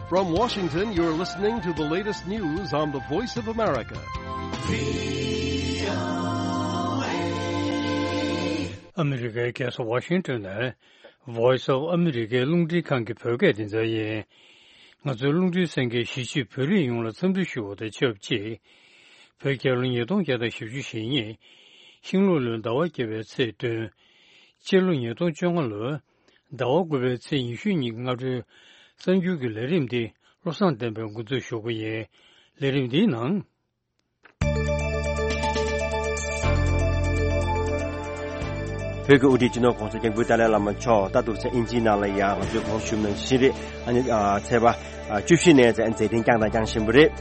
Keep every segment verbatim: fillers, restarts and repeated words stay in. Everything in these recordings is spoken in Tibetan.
From Washington, you're listening to the latest news on the Voice of America. ཨ་མི་རི་ཀའི་རྒྱལ་ས་ཝ་ཤིང་ཏོན་ནས་Voice of America རླུང་འཕྲིན་ཁང་གི་བོད་སྐད་སྡེ་ཚན་ཡིན། ང་ཚོའི་རླུང་འཕྲིན་གསན་མཁན་གཞིས་བྱེས་བོད་རིགས་ཡོངས་ལ་འཚམས་འདྲི་ཞུ་བ་དང་ཆབས་ཅིག་བོད་རྒྱལ་ལོ་ཉིས་སྟོང་བརྒྱ་དང་བཞི་བཅུ་ཞེ་གཉིས། ཤིང་ལུག་ལོའི་ཟླ་བ་བརྒྱད་པའི་ཚེས་བདུན། སྤྱི་ལོ་ཉིས་སྟོང་བཅོ་ལྔ་ལོའི་ཟླ་བ་དགུ་པའི་ཚེས་ཉི་ཤུ་ཉིན་གྱི་སྔ་དྲོའི་གསར་འགྱུར་གྱི་ལས་རིམ་འདི་བློ་བཟང་བསྟན་པས་འགོ་འཛུགས་ཞུ་གི་ཡིན། ལས་རིམ་འདིའི་ནང་། བོད་ཀྱི་དབུ་ཁྲིད་སྤྱི་ནོར་༸གོང་ས་༸སྐྱབས་མགོན་ཏཱ་ལའི་བླ་མ་མཆོག་ད་འདུག་སེ་དབྱིན་ཇིའི་ནང་ལ་ཡང་ང་ཚོས་གོ་སྒྲིག་ཞུས་པ་ནང་བཞིན་རེད། ཨ་ནི་ཨ་ཚེས་པ་ཨ་བཅུ་བཞི་ནས་མཛད་འཕྲིན་བསྐྱངས་དང་བསྐྱང་བཞིན་པ་རེད།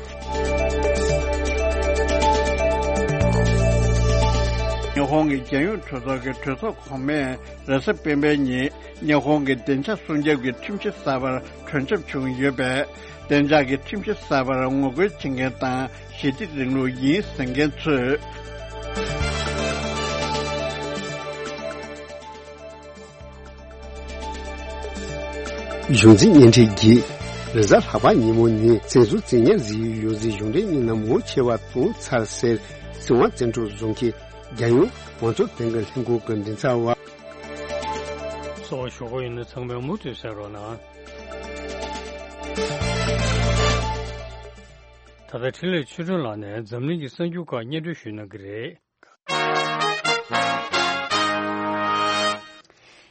ཉི་ཧོང་གི་རྒྱལ་ཡོངས་གྲོས་ཚོགས་ཀྱི་གྲོས་ཚོགས་གོང་མས་རེས་གཟའ་སྤེན་པའི་ཉིན་ཉི་ཧོང་གི་བདེ་འཇགས་སྲུང་སྐྱོབ་ཀྱི་ཁྲིམས་གཞི་གསར་པར་གྲོས་འཆམ་བྱུང་ཡོད་པས། བདེ་འཇགས་ཀྱི་ཁྲིམས་གཞི་གསར་པར་ངོ་རྒོལ་བྱེད་མཁན་དང་ཞི་བདེ་རིང་ལུགས་ཡིན་ཟེར་མཁན་ཚོས། གཞུང་འཛིན་བརྙན་འཕྲིན་གྱིས་རེས་གཟའ་ལྷག་པ་ཉིན་མོ་ནི་བཙན་བཟུང་བཙན་ཉར་བཟོས་ཡོད་ཟེར། གཞུང་འབྲེལ་མི་སྣ་མང་ཆེ་བ་བཏང་ཚར་ཟེར། སྲིད་དབང་བཙན་འཕྲོག་བཟོ་མཁན་རྒྱལ་ཡོངས་མང་གཙོ་བདེན་པའི་ལྷན་ཁང་གི་མགྲིན་ཚབ་པ། གསར་འགྱུར་ཞུ་གི་ཡོད་ན་ཚང་མས་མུ་མཐུད་གསན་རོགས་གནང་། ད་ལྟ་འཕྲིན་ལས་ཆོས་སྒྲོན་ལགས་ནས་འཛམ་གླིང་གི་གསར་འགྱུར་ཁག་སྙན་སྒྲོན་ཞུ་གནང་གི་རེད།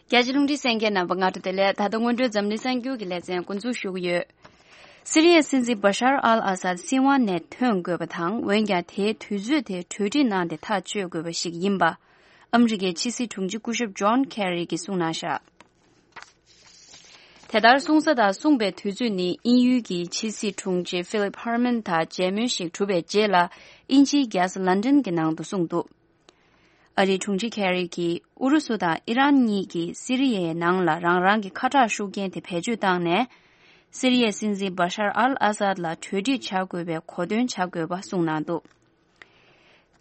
རྒྱ་ཆེ་རླུང་འཕྲིན་གསན་མཁན་རྣམ་པ་སྔ་དྲོ་བདེ་ལེགས། ད་ལྟ་སྔོན་འགྲོའི་འཛམ་གླིང་གསར་འགྱུར་གྱི་ལེ་ཚན་འགོ་འཛུགས་ཞུ་གི་ཡོད། སི་རི་ཡའི་སྲིད་འཛིན་བ་ཤར་ཨལ་ཨ་སཱད་སྲིད་དབང་ནས་ཐོན་དགོས་པ་དང་། འོན་ཀྱང་དེའི་དུས་ཚོད་དེ་གྲོས་འགྲིག་གནང་སྟེ་ཐག་གཅོད་དགོས་པ་ཞིག་ཡིན་པ། ཨ་མི་རི་ཀའི་ཕྱི་སྲིད་དྲུང་ཆེ་སྐུ་ཞབས་ཇོན་ཁེ་རི་གིས་གསུངས་གནང་བཞག་དེ་ལྟར་གསུངས་ས་དང་གསུངས་པའི་དུས་ཚོད་ནི་དབྱིན་ཡུལ་གྱི་ཕྱི་སྲིད་དྲུང་ཆེ་ཧྥི་ལིབ་ཧར་མན་དང་མཇལ་མོལ་ཞིག་གྲུབ་པའི་རྗེས་ལ། དབྱིན་ཇིའི་རྒྱལ་ས་ལན་ཌན་གྱི་ནང་དུ་གསུངས་འདུག་ཨ་རིའི་དྲུང་ཆེ་ཁེ་རི་གིས་ཨུ་རུ་སུ་དང་ཨི་རན་གཉིས་ཀྱིས་སི་རི་ཡའི་ནང་ལ་རང་རང་གི་ཁ་གྲག་ཤུགས་རྐྱེན་དེ་བེད་སྤྱོད་བཏང་ནས། སི་རི་ཡའི་སྲིད་འཛིན་བ་ཤར་ཨལ་ཨ་སཱད་ལ་གྲོས་འགྲིག་བྱ་དགོས་པའི་གོ་སྟོན་བྱ་དགོས་པ་གསུངས་གནང་འདུག་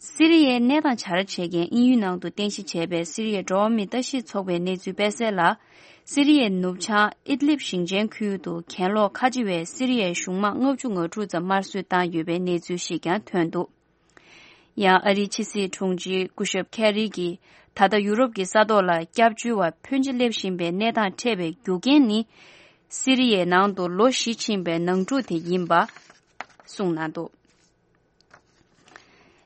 སི་རི་ཡའི་གནས་སྟངས་བྱ་ར་བྱེད་མཁན་དབྱིན་ཡུལ་ནང་དུ་རྟེན་གཞི་བྱས་པའི་སི་རི་ཡའི་འགྲོ་བ་མིའི་ལྟ་ཞིབ་ཚོགས་པའི་གནས་ཚུལ་སྤེལ་གསལ་ལ། སི་རི་ཡའི་ནུབ་བྱང་ཨིད་ལིབ་ཞིང་ཆེན་ཁུལ་དུ་གྱེན་ལོག་ཁ་ཆེ་བའི་སི་རི་ཡའི་གཞུང་དམག་ལྔ་བཅུ་ང་དྲུག་ཙམ་དམར་གསོད་བཏང་ཡོད་པའི་གནས་ཚུལ་ཞིག་ཀྱང་ཐོན་འདུག་ཡང་ཨ་རིའི་ཕྱི་སྲིད་དྲུང་ཆེ་སྐུ་ཞབས་ཁེ་རི་གིས་ད་ལྟ་ཡུ་རོབ་ཀྱི་ས་ཐོག་ལ་སྐྱབས་བཅོལ་བ་ཕོན་ཆེ་སླེབས་བཞིན་པའི་གནས་སྟངས་འཕྲད་པའི་རྒྱུ་རྐྱེན་ནི། སི་རི་ཡའི་ནང་དུ་ལོ་བཞི་ཕྱིན་པའི་ནང་འཁྲུག་དེ་ཡིན་པ་གསུངས་གནང་འདུག་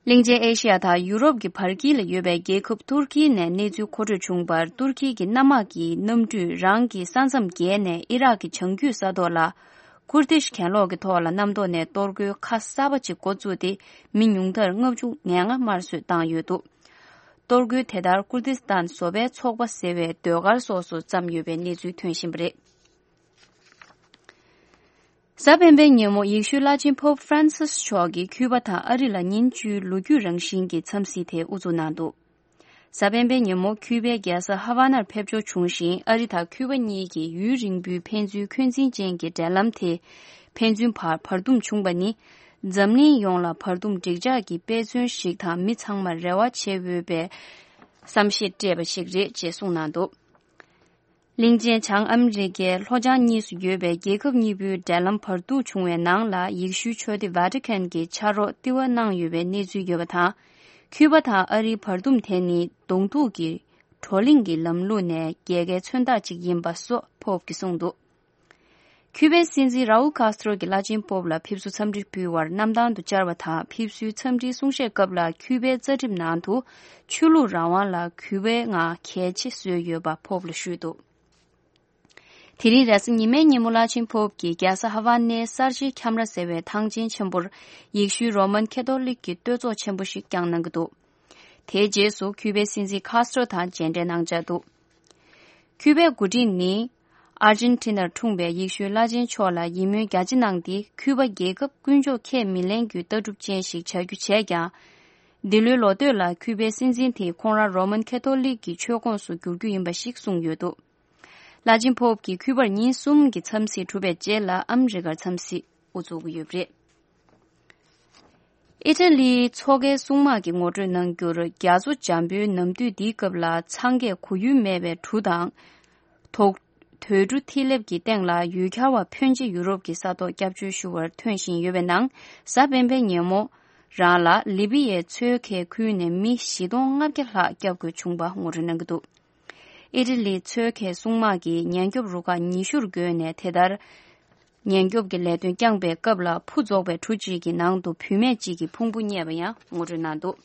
གླིང་ཆེན་ཨེ་ཤི་ཡ་དང་ཡུ་རོབ་ཀྱི་བར་དཀྱིལ་ལ་ཡོད་པའི་རྒྱལ་ཁབ་ཏུར་ཀི་ནས་གནས་ཚུལ་མཁོ་སྤྲོད་བྱུང་བར། ཏུར་ཀི་གི་གནམ་དམག་གིས་གནམ་གྲུས་རང་གི་ས་མཚམས་བརྒལ་ནས་ཨི་རག་གི་བྱང་རྒྱུད་ས་ཐོག་ལ་ཀུར་དིཤ་གྱེན་ལོག་གི་ཐོག་ལ་གནམ་ཐོག་ནས་གཏོར་རྒོལ་ཁ་གསར་པ་ཅིག་འགོ་བཙུགས་ཏེ། མི་ཉུང་མཐར་ལྔ་བཅུ་ང་ལྔ་དམར་གསོད་བཏང་ཡོད་འདུག་གཏོར་རྒོལ་དེ་ལྟར་ཀུར་དིས་ཏན་བཟོ་པའི་ཚོགས་པ་ཟེར་བའི་ཟློས་གར་སོགས་སུ་བརྩམས་ཡོད་པའི་གནས་ཚུལ་ཐོན་བཞིན་པ་རེད། གཟའ་སྤེན་པའི་ཉིན་མོ་ཡེ་ཤུའི་བླ་ཆེན་Pope Francis་མཆོག་གིས་ཁྱུ་པ་དང་ཨ་རི་ལ་ཉིན་བཅུའི་ལོ་རྒྱུས་རང་བཞིན་གྱི་འཚམས་གཟིགས་དེ་དབུ་འཛུགས་གནང་འདུག་གཟའ་སྤེན་པའི་ཉིན་མོ་ཁྱུ་པའི་རྒྱལ་ས་ཧ་ཝ་ནར་ཕེབས་འབྱོར་བྱུང་ཞིང་། ཨ་རི་དང་ཁྱུ་པ་གཉིས་ཀྱི་ཡུན་རིང་པོའི་ཕན་ཚུན་འཁོན་འཛིན་ཅན་གྱི་འབྲེལ་ལམ་དེ་ཕན་ཚུན་བར་བར་འདུམ་བྱུང་བ་ནི། འཛམ་གླིང་ཡོངས་ལ་བར་འདུམ་འགྲིག་འཇགས་ཀྱི་དཔེ་མཚོན་ཞིག་དང་། མི་ཚང་མར་རེ་བ་བྱེད་འོས་པའི་བསམ་ཤེས་སྤྲད་པ་ཞིག་རེད་ཅེས་གསུངས་གནང་འདུག་གླིང་ཆེན་བྱང་ཨ་མི་རི་ཀའི་ལྷོ་བྱང་གཉིས་སུ་ཡོད་པའི་རྒྱལ་ཁབ་གཉིས་པོའི་འབྲེལ་ལམ་བར་འདུམ་བྱུང་བའི་ནང་ལ། ཡེ་ཤུའི་ཆོས་སྡེ་ཝ་ཏི་ཁན་གྱིས་ཕྱག་རོགས་ལྟེ་བ་གནང་ཡོད་པའི་གནས་ཚུལ་ཡོད་པ་དང་། ཁྱུ་པ་དང་ཨ་རིའི་བར་འདུམ་དེ་ནི་གདོང་ཐུག་གི་བགྲོ་གླེང་གི་ལམ་ལུགས་ནས་རྒྱལ་ཁའི་མཚོན་རྟགས་ཅིག་ཡིན་པ་སོགས་Pope་གིས་གསུངས་འདུག་ཁྱུ་པའི་སྲིད་འཛིན་རའུལ་ཀཱས་ཏྲོ་གིས་བླ་ཆེན་Pope་ལ་ཕེབས་བསུ་འཚམས་འདྲི་ཕུལ་བར་གནམ་ཐང་དུ་བཅར་བ་དང་། ཕེབས་བསུའི་འཚམས་འདྲིའི་གསུང་བཤད་སྐབས་ལ། ཁྱུ་པའི་རྩ་ཁྲིམས་ནང་དུ་ཆོས་ལུགས་རང་དབང་ལ་གུས་པའི་ངང་གལ་ཆེ་བཟོས་ཡོད་པ་Pope་ལ་ཞུས་འདུག་དེ་རིང་རེས་གཟའ་ཉི་མའི་ཉིན་མོ་བླ་ཆེན་Pope་གྱིས་རྒྱལ་ས་ཧ་ཝ་ནའི་གསར་བརྗེའི་ཁྱམས་ར་ཟེར་བའི་ཐང་ཆེན་ཆེན་པོར་ཡེ་ཤུའི་རོ་མན་ཁེ་ཐོ་ལིག་གི་བསྟོད་ཚོགས་ཆེན་པོ་ཞིག་བསྐྱངས་གནང་གི་འདུག་དེའི་རྗེས་སུ་ཁྱུ་པའི་སྲིད་འཛིན་ཀཱས་ཏྲོ་དང་མཇལ་འཕྲད་གནང་འཆར་འདུག་ཁྱུ་པའི་འགོ་ཁྲིད་ནི་ཨར་ཇན་ཊི་ནར་འཁྲུངས་པའི་ཡེ་ཤུའི་བླ་ཆེན་མཆོག་ལ་ཡིད་སྨོན་རྒྱ་ཆེ་གནང་སྟེ། ཁྱུ་པ་རྒྱལ་ཁབ་ཀུན་སྤྱོད་ཁས་མི་ལེན་རྒྱུའི་ལྟ་གྲུབ་ཅན་ཞིག་བྱ་རྒྱུ་བྱས་ཀྱང་། འདི་ལོའི་ལོ་སྟོད་ལ་ཁྱུ་པའི་སྲིད་འཛིན་དེས་ཁོང་རང་རོ་མན་ཁེ་ཐོ་ལིག་གི་ཆོས་ཁོངས་སུ་བསྒྱུར་རྒྱུ་ཡིན་པ་ཞིག་གསུངས་ཡོད་འདུག་བླ་ཆེན་Pope་གྱིས་ཁྱུ་པར་ཉིན་གསུམ་གྱི་འཚམས་གཟིགས་གྲུབ་པའི་རྗེས་ལ་ཨ་མི་རི་ཀར་འཚམས་གཟིགས་དབུ་འཛུགས་ཀྱི་ཡོད་པ་རེད། ཨི་ཊ་ལིའི་མཚོ་ཁའི་སྲུང་དམག་གིས་ངོ་སྤྲོད་གནང་རྒྱུར། རྒྱ་མཚོ་འཇམ་པོའི་ནམ་དུས་འདིའི་སྐབས་ལ་འཚང་ཁས་གོ་ཡུལ་མེད་པའི་གྲུ་དང་། དོག་དུད་འགྲོ་ཐིག་ལེབ་ཀྱི་སྟེང་ལ་ཡུལ་གྱར་བ་ཕོན་ཆེ་ཡུ་རོབ་ཀྱི་ས་ཐོག་སྐྱབས་བཅོལ་ཞུ་བར་ཐོན་བཞིན་ཡོད་པའི་ནང་། གཟའ་སྤེན་པའི་ཉིན་མོ་རང་ལ་ལི་བི་ཡའི་མཚོའི་ཁའི་ཁུལ་ནས་མི་བཞི་སྟོང་ལྔ་བརྒྱ་ལྷག་བསྐྱབ་དགོས་བྱུང་བ་ངོ་སྤྲོད་གནང་གི་འདུག་ཨི་ཊ་ལིའི་མཚོའི་ཁའི་སྲུང་དམག་གིས་ཉེན་སྐྱོབ་རུ་ཁག་ཉི་ཤུར་བགོས་ནས། དེ་ལྟར་ཉེན་སྐྱོབ་ཀྱི་ལས་དོན་བསྐྱངས་པའི་སྐབས་ལ་ཕུ་རྫོགས་པའི་གྲུ་གཅིག་གི་ནང་དུ་བུད་མེད་ཅིག་གི་ཕུང་པོ་རྙེད་པ་ཡང་ངོ་སྤྲོད་གནང་འདུག་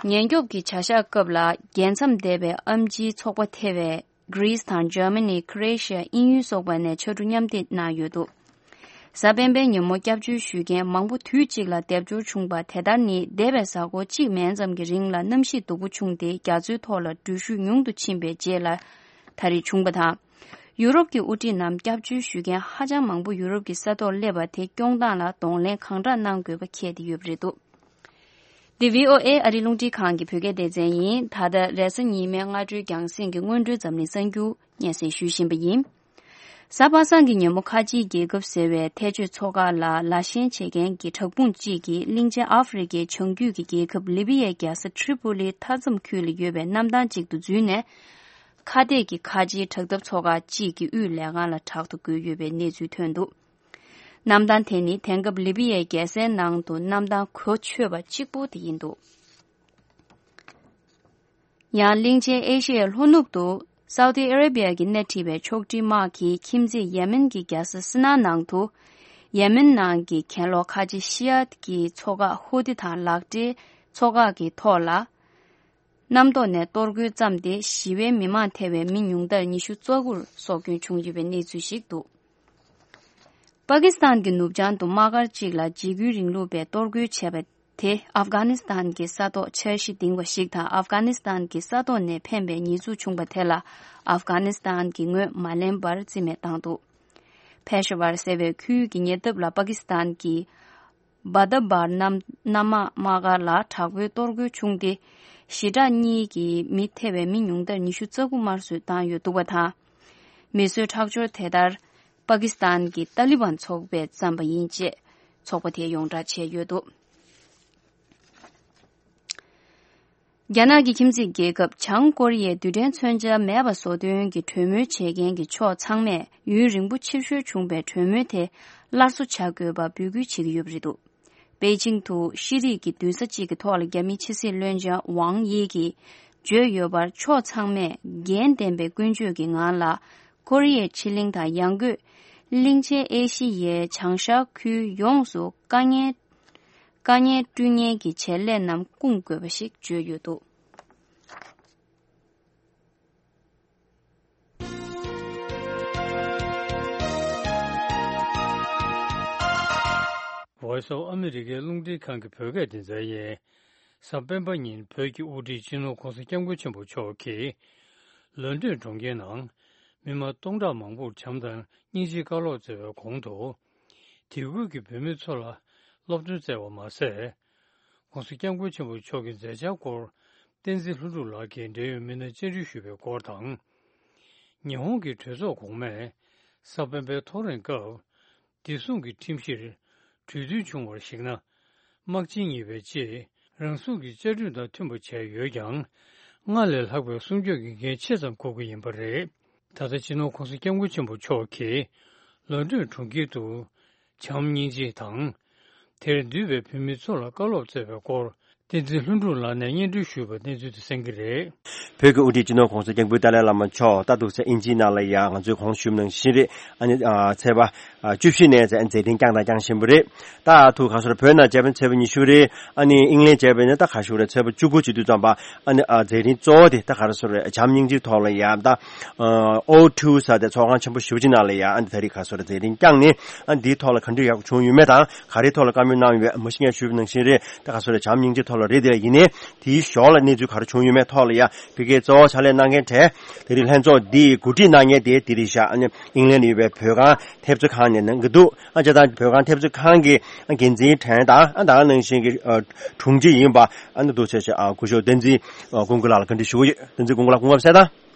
ཉེན་སྐྱོབ་ཀྱི་བྱ་གཞག་སྐབས་ལ་རྒྱལ་མཚམས་འདས་པའི་ཨེམ་ཆིའི་ཚོགས་པ་ཐེ་བའི་གྷི་རིས་དང་འཇར་མ་ནི། ཁྲོ་ཨེ་ཤི་ཡ། དབྱིན་ཡུལ་སོགས་པ་ནས་ཕྱར་གྲུ་མཉམ་འདེགས་གནང་ཡོད་འདུག་གཟའ་སྤེན་པའི་ཉིན་མོ་སྐྱབས་བཅོལ་ཞུ་མཁན་མང་པོ་དུས་གཅིག་ལ་སྡེབ་སྦྱོར་བྱུང་བ་དེ་ལྟར་ནི། འདས་པའི་གཟའ་འཁོར་གཅིག་མན་ཙམ་གྱི་རིང་ལ་གནམ་གཤིས་སྡུག་པོ་བྱུང་སྟེ། རྒྱ་མཚོའི་ཐོག་ལ་འགྲུལ་བཞུད་ཉུང་དུ་ཕྱིན་པའི་རྗེས་ལ་ད་རེས་བྱུང་བ་དང་། ཡུ་རོབ་ཀྱི་དབུ་ཁྲིད་རྣམས་སྐྱབས་བཅོལ་ཞུ་མཁན་ཧ་ཅང་མང་པོ་ཡུ་རོབ་ཀྱི་ས་ཐོག་སླེབས་པ་དེ་སྐྱོང་སྟངས་ལ་གདོང་ལེན་གང་དྲག་གནང་དགོས་པ་འཁེལ་ཏེ་ཡོད་པ་རེད་འདུག་འདི་བྷི་ཨོ་ཨེ་ཨ་རིའི་རླུང་འཕྲིན་ཁང་གི་བོད་སྐད་སྡེ་ཚན་ཡིན། ད་ལྟ་རེས་གཟའ་ཉི་མའི་སྔ་དྲོའི་རྒྱང་སྲིང་གི་སྔོན་འགྲོའི་འཛམ་གླིང་གསར་འགྱུར་སྙན་སེང་ཞུ་བཞིན་པ་ཡིན། གཟའ་པ་སངས་ཀྱི་ཉིན་མོ་ཁ་ཆེའི་རྒྱལ་ཁབ་ཟེར་བའི་ཐལ་སྤྱོད་ཚོགས་ཁག་ལ་ལ་ཞེན་བྱེད་མཁན་གྱི་དྲག་དཔུང་གཅིག་གིས་གླིང་ཆེན་ཨ་ཧྥེ་རི་ཁའི་བྱང་རྒྱུད་ཀྱི་རྒྱལ་ཁབ་ལི་བི་ཡའི་རྒྱལ་ས་ཁྲི་པུ་ལིའི་མཐའ་མཚམས་ཁུལ་ལ་ཡོད་པའི་གནམ་ཐང་གཅིག་ཏུ་འཛུལ་ནས། ཁ་གཏད་ཀྱི་ཁ་ཆེའི་དྲག་འཐབ་ཚོགས་ཁག་གཅིག་གི་དབུས་ལས་ཁང་ལ་དྲག་ཏུ་རྒོལ་ཡོད་པའི་གནས་ཚུལ་ཐོན་འདུག་གནམ་ཐང་དེ་ནི་དེང་སྐབས་ལི་བི་ཡའི་རྒྱལ་སའི་ནང་དུ་གནམ་ཐང་གོ་ཆོད་པ་གཅིག་པུ་དེ་ཡིན་འདུག་ཡང་གླིང་ཆེན་ཨེ་ཤི་ཡའི་ལྷོ་ནུབ་ཏུ་སའུ་ཏི་ཨ་རེ་བི་ཡ་གིས་སྣེ་ཁྲིད་པའི་ཕྱོགས་སྒྲིག་དམག་གིས་ཁྱིམ་མཚེས་ཡེ་མེན་གྱི་རྒྱལ་ས་སི་ན་ནང་དུ། ཡེ་མེན་ནང་གི་གྱེན་ལོག་ཁ་ཆེ་ཤི་ཡ་ཏི་གི་ཚོགས་ཁག་ཧུ་ཏི་དང་ལག་སྦྲེལ་ཚོགས་ཁག་གི་ཐོག་ལ། གནམ་ཐོག་ནས་གཏོར་རྒོལ་བརྩམས་ཏེ། ཞི་བའི་མི་མང་ཐེ་བའི་མི་ཉུང་མཐར་ཉི་ཤུ་རྩ་དགུར་སྲོག་སྐྱོན་བྱུང་ཡོད་པའི་གནས་ཚུལ་ཞིག་འདུག་པ་ཀི་སི་ཐན་གྱི་ནུབ་བྱང་དུ་དམག་སྒར་གཅིག་ལ་འཇིགས་སྐུལ་རིང་ལུགས་པས་གཏོར་རྒོལ་བྱས་པ་དེ་ཨབ་གྷ་ནི་སི་ཐན་གྱི་ས་ཐོག་འཆར་གཞི་འདིང་བ་ཞིག་དང་། ཨབ་གྷ་ནི་སི་ཐན་གྱི་ས་ཐོག་ནས་འཕེན་པའི་ཉེས་འཛུགས་བྱུང་བ་དེ་ལ་ཨབ་གྷ་ནི་སི་ཐན་གྱིས་ངོས་མ་ལེན་པར་རྩིས་མེད་བཏང་འདུག་ཕེ་ཤ་ཝར་ཟེར་བའི་ཁུལ་གྱི་ཉེ་འདབས་ལ་པ་ཀི་སི་ཐན་གྱི་བ་ད་བར་གནམ་གནམ་དམག་དམག་སྒར་ལ་དྲག་པོའི་གཏོར་རྒོལ་བྱུང་སྟེ། ཞི་དྲག་གཉིས་ཀྱི་མི་ཐེ་བའི་མི་ཉུང་མཐར་ཉི་ཤུ་རྩ་དགུ་དམར་གསོད་བཏང་ཡོད་འདུག་པ་དང་། མི་གསོད་ཁྲག་སྦྱོར་དེ་ལྟར་པ་ཀི་སི་ཐན་གྱི་ཏཱ་ལི་བན་ཚོགས་པས་བརྩམས་པ་ཡིན་ཅེས་ཚོགས་པ་དེས་ཡོངས་བསྒྲགས་བྱས་ཡོད་འདུག་རྒྱ་ནག་གི་ཁྱིམ་མཚེས་རྒྱལ་ཁབ་བྱང་ཀོ་རི་ཡས་རྡུལ་ཕྲན་མཚོན་ཆ་མེད་པ་བཟོ་དོན་གྱི་གྲོས་མོལ་བྱེད་མཁན་གྱི་ཕྱོགས་ཚང་མས་ཡུན་རིང་པོ་ཕྱིར་བཤོལ་བྱུང་བའི་གྲོས་མོལ་དེ་སླར་གསོ་བྱ་དགོས་པ་འབོད་སྐུལ་བྱེད་ཀྱི་ཡོད་པ་རེད་འདུག་པེ་ཅིང་དུ་ཤེས་རིག་གི་མདུན་ས་གཅིག་གི་ཐོག་ལ་རྒྱ་མིའི་ཕྱི་སྲིད་བློན་ཆེན་ཝང་དབྱི་གིས་བརྗོད་ཡོད་པར། ཕྱོགས་ཚང་མས་འགན་ལྡན་པའི་ཀུན་སྤྱོད་ཀྱི་ངང་ལ་ཀོ་རི་ཡའི་ཕྱེད་གླིང་དང་ཡང་སྒོས་གླིང་ཆེན་ཨེ་ཤི་ཡའི་བྱང་ཤར་ཁུལ་ཡོངས་སུ་དཀའ་ངལ་དཀའ་ངལ་བསྐྲུན་མཁན་གྱི་བྱེད་ལས་རྣམས་སྐུང་དགོས་པ་ཞིག་བརྗོད་ཡོད་འདུག Voice of America རླུང་འཕྲིན་ཁང་གི་བོད་སྐད་སྡེ་ཚན་ཡིན། གཟའ་སྤེན་པ་ཉིན་བོད་ཀྱི་དབུ་ཁྲིད་སྤྱི་ནོར་༧གོང་ས་༧སྐྱབས་མགོན་ཆེན་པོ་མཆོག་གིས་ལོན་ཌོན་གྲོང་ཁྱེར་ནང་མི་མང་སྟོང་ཕྲག་མང་པོར་བྱམས་དང་སྙིང་རྗེའི་བཀའ་སློབ་སྩལ་བའི་གོང་དུ། དེ་ཁུལ་གྱི་བོད་མི་ཚོ་ལ་སློབ་སྟོན་སྩལ་བ་མ་ཟད། ༧གོང་ས་༧སྐྱབས་མགོན་ཆེན་པོ་མཆོག་གི་མཛད་འཆར་སྐོར་བསྟན་འཛིན་ལྷུན་གྲུབ་ལགས་ཀྱིས་འབྲེལ་ཡོད་མི་སྣར་བཅར་འདྲི་ཞུས་པའི་སྐོར་དང་། ཉི་ཧོང་གི་གྲོས་ཚོགས་གོང་མས་གཟའ་སྤེན་པའི་ཐོ་རེངས་སྐབས་བདེ་སྲུང་གི་ཁྲིམས་གཞིར་གྲོས་མཐུན་བྱུང་བར་གཞིགས་ན། དམག་ཆེན་གཉིས་པའི་རྗེས་རང་སྲུང་གི་བཅའ་ཁྲིམས་དང་མཐུན་པ་བྱས་ཡོད་ཀྱང་། སྔར་ལས་ལྷག་པའི་སྲུང་སྐྱོབ་ཀྱི་འགན་ཆེ་ཙམ་འཁུར་གྱི་ཡིན་པ་རེད། ད་ལྟ་སྤྱི་ནོར་༧གོང་ས་༧སྐྱབས་མགོན་ཆེན་པོ་མཆོག་གིས་ལོན་ཌོན་གྲོང་ཁྱེར་དུ་བྱམས་སྙིང་རྗེ་དང་། དེར་འདུས་པའི་བོད་མི་ཚོ་ལ་བཀའ་སློབ་སྩལ་བའི་སྐོར། བསྟན་འཛིན་ལྷུན་གྲུབ་ལགས་ནས་སྙན་སྒྲོན་ཞུས་པ་གནས་ཚུལ་དེ་གསན་གྱི་རེད། བོད་ཀྱི་དབུ་ཁྲིད་སྤྱི་ནོར་༧གོང་ས་༧སྐྱབས་མགོན་ཏཱ་ལའི་བླ་མ་མཆོག་ད་འདུག་སེ་དབྱིན་ཇིའི་ནང་ལ་ཡང་ང་ཚོས་གོང་ཞུས་ནང་བཞིན་རེད། ཨ་ནི་ཨ་ཚེས་པ་ཨ་བཅུ་བཞི་ནས་མཛད་མཛད་འཕྲིན་བསྐྱངས་དང་བསྐྱང་བཞིན་པ་རེད། ད་ཐུག་ག་སོར་བོད་ནང་བྱས་པ་ཚེས་པ་ཉི་ཤུ་རེད། ཨ་ནི་ཨིང་ལན་བྱས་པ་ཡིན་ན་ད་ག་ཞུ་རེད། ཚེས་པ་བཅུ་དགུ་བྱེད་དུས་ཙམ་པ་ཨ་ནི་ཨ་མཛད་འཕྲིན་གཙོ་བོ་དེ་ད་ག་རེ་སོར་རེད། བྱམས་སྙིང་རྗེའི་ཐོག་ལ་ཡང་ད་ཨོ་ཊུ་ས་དེ་ཚོགས་ཁང་ཆེན་པོ་ཞེ་པོ་ཅིག་ནང་ལ་ཡང་ཨ་ནི་ད་རེས་ག་སོར་མཛད་འཕྲིན་བསྐྱངས་ནས་ཨ་ནི་འདིའི་ཐོག་ལ་ག་འདྲ་ཡག་པོ་བྱུང་ཡོད་མེད་དང་། ག་རེའི་ཐོག་ལ་བཀའ་མོལ་གནང་ཡོད་མ་གཞི་ངས་ཞུས་པ་ནང་བཞིན་རེད། ད་ག་སོ་རེད། བྱམས་སྙིང་རྗེ་ཐོག་ལ་རེད། དེ་ལ་ཡིན་ནའི་དེའི་ཞོར་ལ་གནས་ཚུལ་ག་རེ་བྱུང་ཡོད་མེད་ཐོག་ལ་ཡ་ཕ་གིའི་གཙོ་བོ་ཕྱག་ལས་གནང་མཁན་གྲས་དེ་རིང་ལྷན་ཚོགས་འདིའི་གོ་སྒྲིག་གནང་མཁན་དེ་དེ་རིང་ཤག་ཨ་ནི་ཨིང་ལན་ཡོད་པའི་བོད་ཁང་ཐེབས་རྩ་ཁང་ནས་གནང་གི་འདུག་ཨ་ཅག་དང་བོད་ཁང་ཐེབས་རྩ་ཁང་གི་འགན་འཛིན་དྲན་དང་ཨ་ད་ག་ནང་བཞིན་གྱི་དྲུང་ཆེ་ཡིན་པ་ཨ་ནི་འདུག་ཆེ་ཆེ་ཨ་སྐུ་ཞབས་བསྟན་འཛིན་ཀུན་དགའ་ལགས་ལ་བཀའ་འདྲི་ཞུ་གི་ཡོད། བསྟན་འཛིན་ཀུན་དགའ་ལགས་སྐུ་ངོ་གསལ་དང་།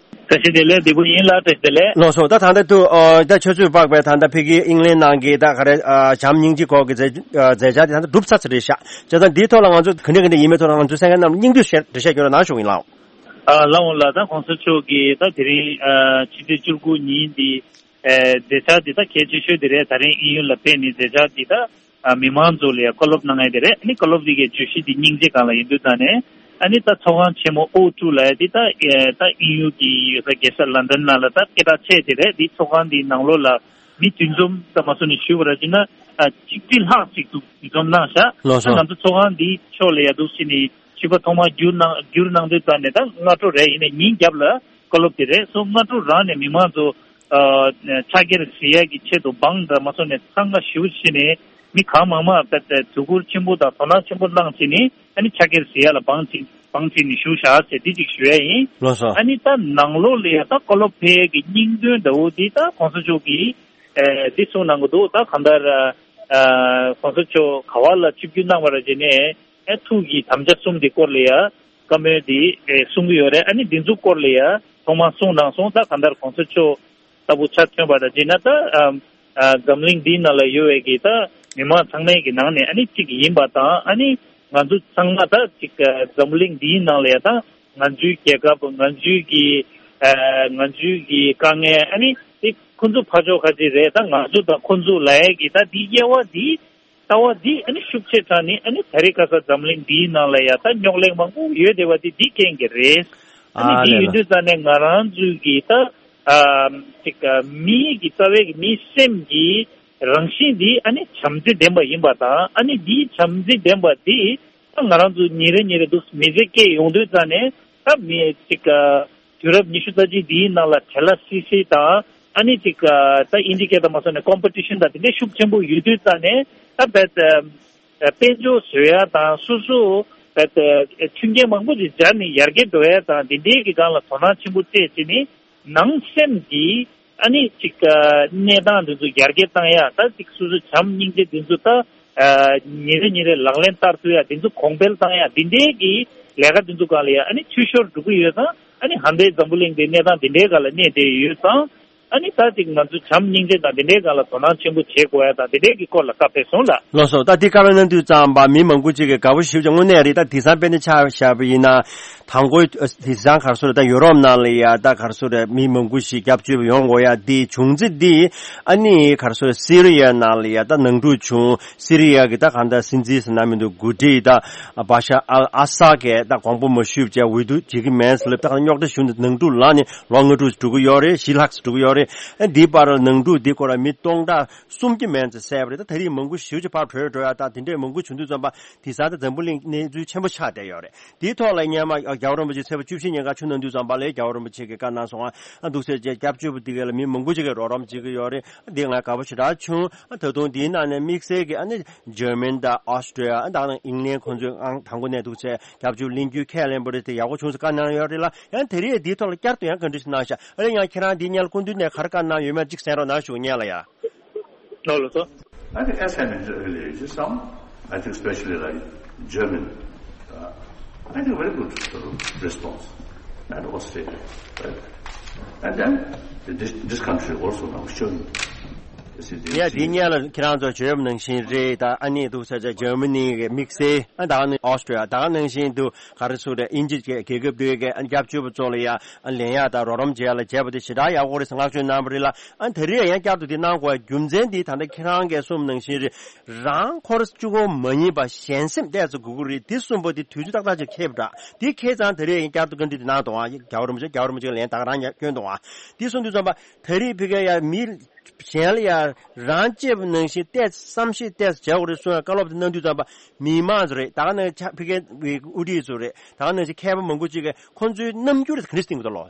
བཀྲ་ཤིས་བདེ་ལེགས། བདེ་པོ་ཡིན་ལགས། བཀྲ་ཤིས་བདེ་ལེགས། ལགས་སོ། ད་ད་ལྟ་དུ་ཨ་ད་ཆུ་ཚོད་དཔག་པའི་ད་ལྟ་ཕ་གི་ཨིང་ལན་ནང་གི་ད་ག་རེ་ཨ་བྱམས་སྙིང་རྗེ་སྐོར་གྱི་མཛད་ཨ་མཛད་འཆར་དེ་ད་ལྟ་གྲུབ་ཚར་ཚར་རེད་ཤག་བྱས་ཙང་འདིའི་ཐོག་ལ་ང་ཚོ་ག་འདྲ་ག་འདྲ་ཡིན་མིན་ཐོག་ལ་ང་ཚོ་གསན་མཁན་རྣམས་སྙིང་བསྡུས་ཤིག་འགྲེལ་བཤད་སྐྱོན་རོགས་གནང་ཞུ་གི་ཡིན་ལགས། ཨ་ལགས་འོང་ལགས། ད་གོང་ས་མཆོག་གིས་ད་དེ་རིང་ཨ་ཕྱི་ཚེས་བཅུ་དགུ་ཉིན་འདི་ཨ་མཛད་འཆར་འདི་ད་གལ་ཆེ་ཤོས་དེ་རེད། ད་རིང་དབྱིན་ཡུལ་ལ་ཕེབས་ནས་མཛད་འཆར་འདི་ད་ཨ་མི་མང་ཚོ་ལ་ཡང་བཀའ་སློབ་གནང་ཡ་དེ་རེད། ཨ་ནི་བཀའ་སློབ་འདི་གའི་བརྗོད་གཞི་འདི་སྙིང་རྗེ་སྒང་ལ་ཡིན་དུས་ཙང་ནས། ཨ་ནི་ད་ཚོགས་ཁང་ཆེན་མོ་ཨོ་ཊུ་ལབ་ཡ་འདི་ད་ཨེ་ད་དབྱིན་ཡུལ་གྱི་ཡོད་ས་རྒྱལ་ས་ལན་ཌན་ནང་ལ་ད་སྐད་གྲགས་ཆེ་དེ་རེད། འདི་ཚོགས་ཁང་འདི་ནང་ལོགས་ལ་མི་འདུ་འཛོམས་ཙམ་མ་སོང་ནས་ཞུས་པ་ར་བྱས་ན་ཨ་གཅིག་ཁྲི་ལྷག་ཅིག་འདུ་འཛོམས་གནང་ཤག་ལགས་ད་སོ། ང་ཚོ་ཚོགས་ཁང་འདིའི་ཕྱོགས་ལ་ཡ་འདུག་ཕྱིན་ནས་ཕྱི་པ་ཐོག་མར་བསྒྱུར་གནང་བསྒྱུར་གནང་དུས་ཙང་ནས་ད་སྔ་དྲོ་རེད། ཡིན་ནའི་ཉིན་རྒྱབ་ལ་བཀའ་སློབ་དེ་རེད་སོང་། སྔ་དྲོ་རང་ནས་མི་མང་ཚོ་ཨ་ཕྱག་འཁྱེར་བཞེས་ཡ་གི་ཆེད་དུ་འབངས་འདྲ་མ་སོང་ནས་འཚང་ཁ་ཞེ་པོ་ཕྱིན་ནས་མི་གང་མང་མང་དཔེ་དེ་གཟིགས་སྐོར་ཆེན་པོ་དང་དོ་སྣང་ཆེན་པོ་གནང་བྱས་ནས་ཨ་ནི་ཕྱག་འཁྱེར་བཞེས་ཡ་ལ་འབངས་ཅིག་འབངས་ཅིག་ནས་ཞུགས་བཞག་ཟེར་འདི་ཅིག་ཞུ་ཡ་ཡིན། ལགས་སོ། ཨ་ནི་ད་ནང་ལོགས་ལ་ཡ་ད་བཀའ་སློབ་ཕེབས་ཡ་གི་སྙིང་དོན་འདྲ་བོ་འདི་ད་གོང་ས་མཆོག་གིས་ཨ་འདི་གསུངས་གནང་གི་འདུག་ད་གང་ལྟར་ཨ་གོང་ས་མཆོག་ག་བ་ལ་ཆིབས་བསྒྱུར་གནང་བ་ར་བྱས་ནས། ཨེ་ཐུགས་ཀྱི་དམ་བཅའ་གསུམ་གྱི་སྐོར་ལ་ཡ་བཀའ་མོལ་འདི་ཨེ་གསུང་གི་ཡོད་རེད། ཨ་ནི་འདི་ཚོ་སྐོར་ལ་ཡ་ཐོག་མར་གསུང་གནང་སོང་། ད་གང་ལྟར་གོང་ས་མཆོག་ལྟ་བུ་ཆ་མཐུན་པ་དང་བྱས་ན་ད་ཨ་ཨ་འཛམ་གླིང་འདིའི་ནང་ལ་ཡོད་པའི་གི་ད་མི་མང་ཚང་མའི་གི་ནང་ནས་ཨ་ནི་གཅིག་ཡིན་པ་དང་། ཨ་ནི་ང་ཚོ་ཚང་མ་ད་གཅིག་ཨ་འཛམ་གླིང་འདིའི་ནང་ལ་ཡ་ད་ང་ཚོའི་རྒྱལ་ཁབ་ང་ཚོའི་གི་ཨ་ང་ཚོའི་གི་དཀའ་ངལ་ཨ་ནི་དེ་ཁོང་ཚོ་ཕར་ཕྱོགས་ཁ་ཅིག་རེད། ད་ང་ཚོ་དང་ཁོང་ཚོ་ལབ་ཡ་གི་ད་འདི་དབྱེ་བ་འདི། ལྟ་བ་འདི་ཨ་ནི་ཤུགས་ཆེ་དྲགས་ནི་ཨ་ནི་ད་རེས་ཁ་སང་འཛམ་གླིང་འདིའི་ནང་ལ་ཡ་ད་རྙོག་གླེང་མང་པོ་ཡོད་བསྡད་པ་འདི་འདི་རྐྱེན་གྱིས་རེད། ཨ་ནི་ཨ་འདི་ལས་ཡོད་ལ། དུས་ཙང་ནས་ང་རང་ཚོའི་གི་ད་ཨ་ཅིག་ཨ་མིའི་གི་རྩ་བའི་གི་མིའི་སེམས་ཀྱི་རང་བཞིན་འདི་ཨ་ནི་བྱམས་བརྩེ་ལྡན་པ་ཡིན་པ་དང་། ཨ་ནི་འདིའི་བྱམས་བརྩེ་ལྡན་པ་འདི་ད་ང་རང་ཚོ་ཉིན་རེ་ཉིན་རེ་འདུག་མི་ཚེ་སྐྱེལ་ཡོང་དུས་ཙང་ནས་ད་མི་ཅིག་ཨ་དུས་རབས་ཉི་ཤུ་རྩ་གཅིག་འདིའི་ནང་ལ་བྲེལ་བ་སི་སི་དང་། ཨ་ནི་ཅིག་ཨ་ད་ཨིན་ཇི་སྐད་དང་མ་སོང་ནས་ཀོམ་པི་ཊི་ཤན་དང་དེ་འདྲའི་ཤུགས་ཆེན་པོ་ཡོད་དུས་ཙང་ནས་ད་བེད་ཨ་དཔལ་འབྱོར་བཟོ་ཡ་དང་སོ་སོ་བེད་ཨ་མཐུན་རྐྱེན་མང་པོ་ཞིག་སྦྱར་ནས་ཡར་རྒྱས་འགྲོ་ཡ་དང་དེ་འདྲའི་གི་སྒང་ལ་དོ་སྣང་ཆེན་པོ་སྤྲད་བྱས་ནས་ནང་སེམས་ཀྱི་ཨ་ནི་ཅིག་ཨ་གནས་སྟངས་འདི་ཚོ་ཡར་རྒྱས་བཏང་ཡ། ད་ཅིག་སོ་སོ་བྱམས་སྙིང་རྗེ་འདི་ཚོ་ད་ཨ་ཉིན་རེ་ཉིན་རེ་ལག་ལེན་བསྟར་ཐུབ་ཡ་འདི་ཚོ་གོང་འཕེལ་བཏང་ཡ་འདི་འདྲའི་གི་ལས་ཀ་འདི་ཚོ་སྒང་ལ་ཡ་ཨ་ནི་འཐུས་ཤོར་འགྲོ་གི་ཡོད་ཙང་། ཨ་ནི་ཧན་ཏེ་འཛམ་བུ་གླིང་འདི་གནས་སྟངས་འདི་འདྲའི་སྒང་ལ་གནས་བསྡད་ཡོད་ཙང་། ཨ་ནི་ད་ཅིག་ང་ཚོ་བྱམས་སྙིང་རྗེ་དང་འདི་འདྲའི་སྒང་ལ་དོ་སྣང་ཆེན་པོ་བྱེད་དགོས་ཡ་དང་འདི་འདྲའི་གི་སྐོར་ལ་བཀའ་ཕེབས་སོང་ལགས། ལགས་སོ། ད་འདི་བཀའ་མོལ་གནང་དུས་ཙམ་པ་མི་མང་པོ་ཅིག་གིས་དགའ་པོ་ཞེ་པོ་ཅིག་དངོས་གནས་རེད། ད་དེང་སང་དཔེར་ན་ཆ་བཞག་པ་ཡིན་ན་དང་པོ་དེང་སང་ག་རེ་ཟེར་རེད། ད་ཡུ་རོབ་ནང་ལ་ཡ་ད་ག་རེ་ཟེར་རེད། མི་མང་པོ་ཞིག་སྐྱབས་བཅོལ་བ་ཡོང་དགོས་ཡ་འདི་བྱུང་རྩིས་འདི་ཨ་ནི་ག་རེ་ཟེར་རེད། སི་རི་ཡ་ནང་ལ་ཡ་ད་ནང་འཁྲུག་བྱུང་། སི་རི་ཡ་གི་ད་གང་ལྟར་སྲིད་འཛིན་ཟེར་ན་མི་འདུག་འགོ་ཁྲིད་ད་བ་ཤར་ཨལ་ཨ་ས་གིས་ད་དགོངས་པ་མ་ཞུས་བྱས་འོས་བསྡུ་བྱེད་ཀྱི་མེད་ཟེར་ལབ། ད་གང་རྙོག་དྲ་བྱུང་སྟེ་ནང་འཁྲུག་ལངས་ནས་ལོ་ལྔ་དྲུག་འགྲོ་གི་ཡོད་རེད། བཞི་ལྷག་ཙམ་འགྲོ་གི་ཡོད་རེད། ཨ་འདིའི་བར་ནང་འཁྲུག་འདིའི་སྐོར་ལ་མི་སྟོང་ཕྲག་གསུམ་གྱི་མན་ཙམ་བསད་པ་རེད། ད་ད་རེས་མང་པོ་ཞེ་པོ་ཅིག་ཕར་བྲོས་འགྲོ་ཡ་དང་དེ་འདྲས་མང་པོ་བྱུང་དུས་ཙམ་པ་དེང་སང་ད་འཛམ་བུ་གླིང་གནས་ཚུལ་ཆེན་པོ་ཆགས་བསྡད་ཡོད་རེད། དེའི་ཐོག་ལ་སྔོན་མ་རྒྱལ་བ་རིན་པོ་ཆེ་ཚེས་པ་བཅུ་བཞི་ཉིན་ཀ་ཆིབས་གནང་དུས་ཙམ་པ་ལ་རྒྱལ་བ་རིན་པོ་ཆེ་གིས་བཀའ་གནང་སོང་། ཨ་འདུག་སེ་བྱས་སྐྱབས་བཅོལ་བ་དེ་ག་ལ་མི་མང་པོ་ཅིག་གིས་རོགས་རམ་བྱེད་ཀྱི་ཡོད་རེད། འདི་ང་དགའ་པོ་ཞེ་དྲག་བྱུང་། ད་དུང་འདིའི་ནང་ནས་དམིགས་བསལ་གྱི་ཨ་ནི་འཇར་མན་དང་ཨོ་སི་ཊྲེ་ལི་ཡ། ཨ་ད་ནང་ཨིང་ལན་ཁོང་ཚོས་ཨང་དང་པོ་ནས་འདུག་སེ་སྐྱབས་བཅོལ་གླེང་རྒྱུ་ཁས་ལེན་པ་རེད། དེ་ཡག་པོ་བྱུང་ཟེར་བཀའ་གནང་ཡོད་རེད་ལ། ཡང་དེ་རིང་འདིའི་ཐོག་ལ་བསྐྱར་དུ་ཡང་བཀའ་འདྲི་ཞིག་གནང་ཤག་ཨ་ལས་ཡང་ཁྱེད་རང་འདིའི་སྔོན་ལ་སྐུ་མདུན་ནས་ག་རེ་བཀའ་གནང་ཡོད་མེད་ཅིག་གསན་རོགས་གནང་ཞུ་ཉན་ལ་ཡ། ལོ་ལོ་སོ། I think as I mentioned earlier, it is some, I think especially like German, uh, I think very good sort of response and Australia, right? And then this, this country also now showing. You see, they ཡ་འདི་see སྔོན་ལ་ཁྱེད་རང་ཚོ་བརྗོད་པ་ནང་བཞིན་རེད། ད་ཨ་ནི་འདུག་ས་ཆ་འཇར་མ་ནི་གི་དམིགས་བསལ། ཨ་ད་ནི་ཨོ་སི་ཊྲེ་ལི་ཡ། ད་ནང་བཞིན་དུ་ག་རེ་ཟེར་རེད། དབྱིན་ཇི་རྒྱལ་ཁབ་དེ་གའི་ཨ་སྐྱབས་བཅོལ་བ་ཚོ་ལ་ཡ་ཨ་ལེན་ཡ་དང་རོགས་རམ་བྱེད་ཡ་ལ་བྱས་པ་དེ་ཞེ་དྲག་ཡག་པོ་རེད་ཟེར་བསྔགས་བརྗོད་གནང་བ་རེད་ལ། ཨ་ད་རེས་ཡང་བསྐྱར་དུ་དེ་གནང་དགོས་རྒྱུ་མཚན་དེ་ད་ལྟ་ཁྱེད་རང་གིས་གསུངས་པ་ནང་བཞིན་རེད། རང་འཁོར་གཅིག་པོ་མ་ཡིན་པ་གཞན་སེམས་ཏོག་ཙམ་དགོས་ཀྱི་རེད། དེ་གསུངས་པ་དེ་དུས་ཚོད་ཏག་ཏག་ཅིག་འཁེལ་བ་འདྲ། དེ་འཁེལ་ཙང་ད་རེས་ཡང་བསྐྱར་དུ་བཀའ་འདྲི་དེ་གནང་དང་། ཨ་རྒྱལ་བ་རིན་པོ་ཆེ་རྒྱལ་བ་རིན་པོ་ཆེ་ལན་ད་ག་རང་ཡང་བསྐྱོན་དང་། ཨ་དེ་གསུངས་དུས་ཙམ་པ་ད་རེས་ཕ་གིར་ཡ་མི་གཞན་ལ་ཡ་རང་གཅེས་པ་ནང་བཞིན་ཏོག་ཙམ་བསམ་ཤེས་ཏོག་ཙམ་བྱ་དགོས་རེད་གསུངས་ཡ་བཀའ་སློབ་དེ་གནང་དུས་ཙམ་པ་མི་མང་ཚོ་རེད། ད་ག་ནང་ཕ་གིའི་དབུ་ཁྲིད་ཚོ་རེད། ད་ག་ནང་བཞིན་མཁས་པ་མང་པོ་ཅིག་གིས་ཁོང་ཚོའི་རྣམ་འགྱུར་དེ་ག་འདྲ་ཞིག་བསྟན་གྱི་འདུག་ལོ།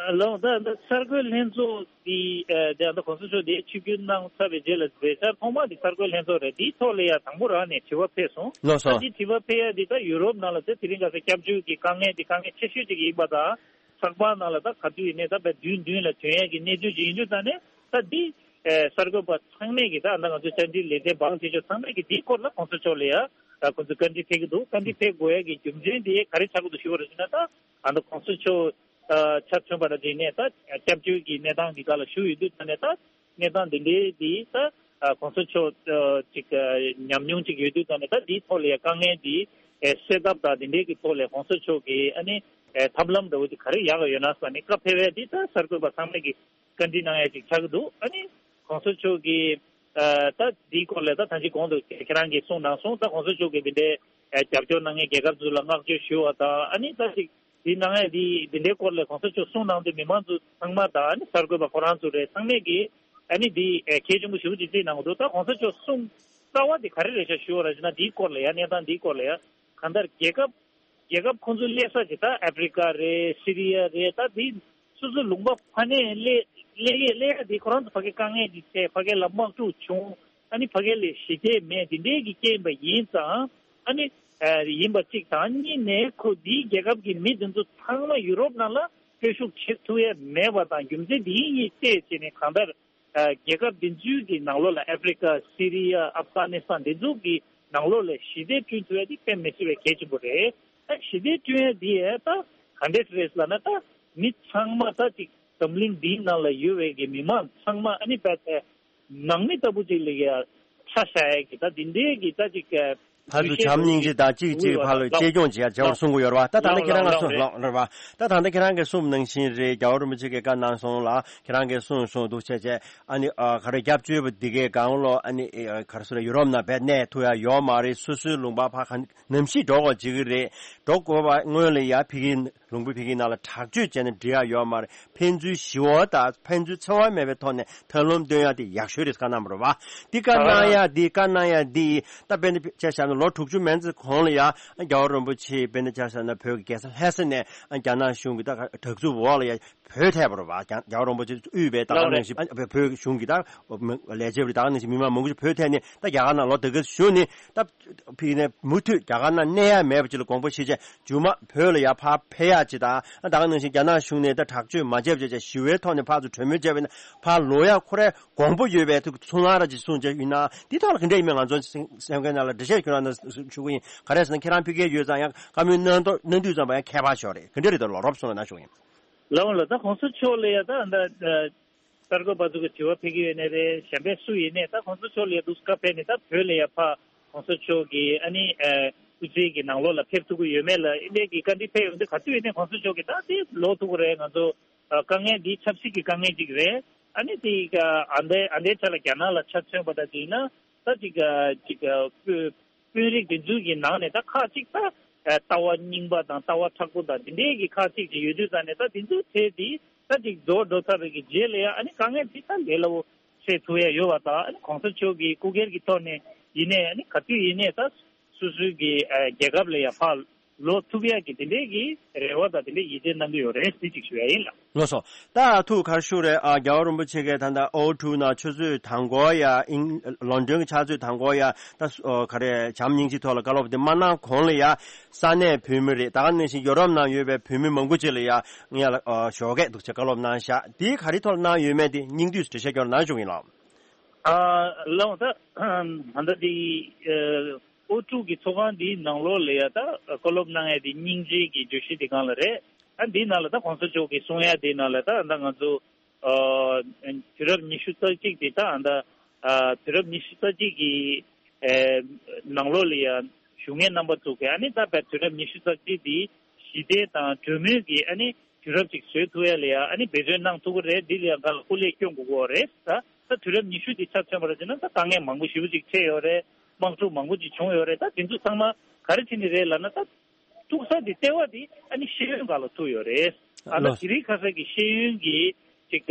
ལགས་འོང་། ད་ད་གསར་འགོད་ལྷན་ཚོགས་འདི་ཨ་ད་ད་གོང་ས་མཆོག་འདི་ཆིབས་བསྒྱུར་གནང་ཚར་བའི་རྗེས་ལ་མཛད་འཆར་ཐོག་མ་འདི་གསར་འགོད་ལྷན་ཚོགས་རེད། འདིའི་ཐོག་ལ་ཡ་དང་པོ་རང་ནས་དྲི་བ་ཕེབས་སོང་། ལགས་སོ། ད་འདི་དྲི་བ་ཕེབས་ཡ་འདི་ད་ཡུ་རོབ་ནང་ལ་ད་དེ་རིང་ཁ་སང་སྐྱབས་བཅོལ་གྱི་དཀའ་ངལ་འདི་དཀའ་ངལ་ཆེ་ཤོས་ཅིག་ཡིན་པ་དང་། ཚགས་པར་ནང་ལ་ད་ག་དུས་ཡིན་ནའི་ད་བར་བདུན་བདུན་ལ་ཐོན་ཡ་གི་གནས་ཚུལ་ཅིག་ཡིན་དུས་ཙང་ནས། ད་འདི་ཨ་གསར་འགོད་པ་ཚང་མས་ཀྱི་ད་ད་ང་ཚོ་བཅར་འདྲི་ལེ་ཚན་འབངས་ཆེ་ཤོས་ཚང་མས་ཀྱི་འདིའི་སྐོར་ལ་གོང་ས་མཆོག་ལ་ཡ་ད་ཁོང་ཚོས་བཀའ་འདྲི་ཕེབས་ཀྱི་འདུག་བཀའ་འདྲི་ཕེབས་དགོས་ཡ་གི་རྒྱུ་མཚན་དེ་ག་རེ་ཆགས་ཀྱི་འདུག་ཞུ་བ་རེད་ཟེར་ན། ད་ད་ལྟ་གོང་ས་མཆོག་ཨ་ཆ་མཚོན་པ་ལ་བརྟེན་ནས་ད་སྐྱབས་བཅོལ་གྱི་གནས་སྟངས་ཀྱི་སྒང་ལ་བཞུགས་ཡོད་དུས་ཙང་ནས། ད་གནས་སྟངས་འདི་འདྲའི་འདི་ད་ཨ་གོང་ས་མཆོག་ཨ་ཅིག་ཨ་ཉམས་མྱོང་ཅིག་ཡོད་དུས་ཙང་ནས། ད་འདིའི་ཐོག་ལ་ཡ་དཀའ་ངལ་འདི་ཨེ་སེལ་ཐབས་དང་འདི་འདྲའི་གི་ཐོག་ལ་གོང་ས་མཆོག་གིས་ཨ་ནི་ ཨེ་ཐབས་ལམ་འདྲ་བོ་དེ་ག་རེ་ཡག་ཡོད་ན་ཟེར་ནས་བཀའ་ཕེབས་ཡས་དེ་ད་གསར་འགོད་པ་ཚང་མས་ཀྱི་བཀའ་འདྲི་གནང་ཡས་ཅིག་ཆགས་ཀྱི་འདུག་ཨ་ནི་གོང་ས་མཆོག་གིས་ཨ་ད་འདིའི་སྐོར་ལ་ད་ད་ཅི་གོང་དུ་ཁྱེད་རང་གིས་གསུངས་གནང་སོང་། ད་གོང་ས་མཆོག་གིས་འདི་འདྲའི་ཨ་རྒྱབ་སྐྱོར་གནང་མཁན་རྒྱལ་ཁབ་ཚོ་ལ་བསྔགས་བརྗོད་ཞུ་བ་དང་། ཨ་ནི་ད་ཅིག་འདི་གནང་ཡས་འདི་འདི་འདྲའི་སྐོར་ལ་གོང་ས་མཆོག་གསུངས་གནང་དུས་མི་མང་ཚོ་ཚང་མ་དང་། ཨ་ནི་གསར་འགོད་པ་ཁོ་རང་ཚོ་རེད། ཚང་མས་ཀྱིས་ཨ་ནི་འདི་ཨ་གལ་ཆེན་པོ་ཞེ་པོ་ཅིག་བརྩིས་གནང་གི་འདུག་ད་གོང་ས་མཆོག་གསུངས་རྩ་བ་འདི་ག་རེ་རེད་ཤག་ཞུ་བ་ར་བྱས་ན། འདིའི་སྐོར་ལ་ཡ་གནས་སྟངས་འདིའི་སྐོར་ལ་ཡ་གང་ལྟར་རྒྱལ་ཁབ་རྒྱལ་ཁབ་ཁོང་ཚོ་སླེབས་ས་ཅིག་ད་ཨ་ཕི་རི་ཀ་རེད། སི་རི་ཡ་རེད། ད་འདི་སོ་སོའི་ལུང་པ་ཕ་ནས་སླེབས་སླེབས་ཡས་སླེབས་ཡས་འདི་ཁོ་རང་ཚོ་ཕ་གི་དཀའ་ངལ་འདི་འཕྲད། ཕ་གི་ལ་དམག་འཁྲུག་བྱུང་། ཨ་ནི་ཕ་གི་ལ་ཞི་བདེ་མེད། འདི་འདྲའི་གི་རྐྱེན་པ་ཡིན་ཙང་། ཨ་ནི་ཨ་ཡིན་པ་གཅིག་དང་། གཉིས་ནས་ཁོ་འདིའི་རྒྱལ་ཁབ་ཀྱི་མི་འདི་ཚོ་ཚང་མ་ཡུ་རོབ་ནང་ལ་སྤྲོད་ཤུགས་བྱེད་ཐུབ་ཡས་མེད་པ་དང་། རྒྱུ་མཚན་འདི་གཉིས་བལྟས་བྱས་ནས་གང་ལྟར། ཨ་རྒྱལ་ཁབ་འདི་ཚོའི་གི་ནང་ལོགས་ལ་ཨ་ཕི་རི་ཀ། སི་རི་ཡ། ཨབ་གྷ་ནི་སི་ཐན་འདི་ཚོ་གི་ནང་ལོགས་ལ་ཞི་བདེ་བསྐྲུན་ཐུབ་ཡ་དེ་དཔེ་མི་སྲིད་པའི་གལ་ཆེན་པོ་རེད། ཨ་ཞི་བདེ་བསྐྲུན་ཡ་དེ་ཡ་ད་ག་འདྲས་རེད་ལབ་ན། ད་མི་ཚང་མ་ད་ཅིག་འཛམ་གླིང་འདིའི་ནང་ལ་ཡོད་པའི་གི་མི་མང་ཚང་མ་ཨ་ནི་བལ་ཏེ་ནང་མི་ལྟ་བུ་ཅིག་ལ་ཡ་ཆ་བཞག་ཡ་གི་ད་འདི་འདྲའི་གི་ད་ཅིག་ཕར་ཚུར་བྱམས་སྙིང་རྗེ་དང་གཅིག་གཅིག་ཕར་ལ་གཅེས་སྐྱོང་བྱེད་ཡ་བྱ་བར་གསུང་གི་ཡོད་རེད་བ། ད་ད་ལྟ་ཁྱེད་རང་གིས་གསུངས་ལགས་རེད་བ། ད་ད་ལྟ་ཁྱེད་རང་གིས་གསུངས་ནང་བཞིན་རེད། རྒྱལ་བ་རིན་པོ་ཆེ་གིས་བཀའ་གནང་སོང་ལ། ཁྱེད་རང་གིས་གསུངས་སོང་འདུག་བྱས་བྱས། ཨ་ནི་ཨ་ག་རེ་སྐྱབས་བཅོལ་བ་འདི་གའི་སྒང་ལོ། ཨ་ནི་ཨ་ག་རེ་ཟེར། ཡུ་རོབ་ནང་བས་གནས་ཐུབ་ཡ་ཡོད་མ་རེད། སོ་སོའི་ལུང་པ་ཕར་ག་ནམ་ཞིག་འགྲོ་དགོས་བྱེད་ཀྱི་རེད། འགྲོ་དགོས་པ་སྔོན་ལ་ཡ་ཕ་གིའི་ལུང་པ་ཕ་གིའི་ནང་ལ་དྲག་སྤྱོད་བྱས་ནས་འགྲོ་ཡ་ཡོད་མ་རེད། ཕན་ཚུན་ཞི་བ་དང་ཕན་ཚུན་འཚེ་བ་མེད་པའི་ཐོག་ནས་ཐབས་ལམ་སྟོན་ཡ་དེ་ཡག་ཤོས་རེད་བཀའ་གནང་བ་རེད་བ། འདི་བཀའ་གནང་ཡ་འདི་བཀའ་གནང་ཡ་འདི་ད་དཔེར་ན་ཆ་བཞག་ན་ལོ་དྲུག་ཅུ་མན་ཙམ་གོང་ལ་ཡ་རྒྱལ་བ་རིན་པོ་ཆེ་དཔེར་ན་ཆ་བཞག་ན་བོད་ཀྱི་རྒྱལ་ས་ལྷ་ས་ནས་རྒྱ་ནག་གཞུང་གི་ད་དྲག་རྩུབ་འོག་ལ་ཡ་བོད་ཐད་པ་རེད་བ། རྒྱལ་བ་རིན་པོ་ཆེ་དབུས་པའི་ད་ག་ནང་བཞིན་བོད་གཞུང་གི་ད་ལས་བྱེད་པ་རེད། ད་ག་ནང་བཞིན་མི་མང་མང་པོ་ཞིག་བོད་ཐད་ནས་ད་རྒྱ་གར་ནང་ལོ་དེ་ག་བཞུགས་ནས་ད་ཕ་གི་ནས་མུ་མཐུད་རྒྱ་གར་ནང་གནས་ཡ་མེད་པ་ཅིག་ལ་དགོངས་པ་བཞེས་བྱས། མཇུག་མ་བོད་ལ་ཡར་ཕར་ཕེབས་ཡག་ཅིག་དང་། ད་ག་ནང་བཞིན་རྒྱ་ནག་གཞུང་ནས་ད་དྲག་སྤྱོད་མ་བྱས་པ་བྱས་བྱས་ཞི་བའི་ཐོག་ནས་ཕར་ཚུར་གྲོས་མོལ་བྱས་པ་ཡིན་ན་ཕར་ལོག་ཡག་ཁོ་རའི་དགོངས་པ་ཡོད་པའི་ཐུགས་ཚོར་སྣང་ར་ཅིག་གསུངས་བྱས་ཡིན་ན། འདི་ཐོག་ལ་ག་འདྲ་ཡིན་མིན་ང་ཚོ་སེམས་ཁ་ནང་ལ་འགྲེལ་བཤད་ཞུ་གནང་ན་ཞུ་གི་ཡིན། ག་རེ་ཟེར་ན་ཁྱེད་རང་ཕ་གིར་ཡོད་ཙང་ཡང་བཀའ་མོལ་གནང་དུས་གནང་དུས་ཙམ་པ་ཡང་མཁས་པ་ཞིག་རེད། ག་འདྲ་རེད་ད་ལོ་རོབ་གསུངས་ན་ན་ཞུ་གི་ཡིན། ལགས་འོང་ལགས། ད་གོང་ས་མཆོག་ལ་ཡ་ད་ད་གསར་འགོད་པ་ཚོ་གི་དྲི་བ་ཕེབས་ཀྱི་ཡོད་ནའི་རེད། གཞན་པ་སུ་ཡིན་ནའི་ད་གོང་ས་མཆོག་ལ་ཡ་འདུག་སེ་བཀའ་ཕེབས་ནས་ད་བོད་ལ་ཡ་ཕར་གོང་ས་མཆོག་གི་ཨ་ནི་ཨ་སྐུ་ཚེ་གི་ནང་ལོགས་ལ་ཕེབས་ཐུབ་ཀྱི་ཡོད་མེད་ལ་ཨེ་འདྲའི་གི་བཀའ་འདྲི་ཕེབས་ཡོང་དུས་ག་དུས་ཡིན་ནའི་གོང་ས་མཆོག་གི་ད་དེ་ལོག་ཐུབ་ཀྱི་རེད། ང་ཚོ་ཨ་དཀའ་ངལ་འདི་ཆབ་སྲིད་ཀྱི་དཀའ་ངལ་ཅིག་རེད། ཨ་ནི་དེ་ཨ་འདའི་ཨ་འདའི་ཆ་ལ་རྒྱ་ནག་ལ་ཆ་མཚོན་པ་ད་དེ་ཡིན་ན་ད་ཅིག་ཨ་ཅིག་ཨ་དཔོན་དཔོན་རིགས་དེ་ཚོའི་གི་ནང་ནས་ད་ཁག་ཅིག་ད་ཨ་ལྟ་བ་རྙིང་པ་དང་ལྟ་བ་མཁྲེགས་པོ་དང་དེ་འདྲའི་གི་ཁག་ཅིག་ཅིག་ཡོད་དུས་ཙང་ནས། ད་དེ་ཚོའི་གྲས་དེ་ད་ཅིག་རྫོགས་འགྲོ་ཚར་བའི་གི་རྗེས་ལ་ཡ་ཨ་ནི་དཀའ་ངལ་དེ་ད་ལས་སླ་བོ་སེལ་ཐུབ་ཡ་ཡོད་པ་དང་། ཨ་ནི་གོང་ས་མཆོག་གི་སྐུ་སྒེར་གྱི་ཐོག་ནས་ཡིན་ནའི་ཨ་ནི་ག་དུས་ཡིན་ནའི་ད་སོ་སོའི་གི་ཨ་རྒྱལ་ཁབ་ལ་ཡ་ཕར་ལོག་ཐུབ་ཡ་གི་དེ་འདྲའི་གི་རེ་བ་དང་དེ་འདྲའི་ཡིད་ཆེས་གནང་གི་ཡོད་རེད། དེ་གཅིག་ཞུ་ཡ་ཡིན་ལགས། ལགས་སོ། ད་ཐུགས་ཁར་ཤུགས་རེད། ཨ་རྒྱལ་བ་རིན་པོ་ཆེ་གིས་ད་ལྟ་ཨོ་ཊུ་ནང་ཆུ་ཚོད་དང་པོ་ཡ་ཨིང་ལོན་ཌོན་གྱི་ཆུ་ཚོད་དང་པོ་ཡ་ད་ཨོ་ག་རེ་བྱམས་སྙིང་རྗེའི་ཐོག་ལ་བཀའ་སློབ་དེ་མ་གནང་གོང་ལ་ཡ་ས་གནས་བོད་མི་རེད། ད་ག་ནང་བཞིན་ཡོ་རོབ་ནང་ཡོད་པའི་བོད་མི་མང་པོ་ཅིག་ལ་ཡ་ངས་ལ་ཨ་ཞོགས་ཀས་འདུག་ཅེས་བཀའ་སློབ་གནང་ཤག་དེ་ག་རེ་ཐོག་ལ་གནང་ཡོད་མེད་དེ་སྙིང་བསྡུས་སུ་འགྲེལ་བཤད་སྐྱོར་གནང་བཅུག་ཡིན་ལགས། ཨ་ལགས་འོང་། ད་ད་ལྟ་དེ་ཨོ་ཊུ་གི་ཚོགས་ཁང་དེའི་ནང་ལོགས་ལ་ཡ་ད་བཀའ་སློབ་གནང་ཡ་དེ་སྙིང་རྗེ་གི་བརྗོད་གཞི་དེ་སྒང་ལ་རེད། ཨ་འདིའི་ནང་ལ་ད་གོང་ས་མཆོག་གིས་གསུང་ཡ་དེའི་ནང་ལ་ད་ད་ང་ཚོ་ཨ་དུས་རབས་ཉི་ཤུ་རྩ་གཅིག་དེ་ད་ཨ་ད་ཨ་དུས་རབས་ཉི་ཤུ་རྩ་གཅིག་གི་ཨེ་ནང་ལོགས་ལ་ཡ་བཞུགས་མཁན་རྣམ་པ་ཚོ་གིས་ཨ་ནི་ད་བས་དུས་རབས་ཉི་ཤུ་རྩ་གཅིག་དེ་ཞི་བདེ་དང་གྲོས་མོལ་གྱི་ཨ་ནི་དུས་རབས་ཅིག་བཟོ་ཐུབ་ཡ་ལ་ཡ་ཨ་ནི་འབད་བརྩོན་གནང་ཐུབ་ཀྱི་རེད། འདི་ལ་ཡ་ག་ལ་སྐུ་ལས་སྐྱོན་དགོས་ཀྱི་ཡོད་རེད། ད་ད་དུས་རབས་ཉི་ཤུ་དེ་ཆ་མཚོན་པ་ར་བྱས་ན་ད་དཀའ་ངལ་མང་པོ་ཞེ་པོ་ཅིག་འཕྲད་ཡོད་རེད། དམག་འཁྲུག་མང་པོ་ཅིག་བྱུང་ཡོད་རེད། ད་དེ་ཚོ་ཚང་མ་ག་རེ་བྱས་ནས་རེད་ལབ་ན། ད་ཐུག་ས་དེ་ལྟེ་བ་དེ་ཨ་ནི་ཤེས་ཡོན་སྒང་ལ་ཐུག་ཡོད་རེད། ཨ་ད་ལགས། དེ་རིང་ཁ་སང་གི་ཤེས་ཡོན་གྱི་ཅིག་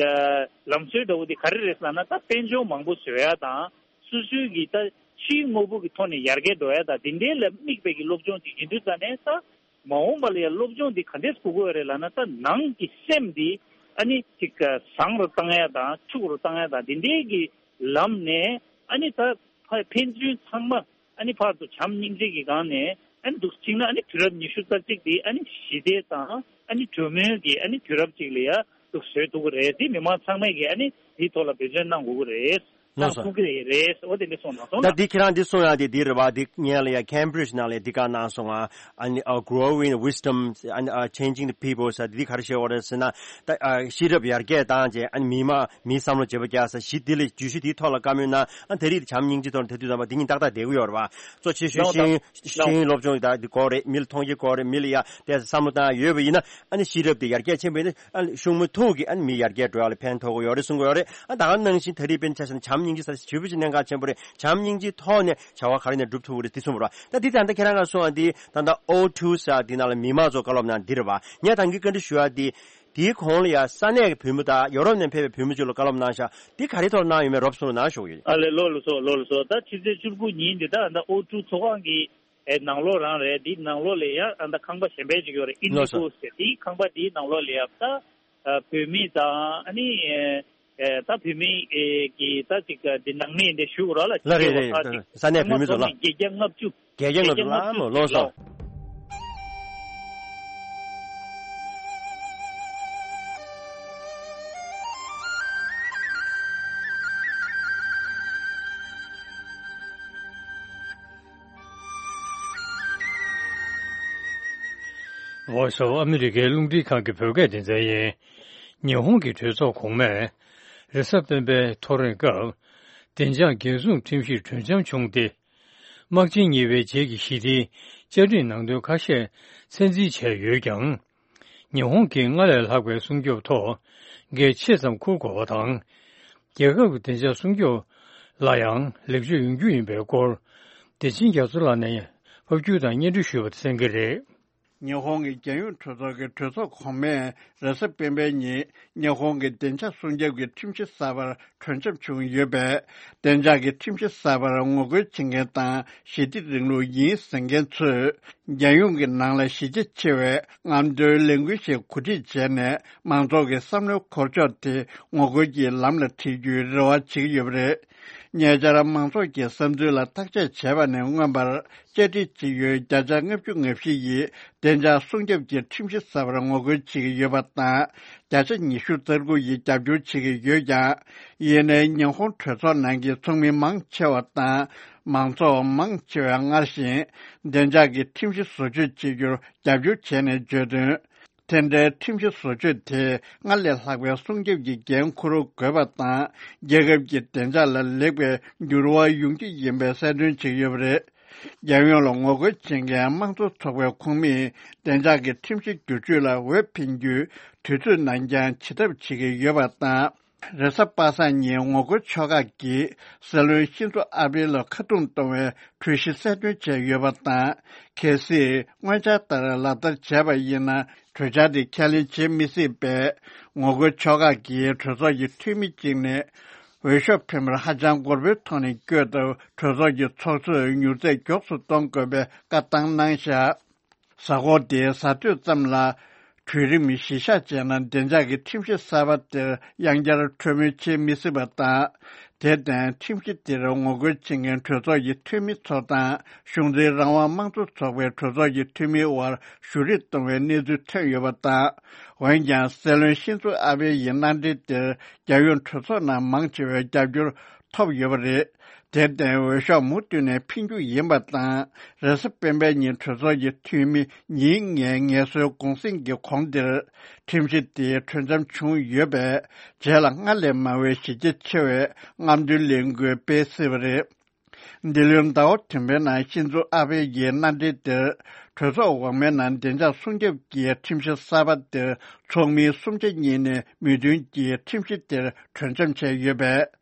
ལམ་སྲོལ་འདྲ་བོ་དེ་ག་རེ་རེད་ལབ་ན། ད་དཔལ་འབྱོར་མང་པོ་བཟོ་ཡ་དང་སོ་སོའི་གི་ད་ཕྱིའི་དངོས་པོ་གི་ཐོག་ནས་ཡར་རྒྱས་འགྲོ་ཡ་དང་དེ་འདྲའི་ལ་དམིགས་པའི་གི་སློབ་སྦྱོང་ཅིག་ཡིན་དུས་ཙང་ནས། ད་མ་འོངས་པ་ལ་ཡ་སློབ་སྦྱོང་འདི་ག་འདྲས་དགོས་ཀྱི་ཡོད་རེད་ལབ་ན། ད་ནང་གི་སེམས་འདི་ཨ་ནི་ཅིག་བཟང་རུ་བཏང་ཡ་དང་ཕྱུག་རུ་བཏང་ཡ་དང་དེ་འདྲའི་གི་ལམ་ནས་ཨ་ནི་ད་ཕ་ཕན་ཚུན་ཚང་མ་ཨ་ནི་ཕར་ཚུར་བྱམས་སྙིང་རྗེ་གི་སྒང་ནས་ཨ་ནི་འདུག་ཅིག་ན། ཨ་ནི་དུས་རབས་ཉི་ཤུ་རྩ་གཅིག་འདི་ཨ་ནི་ཞི་བདེ་དང་ཨ་ནི་གྲོས་མོལ་གྱི་ཨ་ནི་དུས་རབས་ཅིག་ལ་ཡ་འདུག་བཟོ་ཐུབ་ཀྱི་རེད། དེ་མི་མང་ཚང་མས་ཀྱི་ཨ་ནི་དེའི་ཐོག་ལ་འབད་བརྩོན་གནང་དགོས་ཀྱི་རེད། ལགས་སོ། གནང་ཐུབ་ཀྱི་རེད། འོ་དེ་འདྲ་གསུངས་གནང་སོང་ད། ད་འདི་ཁྱེད་རང་འདི་གསུང་ཡག་དེ་འདི་རེད་བ། འདི་ངས་ལ་ཡ་Cambridge་ནང་ལ་འདི་ག་གནང་སོང་ང་། ཨ་ནི་ཨ་Growing Wisdom and uh, Changing the People་ཟེར་འདི་ག་རེ་བཤད་ཡོད་རེད་ཟེར་ན། ད་ཨ་ཤེས་རབ་ཡར་རྒྱས་བཏང་རྗེས་ཨ་ནི་མི་མང་མིའི་བསམ་བློ་བརྗེ་པོ་རྒྱག་ས་གཞི་འདི་ལ་བརྗོད་གཞི་འདིའི་ཐོག་ལ་བཀའ་མོལ་གནང་། ཨ་ད་རེས་བྱམས་སྙིང་རྗེ་ཐོག་ལ་དེ་དུས་ཙམ་པ་འདི་ཉིད་ཏག་ཏག་བསྡད་ཀྱི་ཡོད་རེད་བ། གཙོ་ཆེ་ཤོས་ཤེས་ཡོན་ཤེས་ཡོན་སློབ་སྦྱོང་ད་འདི་དགོས་རེད། མི་ལ་མཐོང་རྒྱ་དགོས་རེད། མི་ལ་ཡ་དེ་བསམ་བློ་བཏང་ཡ་ཡོད་པ་ཡིན་ན། ཨ་ནི་ཤེས་རབ་དེ་ཡར་རྒྱས་ཕྱིན་པ་ཡིན་ན། ཨ་ནི་ཤུགས་མུ་མཐུད་ཀྱིས་ཨ་ནི་མི་ཡར་རྒྱས་འགྲོ་ཡ་ལ་ཕན་ཐོགས་ཀྱི་ཡོད་རེད་གསུང་གི་ཡོད་རེད། ཨ་ད་ག་ནང་བཞིན་ད་རེས་དཔེར་ན་ཆ་བཞག་ན་བྱམས་སྙིང་རྗེ་ཟེར་ཞེ་པོ་ཅིག་གནད་འགག་ཆེན་པོ་རེད། བྱམས་སྙིང་རྗེའི་ཐོག་ནས་བྱ་བ་ག་རེ་ནས་སྒྲུབ་ཐུབ་ཀྱི་རེད་འདི་གསུངས་པ་རེད་བ། ད་འདི་ད་ལྟ་ཁྱེད་རང་ག་གསུང་བ་འདི་ད་ལྟ་ཨོ་ཊུ་ཟེར་འདི་ནང་ལ་མི་མང་ཚོ་བཀའ་སློབ་གནང་འདི་རེད་བ། ངས་ད་གིན་བཀའ་འདྲི་ཞུ་ཡ་འདི། དེའི་གོང་ལ་ཡ་ས་གནས་ཀྱི་བོད་མི་དང་ཡོ་རོབ་ནས་ཕེབས་པའི་བོད་མི་ཚོ་ལ་བཀའ་སློབ་གནང་ཤག་འདི་ག་རེ་ཐོག་གནང་ཡོད་མེད་རོབ་གསུང་རོགས་གནང་ཞུ་གི་ཡོད། ཨ་ལེ་ལགས་སོ་ལགས་སོ། ད་ཕྱི་ཚེས་བཅུ་དགུ་ཉིན་འདི་ད་ད་ཨོ་ཊུ་ཚོགས་ཁང་གི་ཨེ་ནང་ལོགས་རང་རེད། འདི་ནང་ལོགས་ལ་ཡ་ཨ་ད་ཁང་པ་གཞན་པ་ཅིག་ཡོད་རེད། ཨིན་ལགས་སོ། ཌི་གོ་ཟེར། འདི་ཁང་པ་འདིའི་ནང་ལོགས་ལ་ཡ་ད་ཨ་བོད་མི་དང་ཨ་ནི་ཨེ་ད་བོད་མི་ཨེ་གི་ད་ཅིག་འདི་ནང་མི་འདི་ཞུ་རོགས་ལ། ལགས་རེད་རེད། ས་གནས་བོད་མི་ཚོ་ལ། བརྒྱད་བརྒྱ་ལྔ་བཅུ། བརྒྱད་བརྒྱ་ལྔ་བཅུ་ལ་མོ་ལོ་སོ། Voice of America་རླུང་འཕྲིན་ཁང་གི་བོད་སྐད་སྡེ་ཚན་ཡིན། ཉི་ཧོང་གི་གྲོས་ཚོགས་གོང་མས་རེས་གཟའ་སྤེན་པའི་ཐོ་རེངས་སྐབས་བདེ་འཇགས་འགན་སྲུང་ཁྲིམས་གཞིར་གྲོས་འཆམ་བྱུང་སྟེ། དམག་ཆེན་གཉིས་པའི་རྗེས་ཀྱི་ཞི་བདེའི་བཅའ་ཁྲིམས་ནང་དོན་ཁ་ཤས་ཚད་འཛིན་བྱས་ཡོད་ཀྱང་། ཉི་ཧོང་གིས་སྔར་ལས་ལྷག་པའི་སྲུང་སྐྱོབ་ཐོག་འགན་ཆེ་ཙམ་འཁུར་དགོས་པ་དང་། རྒྱལ་ཁབ་ཀྱི་བདེ་འཇགས་སྲུང་སྐྱོབ་ལ་ཡང་ལེགས་བཅོས་ཡོང་རྒྱུ་ཡིན་པའི་སྐོར། བདེ་ཆེན་རྒྱ་མཚོ་ལགས་ནས་ཕབ་སྒྱུར་དང་སྙན་སྒྲོན་ཞུས་པ་དེ་གསན་གྱི་རེད། ཉི་ཧོང་གི་རྒྱལ་ཡོངས་གྲོས་ཚོགས་ཀྱི་གྲོས་ཚོགས་གོང་མས་རེས་གཟའ་སྤེན་པའི་ཉིན་ཉི་ཧོང་གི་བདེ་འཇགས་སྲུང་སྐྱོབ་ཀྱི་ཁྲིམས་གཞི་གསར་པར་གྲོས་འཆམ་བྱུང་ཡོད་པས། བདེ་འཇགས་ཀྱི་ཁྲིམས་གཞི་གསར་པར་ངོ་རྒོལ་བྱེད་མཁན་དང་ཞི་བདེ་རིང་ལུགས་ཡིན་ཟེར་མཁན་ཚོས་རྒྱལ་ཡོངས་ཀྱི་ནང་ལ་གཞི་རྒྱ་ཆེ་བའི་རྔམ་སྟོན་ལས་འགུལ་ཞིག་གོ་སྒྲིག་བྱས་ནས་མང་ཚོགས་ཀྱི་བསམ་བློའི་འཁོར་ཕྱོགས་དེ་ངོ་རྒོལ་གྱི་ལམ་ལ་ཁྲིད་རྒྱུའི་རེ་བ་བྱེད་ཀྱི་ཡོད་པ་རེད། ཉེ་ཆར་མང་ཚོགས་ཀྱི་བསམ་ཚུལ་ལ་བརྟག་དཔྱད་བྱས་པ་ནས་མངོན་པར། བཅའ་ཁྲིམས་སྤྱི་ཡོངས་བརྒྱ་ཆ་ལྔ་བཅུ་ང་བཞི་ཡིས་བདེ་འཇགས་སྲུང་སྐྱོབ་ཀྱི་ཁྲིམས་གཞི་གསར་པར་ངོ་རྒོལ་བྱེད་ཀྱི་ཡོད་པ་དང་། བརྒྱ་ཆ་ཉི་ཤུ་རྩ་དགུ་ཡིས་རྒྱབ་སྐྱོར་བྱེད་ཀྱི་ཡོད་ཀྱང་། ཡིན་ནའི་ཉི་ཧོང་གྲོས་ཚོགས་ནང་གི་ཚོགས་མི་མང་ཆེ་བ་དང་མང་ཚོགས་མང་ཆེ་བས་སྔར་བཞིན་བདེ་འཇགས་ཀྱི་ཁྲིམས་གཞི་བཟོ་བཅོས་བྱེད་རྒྱུར་རྒྱབ་སྐྱོར་བྱས་ནས་བརྗོད་དོན། དེ་འདྲའི་ཁྲིམས་གཞི་བཟོ་བཅོས་དེས་སྔར་ལས་ལྷག་པའི་སྲུང་སྐྱོབ་ཀྱི་འགན་འཁུར་དགོས་པ་དང་། རྒྱལ་ཁབ་ཀྱི་བདེ་འཇགས་ལ་ལེགས་པའི་འགྱུར་བ་ཡོང་རྒྱུ་ཡིན་པའི་གསལ་སྟོན་བྱེད་ཀྱི་ཡོད་པ་རེད། རྒྱལ་ཡོངས་ལ་ངོ་རྒོལ་བྱེད་མཁན་དམངས་གཙོ་ཚོགས་པའི་ཁོངས་མིས་བདེ་འཇགས་ཀྱི་ཁྲིམས་གཞི་བསྒྱུར་བཅོས་ལ་འོས་འཕེན་རྒྱུའི་དུས་ཚོད་ནང་འགྱངས་བྱེད་ཐབས་བྱེད་ཀྱི་ཡོད་པ་དང་། རེས་གཟའ་པ་སངས་ཉིན་ངོ་རྒོལ་ཕྱོགས་ཁག་གིས་སྲིད་བློན་ཤིན་ཛོ་ཨ་བྷེ་ལ་ཁ་རྡུང་གཏོང་བའི་གྲོས་གཞི་གསལ་སྟོན་བྱས་ཡོད་པ་དང་། གལ་སྲིད་སྔོན་འཆར་ལྟར་ལག་བསྟར་བྱས་པ་ཡིན་ན། གྲོས་འཆར་དེ་ཁས་ལེན་བྱེད་མི་སྲིད་པས། ངོ་རྒོལ་ཕྱོགས་ཁག་གིས་གྲོས་ཚོགས་ཀྱི་འཐུས་མི་གཅིག་ནས་འོས་ཤོག་འཕེན་པར་ཧ་ཅང་དགོས་པའི་ཐོག་ནས་བསྐྱོད་སྟབས། གྲོས་ཚོགས་ཀྱི་ཚོགས་གཙོས་མྱུར་ཚད་མགྱོགས་སུ་གཏོང་དགོས་པའི་བཀའ་བཏང་གནང་བཞག་གཟའ་འཁོར་འདིའི་གཟའ་སྟོད་ཙམ་ལ་གྲོས་རིམ་གཞི་བཞག་བྱས་ན། བདེ་འཇགས་ཀྱི་ཁྲིམས་གཞི་གསར་པ་དེར་ཡང་བསྐྱར་གྲོས་མོལ་བྱེད་མི་སྲིད་པ་དང་། དེར་བརྟེན། ཁྲིམས་གཞི་དེར་ངོ་རྒོལ་བྱེད་མཁན་གྲོས་ཚོགས་ཀྱི་འཐུས་མི་ཚོ་དང་། གཞུང་འཛིན་རང་དབང་དམངས་གཙོ་ཚོགས་པའི་གྲོས་ཚོགས་ཀྱི་འཐུས་མིའི་དབར་གཞུ་རེས་གཏོང་བའི་གནས་ཚུལ་ཐོན་ཡོད་པ་དང་། འོན་ཀྱང་། སྲིད་བློན་ཤིན་ཛོ་ཨ་བྷེ་ཡི་མནའ་འབྲེལ་དེར་རྒྱལ་ཡོངས་གྲོས་ཚོགས་ནང་མང་ཆེ་བའི་རྒྱབ་སྐྱོར་ཐོབ་ཡོད་པ་རེད། དེར་བརྟེན། འོས་ཤོག་མུ་མཐུད་ནས་འཕེན་རྒྱུ་ཡིན་པ་དང་། རེས་གཟའ་སྤེན་པའི་ཉིན་གྲོས་ཚོགས་ཀྱི་འཐུས་མི་ཉིན་ལྔའི་ངལ་གསོའི་གུང་གསེང་གི་གོང་དེར། ཁྲིམས་གཞི་དེའི་གྲོས་འཆམ་བྱུང་ཡོད་པས། རྗེས་ལ་སྔར་ལས་མང་བའི་གཞི་རྒྱ་ཆེ་བའི་རྔམ་སྟོན་ལས་འགུལ་སྤེལ་སྲིད་པ་རེད། འདི་ལོའི་ཟླ་བ་བདུན་པའི་ནང་ཤིན་ཛོ་ཨ་བྷེ་ཡི་མནའ་འབྲེལ་དེར། གྲོས་ཚོགས་འོག་མའི་ནང་བདེ་འཇགས་སྲུང་སྐྱོབ་ཀྱི་ཁྲིམས་གཞི་གསར་པ་དེར་ཚོགས་མི་སུམ་ཆ་གཉིས་ནས་མོས་མཐུན་གྱིས་ཁྲིམས་གཞི་དེར་གྲོས་འཆམ་བྱས་ཡོད་པས།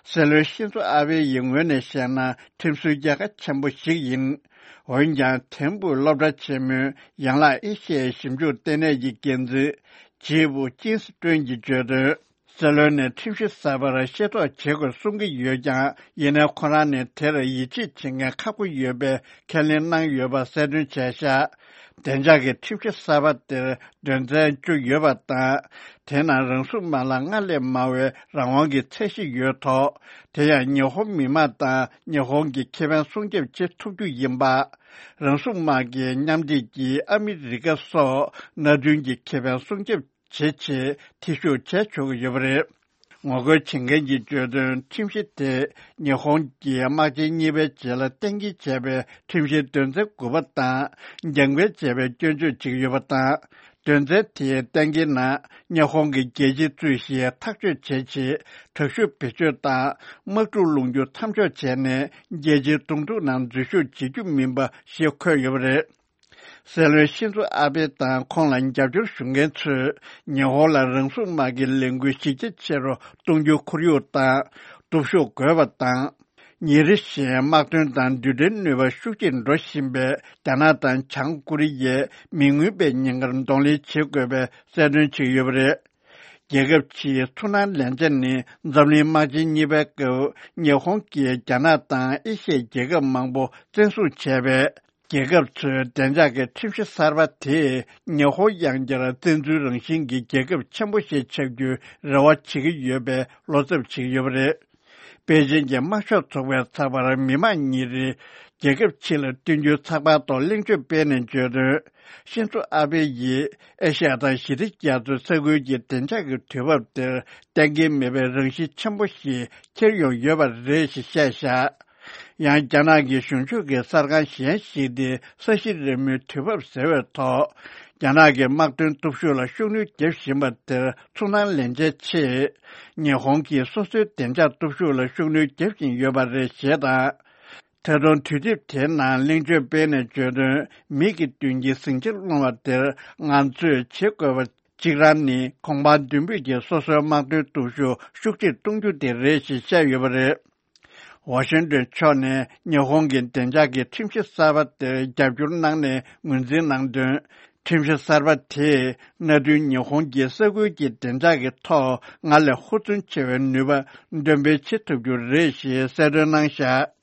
སྲིད་བློན་ཤིན་ཛོ་ཨ་བྷེ་ཡི་ངོས་ནས་བཤད་ན། ཁྲིམས་སྲོལ་རྒྱལ་ཁ་ཆེན་པོ་ཞིག་ཡིན། འོན་ཀྱང་། ཐིམ་ཕུག་སློབ་གྲྭ་ཆེན་མོའི་ཡན་ལག་ཨེ་ཤི་ཡའི་ཞིབ་འཇུག་ལྟེ་གནས་ཀྱི་འགན་འཛིན་ཇི་ཝུ་ཅིན་སི་ཀྲོན་གྱིས་བརྗོད་དོན། སྲིད་བློན་ནས་ཁྲིམས་གཞི་གསར་པར་ཤེས་རྟོགས་བྱེད་དགོས་གསུང་གི་ཡོད་ཀྱང་། ཡིན་ནའི་ཁོ་རང་ནས་དེར་ཡིད་ཆེས་བྱེད་མཁན་ཁག་པོ་ཡོད་པའི་ཁས་ལེན་གནང་ཡོད་པ་གསལ་སྟོན་བྱས་ཤག་བདེ་འཇགས་ཀྱི་ཁྲིམས་གཞི་གསར་པ་དེར་དོན་ཚན་བཅུ་ཡོད་པ་དང་། དེ་ནང་རང་སྲུང་དམག་ལ་སྔར་ལས་མང་བའི་རང་དབང་གི་ཚད་གཞི་ཡོད་ཐོག་དེ་ཡང་ཉི་ཧོང་མི་དམངས་དང་ཉི་ཧོང་གི་ཁེ་ཕན་སྲུང་སྐྱོབ་བྱེད་ཐུབ་རྒྱུ་ཡིན་པ། རང་སྲུང་དམག་གིས་མཉམ་འབྲེལ་གྱིས་ཨ་མི་རི་ཀ་སོགས་མནའ་མཐུན་གྱི་ཁེ་ཕན་སྲུང་སྐྱོབ་བྱེད་ཆེད་འཐུས་ཤོར་བྱས་ཆོག་གི་ཡོད་པ་རེད། ངོ་རྒོལ་བྱེད་མཁན་གྱིས་བརྗོད་དོན། ཁྲིམས་གཞི་དེས་ཉི་ཧོང་གི་དམག་ཆེན་གཉིས་པའི་རྗེས་ལ་གཏན་འཁེལ་བྱས་པའི་ཁྲིམས་གཞིའི་དོན་ཚན་དགུ་པ་དང་རྒྱང་འཕེན་བྱས་པའི་སྐྱོན་བརྗོད་བྱེད་ཀྱི་ཡོད་པ་དང་། དོན་ཚན་དེའི་གཏན་འཁེལ་ནང་ཉི་ཧོང་གི་རྒྱལ་སྤྱིའི་རྩོད་གཞི་ཐག་གཅོད་བྱས་རྗེས། དྲག་ཤུགས་བེད་སྤྱོད་དང་དམག་འཁྲུག་སློང་རྒྱུ་མཚམས་འཇོག་བྱས་ནས། རྒྱལ་སྤྱིའི་གདོང་ཐུག་ནང་འཛུལ་ཞུགས་བྱེད་རྒྱུ་མིན་པ་ཞེས་འཁོད་ཡོད་པ་རེད། སྲིད་བློན་ཤིན་ཛོ་ཨ་བྷེ་དང་ཁོང་ལ་རྒྱབ་སྐྱོར་ཞུ་མཁན་ཚོས་ཉི་ཧོང་ལ་རང་སྲུང་དམག་གི་ལས་འགུལ་གཞི་རྒྱ་ཆེ་རུ་གཏོང་རྒྱུའི་ཁོར་ཡུག་དང་། སྟོབས་ཤུགས་དགོས་པ་དང་། ཉིན་རེ་བཞིན་དམག་དོན་དང་རྡུལ་ཕྲན་ནུས་པ་ཤུགས་ཆེར་འགྲོ་བཞིན་པའི་རྒྱ་ནག་དང་བྱང་ཀོ་རི་ཡས་མི་མངོན་པའི་ཉེན་ཁར་གདོང་ལེན་བྱེད་དགོས་པའི་གསལ་སྟོན་བྱས་ཡོད་པ་རེད། རྒྱལ་ཁབ་ཕྱིའི་ཚོར་སྣང་ལེན་ཆ་ནི་འཛམ་གླིང་དམག་ཆེན་གཉིས་པའི་སྐབས་ཉི་ཧོང་གིས་རྒྱ་ནག་དང་ཨེ་ཤི་ཡའི་རྒྱལ་ཁབ་མང་པོ་བཙན་བཟུང་བྱས་པས། རྒྱལ་ཁབ་ཚོའི་བདེ་འཇགས་ཀྱི་ཁྲིམས་གཞི་གསར་པ་དེས་ཉི་ཧོང་ཡང་བསྐྱར་བཙན་འཛུལ་རང་བཞིན་གྱི་རྒྱལ་ཁབ་ཆེན་པོ་ཞིག་ཆགས་རྒྱུའི་རེ་བ་བྱེད་ཀྱི་ཡོད་པའི་བློ་འཚབ་བྱེད་ཀྱི་ཡོད་པ་རེད། པེ་ཅིན་གྱི་དམར་ཤོག་ཚོགས་པའི་ཚགས་པར་མི་དམངས་ཉིན་རེའི་རྒྱལ་ཁབ་ཕྱི་ལ་བཏོན་རྒྱུའི་ཚགས་པར་ཐོག་གླེང་བརྗོད་སྤེལ་ནས་བརྗོད་དོན། ཤིན་ཛོ་ཨ་བྷེ་ཡིས་ཨེ་ཤ་ཡ་དང་ཞི་བདེ་རྒྱ་མཚོའི་ས་ཁུལ་གྱི་བདེ་འཇགས་ཀྱི་དུས་བབ་དེར་གཏན་འཁེལ་མེད་པའི་རང་བཞིན་ཆེན་པོ་ཞིག་འཁྱེར་ཡོང་ཡོད་པ་རེད་ཞེས་བཤད་བཞག་ཡང་རྒྱ་ནག་གི་གཞུང་ཕྱོགས་ཀྱི་གསར་ཁང་གཞན་ཞིག་སྟེ་ས་གཞི་རི་མོའི་དུས་བབ་ཟེར་བའི་ཐོག་རྒྱ་ནག་གི་དམག་དོན་སྟོབས་ཤུགས་ལ་ཤུགས་སྣོན་བརྒྱབ་བཞིན་པ་དེར་ཚོར་སྣང་ལེན་ཆེད་ཆེད། ཉི་ཧོང་གིས་སོ་སོའི་བདེ་འཇགས་སྟོབས་ཤུགས་ལ་ཤུགས་སྣོན་བརྒྱབ་བཞིན་ཡོད་པ་རེད་ཞེས་དང་། ད་དུང་དུས་དེབ་དེའི་ནང་གླེང་བརྗོད་སྤེལ་ནས་བརྗོད་དོན། མིག་གི་མདུན་གྱི་ཟིང་ཆ་སློང་བ་དེར་ང་ཚོས་བྱེད་དགོས་པ་གཅིག་རང་ནི། གོང་འཕང་མདུན་སྤོས་ཀྱིས་སོ་སོའི་དམག་དོན་སྟོབས་ཤུགས་ཤུགས་ཆེར་གཏོང་རྒྱུ་དེ་རེད་ཞེས་བཤད་ཡོད་པ་རེད། ཝ་ཤིང་ཏོན་ཕྱོགས་ནས་ཉི་ཧོང་གི་བདེ་འཇགས་ཀྱི་ཁྲིམས་གཞི་གསར་པ་དེར་རྒྱབ་སྐྱོར་གནང་ནས་ངོས་འཛིན་གནང་དོན། ཁྲིམས་གཞི་གསར་པ་དེས་གནའ་དུས་ཉི་ཧོང་གི་ས་ཁུལ་གྱི་བདེ་འཇགས་ཀྱི་ཐོག་སྔར་ལས་ཧུར་བརྩོན་ཆེ་བའི་ནུས་པ་འདོན་སྤེལ་བྱེད་ཐུབ་རྒྱུ་རེད་ཞེས་གསལ་སྟོན་གནང་བཞག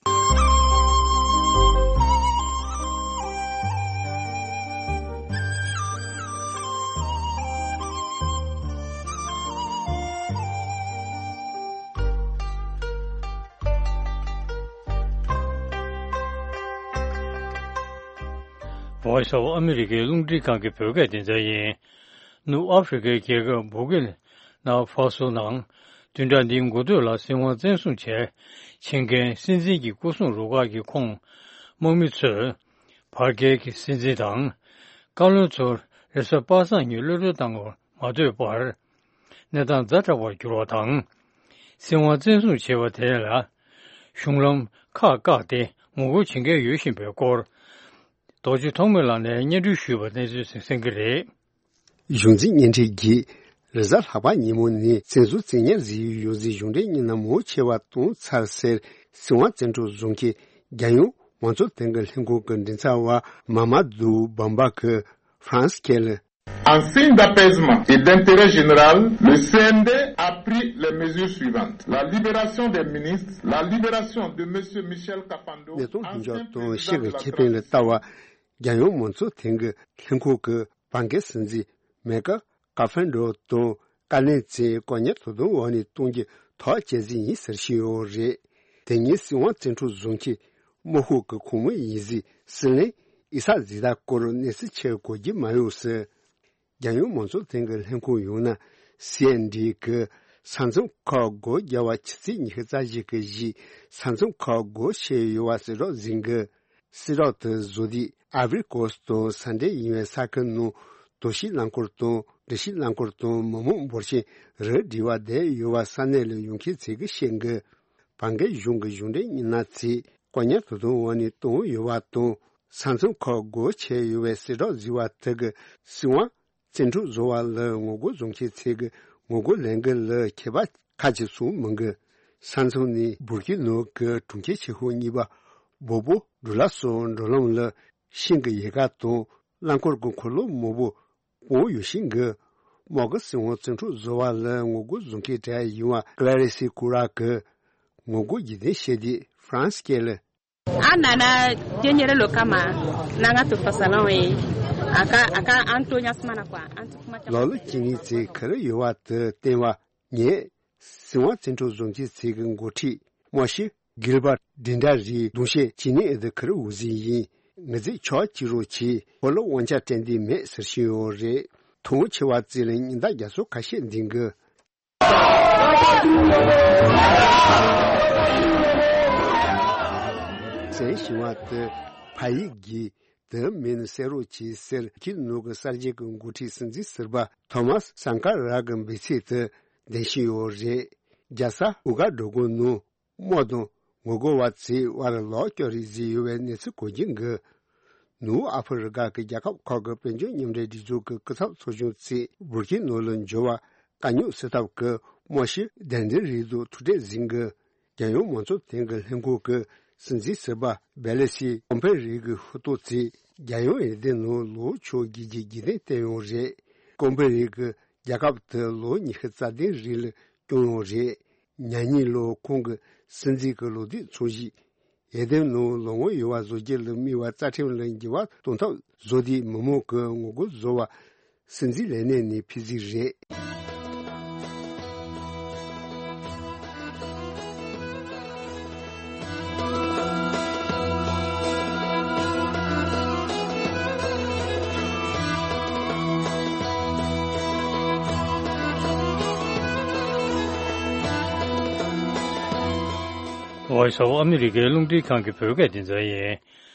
Voice of America རླུང་འཕྲིན་ཁང་གི་བོད་སྐད་སྡེ་ཚན་ཡིན། ནུབ་ཨ་ཧྥེ་རི་ཁའི་རྒྱལ་ཁབ་བུར་ཀི་ན་ཧྥ་སོ་ནང་བདུན་ཕྲག་འདིའི་འགོ་སྟོད་ལ་སྲིད་དབང་བཙན་བཟུང་བྱས་ཕྱིན་མཁན་སྲིད་འཛིན་གྱི་སྐུ་སྲུང་རུ་ཁག་གི་ཁོངས་དམག་མི་ཚོས་བར་བརྒལ་གྱི་སྲིད་འཛིན་དང་བཀའ་བློན་ཚོར་རེས་གཟའ་པ་སངས་ཉིན་གློད་གྲོལ་བཏང་བར་མ་ལྡོག་པར། གནས་སྟངས་ཛ་དྲག་པར་གྱུར་བ་དང་། སྲིད་དབང་བཙན་བཟུང་བྱས་པ་དེ་ལ་གཞུང་ལམ་ཁག་བཀག་སྟེ་ངོ་རྒོལ་བྱེད་མཁན་ཡོད་བཞིན་པའི་སྐོར། རྡོ་རྗེ་ཐོགས་མེད་ལགས་ནས་སྙན་སྒྲོན་ཞུས་པ་གནས་ཚུལ་གསན་གྱི་རེད། གཞུང་འཛིན་བརྙན་འཕྲིན་གྱིས་རེས་གཟའ་ལྷག་པ་ཉིན་མོ་ནས་བཙན་བཟུང་བཙན་ཉར་བཟོས་ཡོད་ཟེར་གཞུང་འབྲེལ་སྙན་ཐོ་མང་ཆེ་བ་བཏོན་ཚར་ཟེར། སྲིད་དབང་བཙན་འཕྲོག་བཟོ་མཁན་རྒྱལ་ཡོངས་མང་གཙོ་ལྷན་ཁང་གི་མགྲིན་ཚབ་པ་མ་མ་དུ་བམ་བ་གིས་ཧྥ་རན་སི་ཁ་ལ། En signe d'apaisement et d'intérêt général, le C N D a pris les mesures suivantes. La libération des ministres, la libération de Monsieur Michel Kafando, གནད་དོན་ལྷུན་འཇོག་དང་ཤེས་དགོས་ཁེ་ཕན་ལ་ལྟ་བ། རྒྱལ་ཡོངས་མང་གཙོ་ལྷན་ཁང་གི་ལྷན་ཁང་གི་བར་བརྒལ་སྲིད་འཛིན་མེ་ཀ་ཀ་ཧྥན་ཌོ་དང་བཀའ་བློན་ཚོས་བཀག་ཉར་དོ་དམ་འོག་ནས་གཏོང་རྒྱུ་ཐག་བཅད་རྩིས་ཡིན་ཟེར་བཞིན་ཡོད་རེད། དེ་ཉིན་སྲིད་དབང་བཙན་འཕྲོག་བཟོ་མཁན་དམག་ཤོག་གི་ཁོངས་མི་ཡིན་ཟེར་སྲིད་བློན་ཨི་སཱག་ཛི་དཱག་སྐོར་གནས་ཚུལ་ཆེར་གོ་རྒྱུ་མ་ཡོང་ཟེར། རྒྱལ་ཡོངས་མང་གཙོ་ལྷན་ཁང་ལྷན་ཁང་ཡང་ན་སི་ཨེན་ཌི་གི་ས་མཚམས་ཁག་སྒོ་རྒྱག་པ་ཕྱི་ཚེས་ཉི་ཤུ་རྩ་བཞི་གི་གཞིས་ས་མཚམས་ཁག་སྒོ་ཕྱེ་ཡོད་པ་གསལ་བསྒྲགས་ཟིན་གི། གསལ་བསྒྲགས་དེ་བཟོ་དུས་ཨའི་བྷི་རི་ཀོ་སི་དང་ས་འབྲེལ་ཡིན་པའི་ས་ཁུལ་ནང་དོ་ཤིག་རླངས་འཁོར་དང་འགྲུལ་བཞུད་རླངས་འཁོར་དང་མི་མང་འབོར་ཆེན་རིགས་བསྒྲིགས་པ་བསྡད་ཡོད་པ་ས་གནས་ལ་ཡོང་མཁན་ཚོས་ཀྱིས་བཤད་གི། བར་བརྒལ་གཞུང་གི་གཞུང་འབྲེལ་མི་སྣ་ཚོས་བཀག་ཉར་དོ་དམ་འོག་ནས་བཏང་ཡོད་པ་དང་། ས་མཚམས་ཁག་སྒོ་ཕྱེ་ཡོད་པའི་གསལ་བསྒྲགས་བཟོས་པ་དེ་གིས་སྲིད་དབང་བཙན་འཕྲོག་བཟོ་བ་ལ་ངོ་རྒོལ་བཟོ་མཁན་ཚོས་ཀྱི་ངོ་རྒོལ་ལས་འགུལ་ལ་ཁྱད་པར་ཁ་ཅིག་བྱུང་མི་འདུག་ས་མཚམས་ནས་བུར་ཀི་ནོ་གི་གྲོང་ཁྱེར་ཆེ་ཤོས་གཉིས་པ་བོ་བོ་ཌུ་ལ་སོགས་འགྲོ་ལམ་ལ་ཤིང་གི་ཡལ་ག་དང་རླངས་འཁོར་གྱི་འཁོར་ལོ་མང་པོ་སྤུངས་ཡོད་བཞིན་གི། དམག་གིས་སྲིད་དབང་བཙན་འཕྲོག་བཟོ་བ་ལ་ངོ་རྒོལ་བཟོ་མཁན་གྲས་ཡིན་པ་ཀླ་རེ་སི་ཀུ་ར་གིས་ངོ་རྒོལ་རྒྱུན་ལྡན་བྱས་ཏེ་ཧྥ་རན་སི་སྐད་ལ། A nana, je nyɛrɛ lo kama, nanga to fasalaŋ ye, a ka, a ka an to ɲasumana kwa, an to kuma ca. ལོ་ལོ་ཅི་ནི་ཚེ་ཁ་རི་ཡོད་པ་དེ་བསྟན་པ་ངས་སྲིད་དབང་བཙན་འཕྲོག་བཟོ་མཁན་ཚོའི་འགོ་ཁྲིད་མོ་ཤི་གིལ་བར་ཌིན་ཌ་རིའི་གདུང་ཤེས་ཇི་ནི་ཨེ་དི་ཁ་རི་འུ་ཟི་ཡིན། ངེད་ཚོས་ཕྱོགས་གཅིག་རོགས་གྱིས་ཁོ་ལ་དབང་ཆ་སྤྲད་འདི་མེད་ཟེར་བཞིན་ཡོད་རེད། ཐོག་མ་ཆེ་བ་བརྩིས་ལ་ཉིན་ལྟར་རྒྱ་མཚོ་ཁ་ཤས་འདིང་གི། གསན་བཞིན་པ་དེ་ཕ་ཡིག་གིས། དེ་མིན་གསན་རོགས་གྱིས་ཟེར། ཁྱེད་ནུབ་ཀྱི་གསར་བརྗེ་གི་འགོ་ཁྲིད་སྲིད་འཛིན་ཟུར་པ་ཐོ་མཱས་སང་ཀ་ར་གི་འབོད་ཚིག་དེ་འདོན་བཞིན་ཡོད་རེད། རྒྱལ་ས་ཨུ་གྷ་ཌོ་གྷོ་ནང་དམག་དང་ངོ་རྒོལ་བ་ཚོའི་དབར་ལོག་སྐྱོ་རེས་བཟོས་ཡོད་པའི་གནས་ཚུལ་གོ་རྒྱུ་འདུག་ནུབ་ཨ་ཧྥེ་རི་ཀ་གི་རྒྱལ་ཁབ་ཁག་གི་དཔལ་འབྱོར་མཉམ་འབྲེལ་སྒྲིག་འཛུགས་ཀྱི་སྐུ་ཚབ་ཚོགས་ཆུང་ཚོས་བུར་ཁེ་ནོ་ལ་འབྱོར་བར་དཀའ་རྙོག་སེལ་ཐབས་ཀྱི་དམག་ཞབས་དན་དི་རི་དུ་ཐུག་འཕྲད་ཟིན་གི། རྒྱལ་ཡོངས་མང་གཙོ་ལྷན་ཁང་གི་ལྷན་ཁང་གི་སྲིད་འཛིན་ཟུར་པ་བེ་ལེ་སི་ཀོམ་ཕེ་རི་གི་ཧུ་ཏོ་ཚོས་རྒྱལ་ཡོངས་འོས་བསྡུ་ནང་ལོ་ཆུང་བརྒྱད་ཀྱི་རྒྱུན་ལྡན་བསྟན་ཡོད་རེད། ཀོམ་ཕེ་རི་གིས་རྒྱལ་ཁབ་དེ་ལོ་ཉི་ཤུ་རྩ་བདུན་རིང་ལ་སྐྱོང་ཡོད་རེད། ཉེ་ཉིན་ལོ་ཁོང་གི་སྲིད་འཛིན་གྱི་ལོ་དུས་ཚོད་བཞི། འོས་བསྡུ་ནང་ལོ་ངོ་ཡོད་པ་བཟོ་རྒྱུ་ལ་དམིགས་པའི་རྩ་ཁྲིམས་ལ་འགྱུར་བ་གཏོང་ཐབས་བཟོ་དུས་མི་མང་གི་ངོ་རྒོལ་བཟོ་བ་སྲིད་འཛིན་ལས་གནས་ནས་ཕུད་རྩིས་རེད། ཝའི་སི་ཨོཕ་ཨ་མི་རི་ཀའི་རླུང་འཕྲིན་ཁང་གི་བོད་སྐད་སྡེ་ཚན་ཡིན།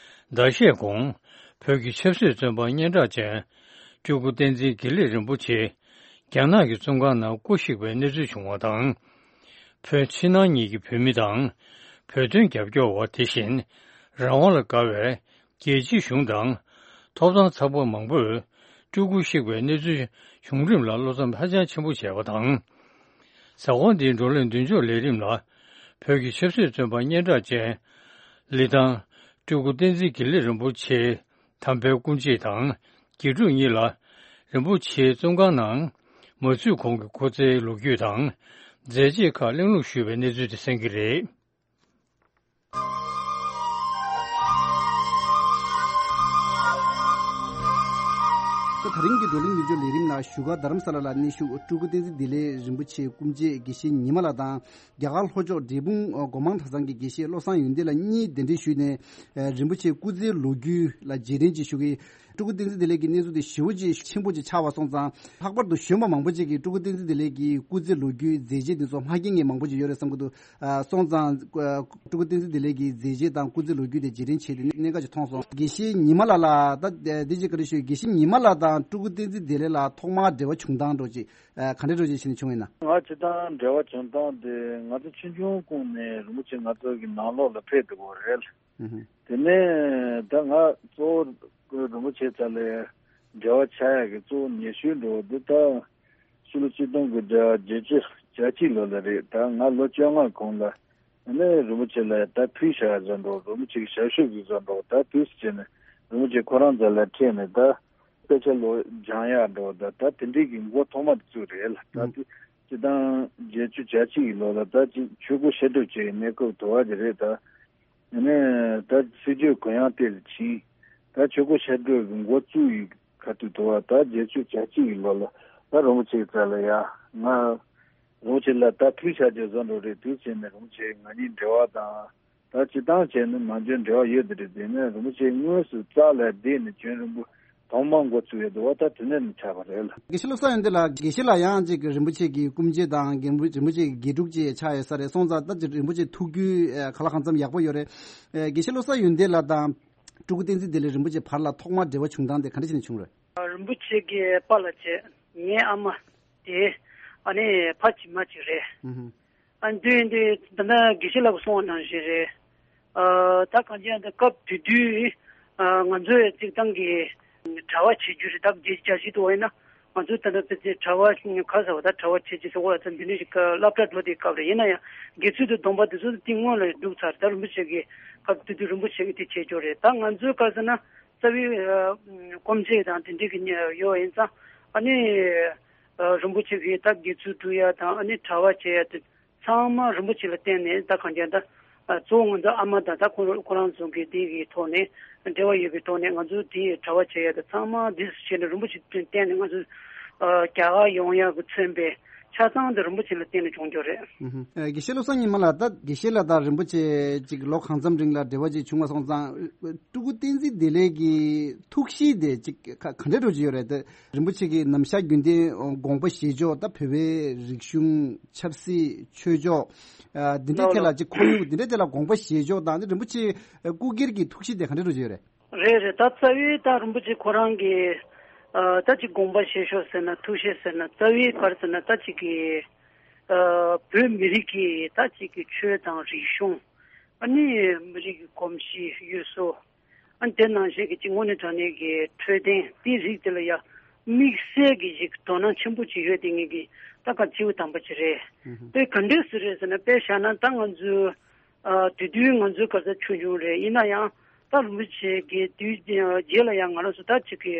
ཟླ་ཤས་གོང་། བོད་ཀྱི་ཆབ་སྲིད་བཙོན་པ་སྙན་གྲགས་ཅན། སྤྲུལ་སྐུ་བསྟན་འཛིན་དགེ་ལེགས་རིན་པོ་ཆེ། རྒྱ་ནག་གི་བཙོན་ཁང་ནང་སྐུ་གཤེགས་པའི་གནས་ཚུལ་བྱུང་བ་དང་། བོད་ཕྱི་ནང་གཉིས་ཀྱི་བོད་མི་དང་། བོད་དོན་རྒྱབ་སྐྱོར་བ་དེ་བཞིན། རང་དབང་ལ་དགའ་བའི་རྒྱལ་སྤྱིའི་གཞུང་དང་། ཐོབ་ཐང་ཚགས་པ་མང་པོས་སྤྲུལ་སྐུ་གཤེགས་པའི་གནས་ཚུལ་བྱུང་རིམ་ལ་བློ་འཚབ་ཧ་ཅང་ཆེན་པོ་བྱས་པ་དང་། ཟ་ཁང་འདིའི་བགྲོ་གླེང་མདུན་ལྕོག་ལས་རིམ་ལ། བོད་ཀྱི་ཆབ་སྲིད་བཙོན་པ་སྙན་གྲགས་ཅན། ལི་ཐང་། སྤྲུལ་སྐུ་བསྟན་འཛིན་དགེ་ལེགས་རིན་པོ་ཆེ། དམ་པའི་སྐུ་མཆེད་དང་། དགེ་ཕྲུག་གཉིས་ལ། རིན་པོ་ཆེའི་བཙོན་ཁང་ནང་། མ་ཚུད་གོང་གི་སྐུ་ཚེའི་ལོ་རྒྱུས་དང་། མཛད་རྗེས་ཁག་གླེང་སློང་ཞུས་པའི་གནས་ཚུལ་དེ་གསན་གྱི་རེད། ད་རིང་གི་བགྲོ་གླེང་མདུན་ལྕོག་ལས་རིམ་ལ་བཞུགས་སྒར་རྡ་རམ་ས་ལ་ལ་གནས་བཞུགས་སྤྲུལ་སྐུ་བསྟན་འཛིན་བདེ་ལེགས་རིན་པོ་ཆེའི་སྐུ་མཆེད་དགེ་བཤེས་ཉི་མ་ལགས་དང་། རྒྱ་གར་ལྷོ་ཕྱོགས་འབྲས་སྤུངས་སྒོ་མང་གྲྭ་ཚང་གི་དགེ་བཤེས་བློ་བཟང་ཡོན་ཏན་ལགས་གཉིས་གདན་འདྲེན་ཞུས་ནས། རིན་པོ་ཆེའི་སྐུ་ཚེའི་ལོ་རྒྱུས་ལ་རྗེས་དྲན་ཅིག་ཞུ་གི། སྤྲུལ་སྐུ་བསྟན་འཛིན་བདེ་ལེགས་ཀྱི་གནས་ཚུལ་དེ་ཞེ་པོ་ཅིག་ཆེན་པོ་ཅིག་ཆགས་པ་སོང་ཙང་། ལྷག་པར་དུ་གཞོན་པ་མང་པོ་ཅིག་གིས་སྤྲུལ་སྐུ་བསྟན་འཛིན་བདེ་ལེགས་ཀྱི་སྐུ་ཚེའི་ལོ་རྒྱུས་མཛད་རྗེས་དེ་ཚོ་མ་མཁྱེན་མཁན་མང་པོ་ཅིག་ཡོད་རེད་བསམ་གྱི་འདུག་ཨ། སོང་ཙང་། ཨ། སྤྲུལ་སྐུ་བསྟན་འཛིན་བདེ་ལེགས་ཀྱི་མཛད་རྗེས་དང་སྐུ་ཚེའི་ལོ་རྒྱུས་དེ་རྗེས་དྲན་བྱས་ཏེ་གནད་འགག་ཅིག་མཐོང་སོང་། དགེ་བཤེས་ཉི་མ་ལགས་ལ་ད་འདི་ཅིག་བཀའ་འདྲི་ཞུ། དགེ་བཤེས་ཉི་མ་ལགས་དང་སྤྲུལ་སྐུ་བསྟན་འཛིན་བདེ་ལེགས་ལ་ཐོག་མར་འབྲེལ་བ་བྱུང་སྟངས་འདྲ་ཅིག་ཨ། ག་འདྲ་འདྲ་ཅིག་བྱས་ནས་བྱུང་ཡིན་ན། ང་སྤྱིར་བཏང་འབྲེལ་བ་བྱུང་སྟངས་དེ་ང་ཚོ་ཆུང་ཆུང་སྒང་ནས་རིན་པོ་ཆེ་ང་ཚོ་གི་ནང་ལོགས་ལ་ཕེབས་འདུག་གོ་རེད། དེ་ནས་ད་ང་གཙོ་བོ་རིན་པོ་ཆེ་རྩ་ལ་འབྲེལ་བ་ཆགས་ཡག་གི་གཙོ་བོ་ཉེ་ཤོས་འགྲོ་བ་འདི་ད་ཕྱི་ལོ་ཆིག་སྟོང་དགུ་བརྒྱ་བརྒྱད་ཅུ་གྱ་གཅིག་ལོ་ལ་རེད། ད་ང་ལོ་བཅོ་ལྔ་གོང་ལ་ནས་རིན་པོ་ཆེ་ལ་ད་ཕུལ་བཞག་བཟོ་འགྲོ། རིན་པོ་ཆེ་གི་ཞབས་ཞུ་གི་བཟོ་འགྲོ། ད་དུས་སུ་བྱས་ནས་རིན་པོ་ཆེ་ཁོ་རང་རྩ་ལ་ཕེབས་ནས་ད་དཔེ་ཆ་ལོ་སྦྱང་ཡག་འགྲོ། ད་ད་དེ་འདྲའི་གི་མགོ་ཐོག་མ་དེ་ཚོ་རེད་ལ། ད་དེ་སྤྱིར་བཏང་བརྒྱད་ཅུ་གྱ་གཅིག་གི་ལོ་ལ་ད་ཅིག་ཆོས་སྐོར་བཤད་སྒྲུབ་བྱེད་ཀྱི་གནས་སྐབས་དུ་བ་དེ་རེད། ད་ཡིན་ནའི་ད་སྲིད་བྱུས་གུ་ཡངས་ཏེ་ལ་ཕྱིན། ད་ཆོས་སྐོར་བཤད་སྒྲུབ་ཀྱི་འགོ་བཙུགས་ཡི་ཁ་ཐུག་དུ་བ་ད་བརྒྱད་ཅུ་གྱ་གཅིག་གི་ལོ་ལ་ད་རིན་པོ་ཆེ་རྩ་ལ་ཡ་ང་རིན་པོ་ཆེ་ལ་ད་ཕུལ་བྱ་རྒྱུ་བཟོ་འགྲོ་རེད། དུས་ཕྱིན་ནས་རིན་པོ་ཆེ་ང་གཉིས་འབྲེལ་བ་དང་ད་སྤྱིར་བཏང་བྱས་ནས་མ་འཇོན་འབྲེལ་བ་ཡོད་དེ་རེད། དེ་ནས་རིན་པོ་ཆེ་དངོས་སུ་རྩ་ལ་བསྡད་ནས་བྱོན་རིན་པོ་ཐོག་མ་འགོ་ཚུགས་ཡོད་འདུག་བ། ད་དེ་ནས་ནི་ཆགས་པ་རེད་ལ། དགེ་བཤེས་བློ་བཟང་ཡོན་ཏན་ལགས། དགེ་བཤེས་ལགས་ཡང་ཅིག་རིན་པོ་ཆེ་གི་སྐུ་མཆེད་དང་རྒན་པོ་རིན་པོ་ཆེ་གི་དགེ་ཕྲུག་ཅིག་ཆགས་ཡོད་ས་རེད། སོང་ཙང་ད་ཅིག་རིན་པོ་ཆེ་ཐུགས་རྒྱུས་ཨ། གང་ལ་གང་འཚམ་ཡག་པོ་ཡོད་རེད། ཨ། དགེ་བཤེས་བློ་བཟང་ཡོན་ཏན་ལགས་དང་སྤྲུལ་སྐུ་བསྟན་འཛིན་བདེ་ལེགས་རིན་པོ་ཆེ་བར་ལ་ཐོག་མར་འབྲེལ་བ་བྱུང་སྟངས་དེ་ག་འདྲ་བྱས་ནས་བྱུང་རེད། རིན་པོ་ཆེ་གི་པཱ་ལགས་བྱས། ངའི་ཨ་མ་དེ་ཨ་ནི་ཕ་གཅིག་མ་གཅིག་རེད། ཨ། འདི་འདི་ད་ལྟ་དགེ་བཤེས་ལགས་ཀྱིས་གསུངས་པ་ནང་བཞིན་རེད། ཨ། ད་གང་ཅི་ཡང་ད་སྐབས་དེ་དུས་ཨ། ང་ཚོའི་རྩིག་ཐང་གི་གྲྭ་པ་བྱེད་རྒྱུ་རེད། ད་བརྒྱད་ཅུ་གྱ་གཅིག་དུ་བ་ཡིན་ན་ང་ཚོ་ད་ལྟ་ཕལ་ཆེར་གྲྭ་པ་ག་ཟེར་བ་ད་གྲྭ་པ་བྱེད་ཀྱི་ཟེར་བ་ད་འདི་འདྲ་ཞིག་སློབ་གྲྭ་འགྲོ་དེའི་སྐབས་རེད། ཡིན་ན་ཡང་དགེ་ཚུལ་དང་སྡོམ་པ་དེ་ཚོ་དེ་སྔོན་ལ་འདུག་ཚར། ད་རིན་པོ་ཆེ་གི་སྐབས་དེ་དུས་རིན་པོ་ཆེ་གིས་དེ་བྱེད་ཀྱི་ཡོད་རེད། ད་ང་ཚོའི་ག་ཟེར་ན་རྩ་བའི་ཨ། སྐུ་མཆེད་དང་དེ་འདྲ་གི་ཡོད་ཡིན་ཙང་ཨ་ནི། ཨ། རིན་པོ་ཆེ་གིས་ད་དགེ་ཚུལ་སྒྲུབ་ཡ་དང་ཨ་ནི་གྲྭ་པ་བྱེད་ཡ་དེ་ཚང་མ་རིན་པོ་ཆེ་ལ་བརྟེན་ནས་ད་གང་ཅི་ད་ཨ། གཙོ་བོ་ང་ཚོ་ཨ་མ་དང་ད་ཁོ་ཁོ་རང་ཚོ་གི་དེ་གི་ཐོག་ནས་འབྲེལ་བ་ཡོད་པའི་ཐོག་ནས་ང་ཚོ་དེ་གྲྭ་པ་བྱེད་ཡ་དེ་ཚང་མ་དེ་བྱས་ནས་རིན་པོ་ཆེ་བརྟེན་ནས་ང་ཚོ་ཨ། རྒྱ་གར་ཡོང་ཡ་གི་མཚོན་པའི་ ཆ་ཚང་དེ་རིན་པོ་ཆེ་ལ་བརྟེན་ནས་བྱུང་རྒྱུ་རེད། ཨུ་ཧུ། ཨ། དགེ་བཤེས་བློ་བཟང་ཉི་མ་ལགས། ད་དགེ་བཤེས་ལགས་དང་རིན་པོ་ཆེ་ཅིག་ལོ་གང་འཚམ་རིང་ལ་འབྲེལ་བ་ཅིག་བྱུང་བ་སོང་ཙང་། སྤྲུལ་སྐུ་བསྟན་འཛིན་བདེ་ལེགས་ཀྱི་ཐུགས་གཤིས་དེ་ཅིག་ག་ག་འདྲ་འདྲ་ཅིག་ཡོད་རེད། ད་རིན་པོ་ཆེ་གི་ནམ་ཞག་རྒྱུན་ལྡན་དགོངས་པ་བཞེས་ཕྱོགས། ད་བོད་པའི་རིག་གཞུང་ཆབ་སྲིད་ཆོས་ཕྱོགས། ཨ། འདི་འདྲའི་ལགས་ཐད་ལ། ལགས། ཅིག་ཁོར་ཡུག་འདི་འདྲའི་ཐད་ལ་དགོངས་པ་བཞེས་ཕྱོགས་དང་། འདི་རིན་པོ་ཆེ་སྐུ་སྒེར་གྱི་ཐུགས་གཤིས་དེ་ག་འདྲ་འདྲ་ཅིག་ཡོད་རེད། རེད་རེད། ད་རྩ་བའི་ད་རིན་པོ་ཆེ་ཁོ་རང་གི། ཨ། ད་ཅིག་དགོངས་པ་བཞེས་ཕྱོགས་ཟེར་ན། ཐུགས་གཤིས་ཟེར་ན། རྩ་བའི་ག་རེ་ཟེར་ན། ད་ཅིག་གི། ཨ། བོད་མི་རིགས་ཀྱི་ད་ཅིག་གི་ཆོས་དང་རིག་གཞུང་། ཨ་ནི་མི་རིགས་ཀྱི་གོམས་གཤིས་ཡུལ་སྲོལ། ཨ། དེ་ནང་བཞིན་གྱི་ཅིག་དངོས་གནས་དྲང་གནས་ཀྱི་འཕྲོད་བསྟེན་དེའི་རིགས་དེ་ལ་ཡ་དམིགས་བསལ་གྱི་ཞིག་དོ་སྣང་ཆེན་པོ་ཅིག་ཡོད་དེ། ངེད་ཀྱི་ད་ག་སྤྱི་བོ་དམ་པ་ཅིག་རེད། ཨུ་ཧུ། དེ་ག་འདྲས་སུ་རེད་ཟེར་ན། དཔེ་བཞག་ན་ད་ང་ཚོའི། ཨ། དེ་དུས་ང་ཚོའི་ག་ས་ཆུང་ཆུང་རེད། ཡིན་ན་ཡང་ད་རིན་པོ་ཆེ་གི་དུས་རྗེས་ལ་ཡང་ང་རང་ཚོ་ད་ཅིག་གི་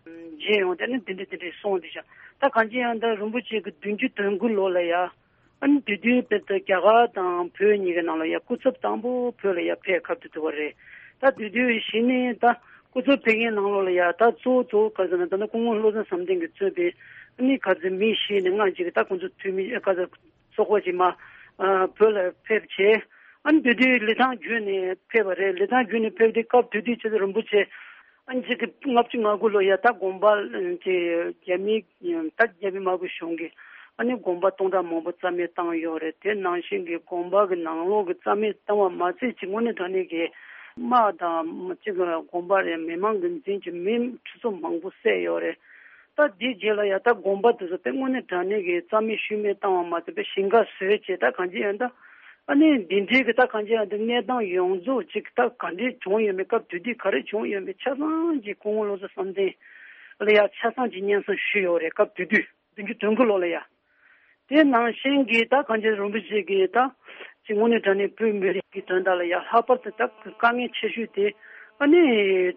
མཇལ་ཡོང་། དེ་ནི་འདི་འདྲ་འདི་འདྲ་སོང་དེ་བཞག། ད་གང་ཅི་ཡང་ད་རིན་པོ་ཆེ་གི་བདུན་ཅུ་དོན་དགུ་ལོ་ལ་ཡ། ཨ་ནི་དེ་དུས་དཔེར་ན་རྒྱ་གར་དང་བོད་གཉིས་ཀྱི་ནང་ལ་ཡ་སྐུ་ཚབ་དང་པོ་བོད་ལ་ཡ་ཕེབས་ཁ་ཐུག་ཐུག་པ་རེད། ད་དེ་དུས་གཞི་ནས་ད་སྐུ་ཚབ་ཕེབས་མཁན་ནང་ལོགས་ལ་ཡ་ད་གཙོ་བོ་གཙོ་བོ་ག་ཟེར་ན། ད་ནི་སྐུ་ངོ་བློ་བཟང་བསམ་གཏན་གྱིས་གཙོས་པའི་ཨ་ནི་ག་ཚོད་མི་བཞི་ནས་ལྔ་ཅིག་གིས་ད་ཁོང་ཚོ་འཐུས་མི་ག་ཚོད་ཚོགས་པ་ཅིག་མར། ཨ། བོད་ལ་ཕེབས་བྱས། ཨ་ནི་དེ་དུས་ལི་ཐང་བརྒྱུད་ནས་ཕེབས་པ་རེད། ལི་ཐང་བརྒྱུད་ནས་ཕེབས་དུས་སྐབས་དེ་དུས་ཆེ་ཚེ་རིན་པོ་ཆེ། ཨ་ནི་ཅིག་གི་ལྔ་བཅུ་ང་དགུ་ལོ་ཡ་ད་དགོངས་པ་ཅིག་རྒྱ་མི་ད་རྒྱ་མི་དམར་པོའི་གཞུང་གིས་ཨ་ནི་དགོངས་པ་སྟོང་ཕྲག་མང་པོ་རྩ་མེད་བཏང་ཡོད་རེད། དེ་ནང་བཞིན་གྱི་དགོངས་པ་གི་ནང་ལོགས་ཀྱི་རྩ་མེད་བཏང་བ་མ་ཚད་ཅིག་དངོས་གནས་དྲང་གནས་ཀྱི་དམག་དང་ཅིག་དགོངས་པ་རེད། མི་མང་གི་འཛིན་གྱི་མི་ཁྲི་ཚོ་མང་པོ་བསད་ཡོད་རེད། ད་འདིའི་རྗེས་ལ་ཡ་ད་དགོངས་པ་དེ་ཚོ་དཔེ་དངོས་གནས་དྲང་གནས་ཀྱི་རྩ་མེད་ཤུལ་མེད་བཏང་བ་མ་ཚད་པའི་ཞིང་ཁ་བཟོས་བྱས། ད་གང་ཅི་ཡང་ད་ཨ་ནི་འདི་འདྲའི་གི་ད་གང་ཅི་ཡང་ད་གནས་སྟངས་ཡོངས་རྫོགས་ཅིག་ད་ག་འདྲས་བྱུང་ཡོད་མེད། སྐབས་དེ་དུས་ག་རེ་བྱུང་ཡོད་མེད་ཆ་ཚང་ཅིག་སྐུ་ངོ་བློ་བཟང་བསམ་གཏན་ལ་ཡ་ཆ་ཚང་ཅིག་སྙན་སེང་ཞུས་ཡོད་རེད། སྐབས་དེ་དུས་བདུན་ཅུ་དོན་དགུ་ལོ་ལ་ཡ། དེ་ནང་བཞིན་གྱི་ད་གང་ཅི་རིན་པོ་ཆེ་གིས་ད་ཅིག་དངོས་གནས་དྲང་གནས་བོད་མི་རིགས་ཀྱི་དོན་དག་ལ་ཡ་ལྷག་པར་དུ་ད་དཀའ་ངལ་ཆེ་ཤོས་དེ་ཨ་ནི་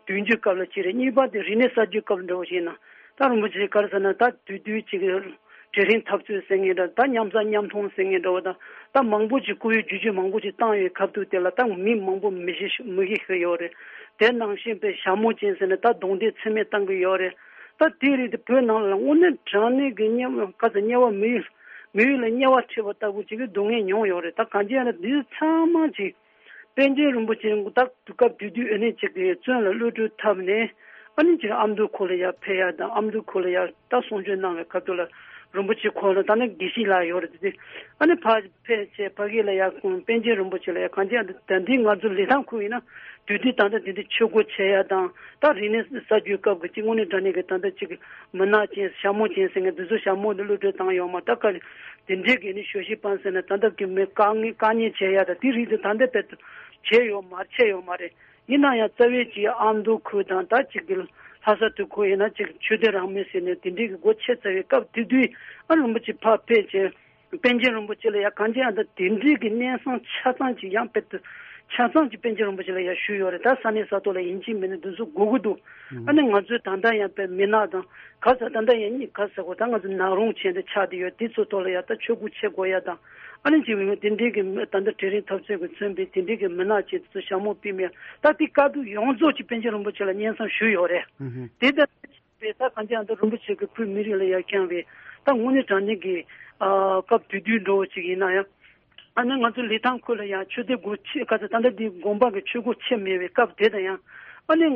དུས་འགྱུར་སྐབས་ལ་གཅིག་རེད། གཉིས་པ་དེ་རིག་གནས་གསར་བརྗེ་སྐབས་འདྲ་བོ་ཞིག་ན། ད་རིན་པོ་ཆེ་ག་རེ་ཟེར་ན། ད་དུས་དུས་ཅིག་གི་གྲལ་རིམ་འཐབ་རྩོད་ཟེར་མཁན་འདྲ། ད་མཉམ་ཟ་མཉམ་འཐུང་ཟེར་མཁན་འདྲ་བོ་དང་། ད་མང་པོ་ཅིག་སྐུ་ཡི་བརྗོད་བརྗོད་མང་པོ་ཅིག་བཏང་ཡོད་སྐབས་དུས་དེ་ལ་ད་མི་མང་པོ་མི་ཤི་མི་ཤི་ཤི་ཡོད་རེད། དེ་ནང་བཞིན་པའི་ཞྭ་མོ་ཅན་ཟེར་ནས་ད་རྡུང་རྡེག་ཚད་མེད་བཏང་གི་ཡོད་རེད། ད་དེ་རིགས་དེ་བོད་ནང་ལ་དངོས་གནས་དྲང་གནས་ཀྱི་དམྱལ་བ་ག་ཚོད་དམྱལ་བ་མི་ཡུལ་མི་ཡུལ་ལ་དམྱལ་བ་ཁྲིད་པ་ལྟ་བུ་ཅིག་གི་སྡུག་བསྔལ་མྱོང་ཡོད་རེད། ད་གང་ཅི་ཡང་ན་འདི་ཚང་མ་ཅིག་པཎ་ཆེན་རིན་པོ་ཆེ་ད་དུས་སྐབས་དེ་དུས་ཨ་ནི་ཅིག་གི་བཙོན་ལ་གློད་གྲོལ་ཐོབ་ནས་ཨ་ནི་ཅིག་ཨ་མདོ་ཁུལ་ལ་ཡར་ཕེབས་ཡ་དང་། ཨ་མདོ་ཁུལ་ལ་ཡར་ད་གསུང་ཆོས་གནང་བའི་སྐབས་དུས་ལ་རིན་པོ་ཆེ་ཁོང་ལ་ད་ནི་དགེ་བཤེས་ལགས་ཡོད་རེད། དེ་ཨ་ནི་ཕ་ཕལ་ཆེར་ཕ་གི་ལ་ཡ་ཁོང་པཎ་ཆེན་རིན་པོ་ཆེ་ལ་ཡ་གང་ཅི་ཡང་ད་འདི་ང་ཚོ་ལི་ཐང་ཁུལ་ཡིན་ན་དུས་དུས་ད་ལྟ་དེ་འདྲའི་ཆོས་སྒོ་ཕྱེ་ཡ་དང་། ད་རིག་གནས་གསར་བརྗེའི་སྐབས་ཀྱི་ཅིག་དངོས་གནས་དྲང་གནས་ཀྱི་ད་ལྟ་ཅིག་མུན་ནག་ཅན་ཞྭ་མོ་ཅན་ཟེར་མཁན་འདི་ཚོ་ཞྭ་མོ་འདི་གློད་གྲོལ་བཏང་ཡོད་མ། ད་ག་དེ་འདྲའི་གི་ནི་ཞོ་ཤི་པན་ཟེར་ན་ད་ལྟ་གི་མི་དཀའ་ངལ་དཀའ་ཉེན་བྱེད་ཡ་ད་དེ་རིགས་དེ་ད་ལྟ་བེད་དུ་བྱས་ཡོད་མ་རེད། བྱས་ཡོད་མ་རེད། ཡིན་ན་ཡང་རྩ་བའི་ཅིག་ཨ་མདོ་ཁུལ་དང་ད་ཅིག་གི་ལྷ་ས་དེ་ཁུལ་ཡིན་ན་ཅིག་ཆོས་སྡེ་རང་མོས་ཟེར་ནས་དེ་འདྲའི་གི་སྒོ་ཕྱེ་ཚར་བའི་སྐབས་དེ་དུས་ཨ་རིན་པོ་ཆེ་ཕར་ཕེབས་བྱས། པཎ་ཆེན་རིན་པོ་ཆེ་ལ་ཡ་གང་ཅི་ཡང་ད་དེ་འདྲའི་གི་གནས་སྟངས་ཆ་ཚང་ཅིག་ཡང་བེད་དུ་ཆ་ཚང་ཅིག་པཎ་ཆེན་རིན་པོ་ཆེ་ལ་ཡ་ཞུས་ཡོད་རེད། ད་ས་གནས་ས་ཐོག་ལ་ཡིན་གཅིག་མིན་གཅིག་འདི་ཚོ་དགོས་ཀྱི་འདུག། ཨ་ནི་ང་ཚོའི་ད་ལྟ་ཡང་པའི་མི་ནག་དང་ག་ས་ད་ལྟ་ཡང་གཉིས་ག་ས་གོ་ད་ང་ཚོ་ནག་རོང་བྱས་ཏེ་ཆགས་བསྡད་ཡོད། དེ་ཚོ་ཐོག་ལ་ཡ་ད་ཆོས་སྒོ་ཕྱེ་དགོས་ཡ་དང་། ཨ་ནི་ཅིག་དེ་འདྲའི་གི་ད་ལྟ་གྲལ་རིམ་འཐབ་རྩོད་ཀྱིས་མཚོན་པའི་དེ་འདྲའི་གི་མི་ནག་ཅིག་དེ་ཚོ་ཞྭ་མོ་པི་མེ་ད་དེ་དཀའ་སྡུག་ཡོངས་རྫོགས་ཅིག་པཎ་ཆེན་རིན་པོ་ཆེ་ལ་སྙན་སེང་ཞུས་ཡོད་རེད། དེ་ལྟར་པས་ད་གང་ཅི་ཡང་ད་རིན་པོ་ཆེ་གི་བོད་མི་རིགས་ལ་ཡ་བསྐྱངས་པའི་ད་དངོས་གནས་དྲང་གནས་ཀྱི་ཨ་སྐབས་དེ་དུས་འདྲ་བོ་ཅིག་ཡིན་ན་ཡང་། ཨ་ནི་ང་ཚོ་ལི་ཐང་ཁུལ་ལ་ཡང་ཆོས་སྡེ་སྒོ་ཕྱེ་ག་ཚོད་ད་ལྟ་འདི་དགོན་པ་གི་ཆོས་སྒོ་ཕྱེ་མེད་པའི་སྐབས་དེ་དང་ཡང་། ཨ་ནི་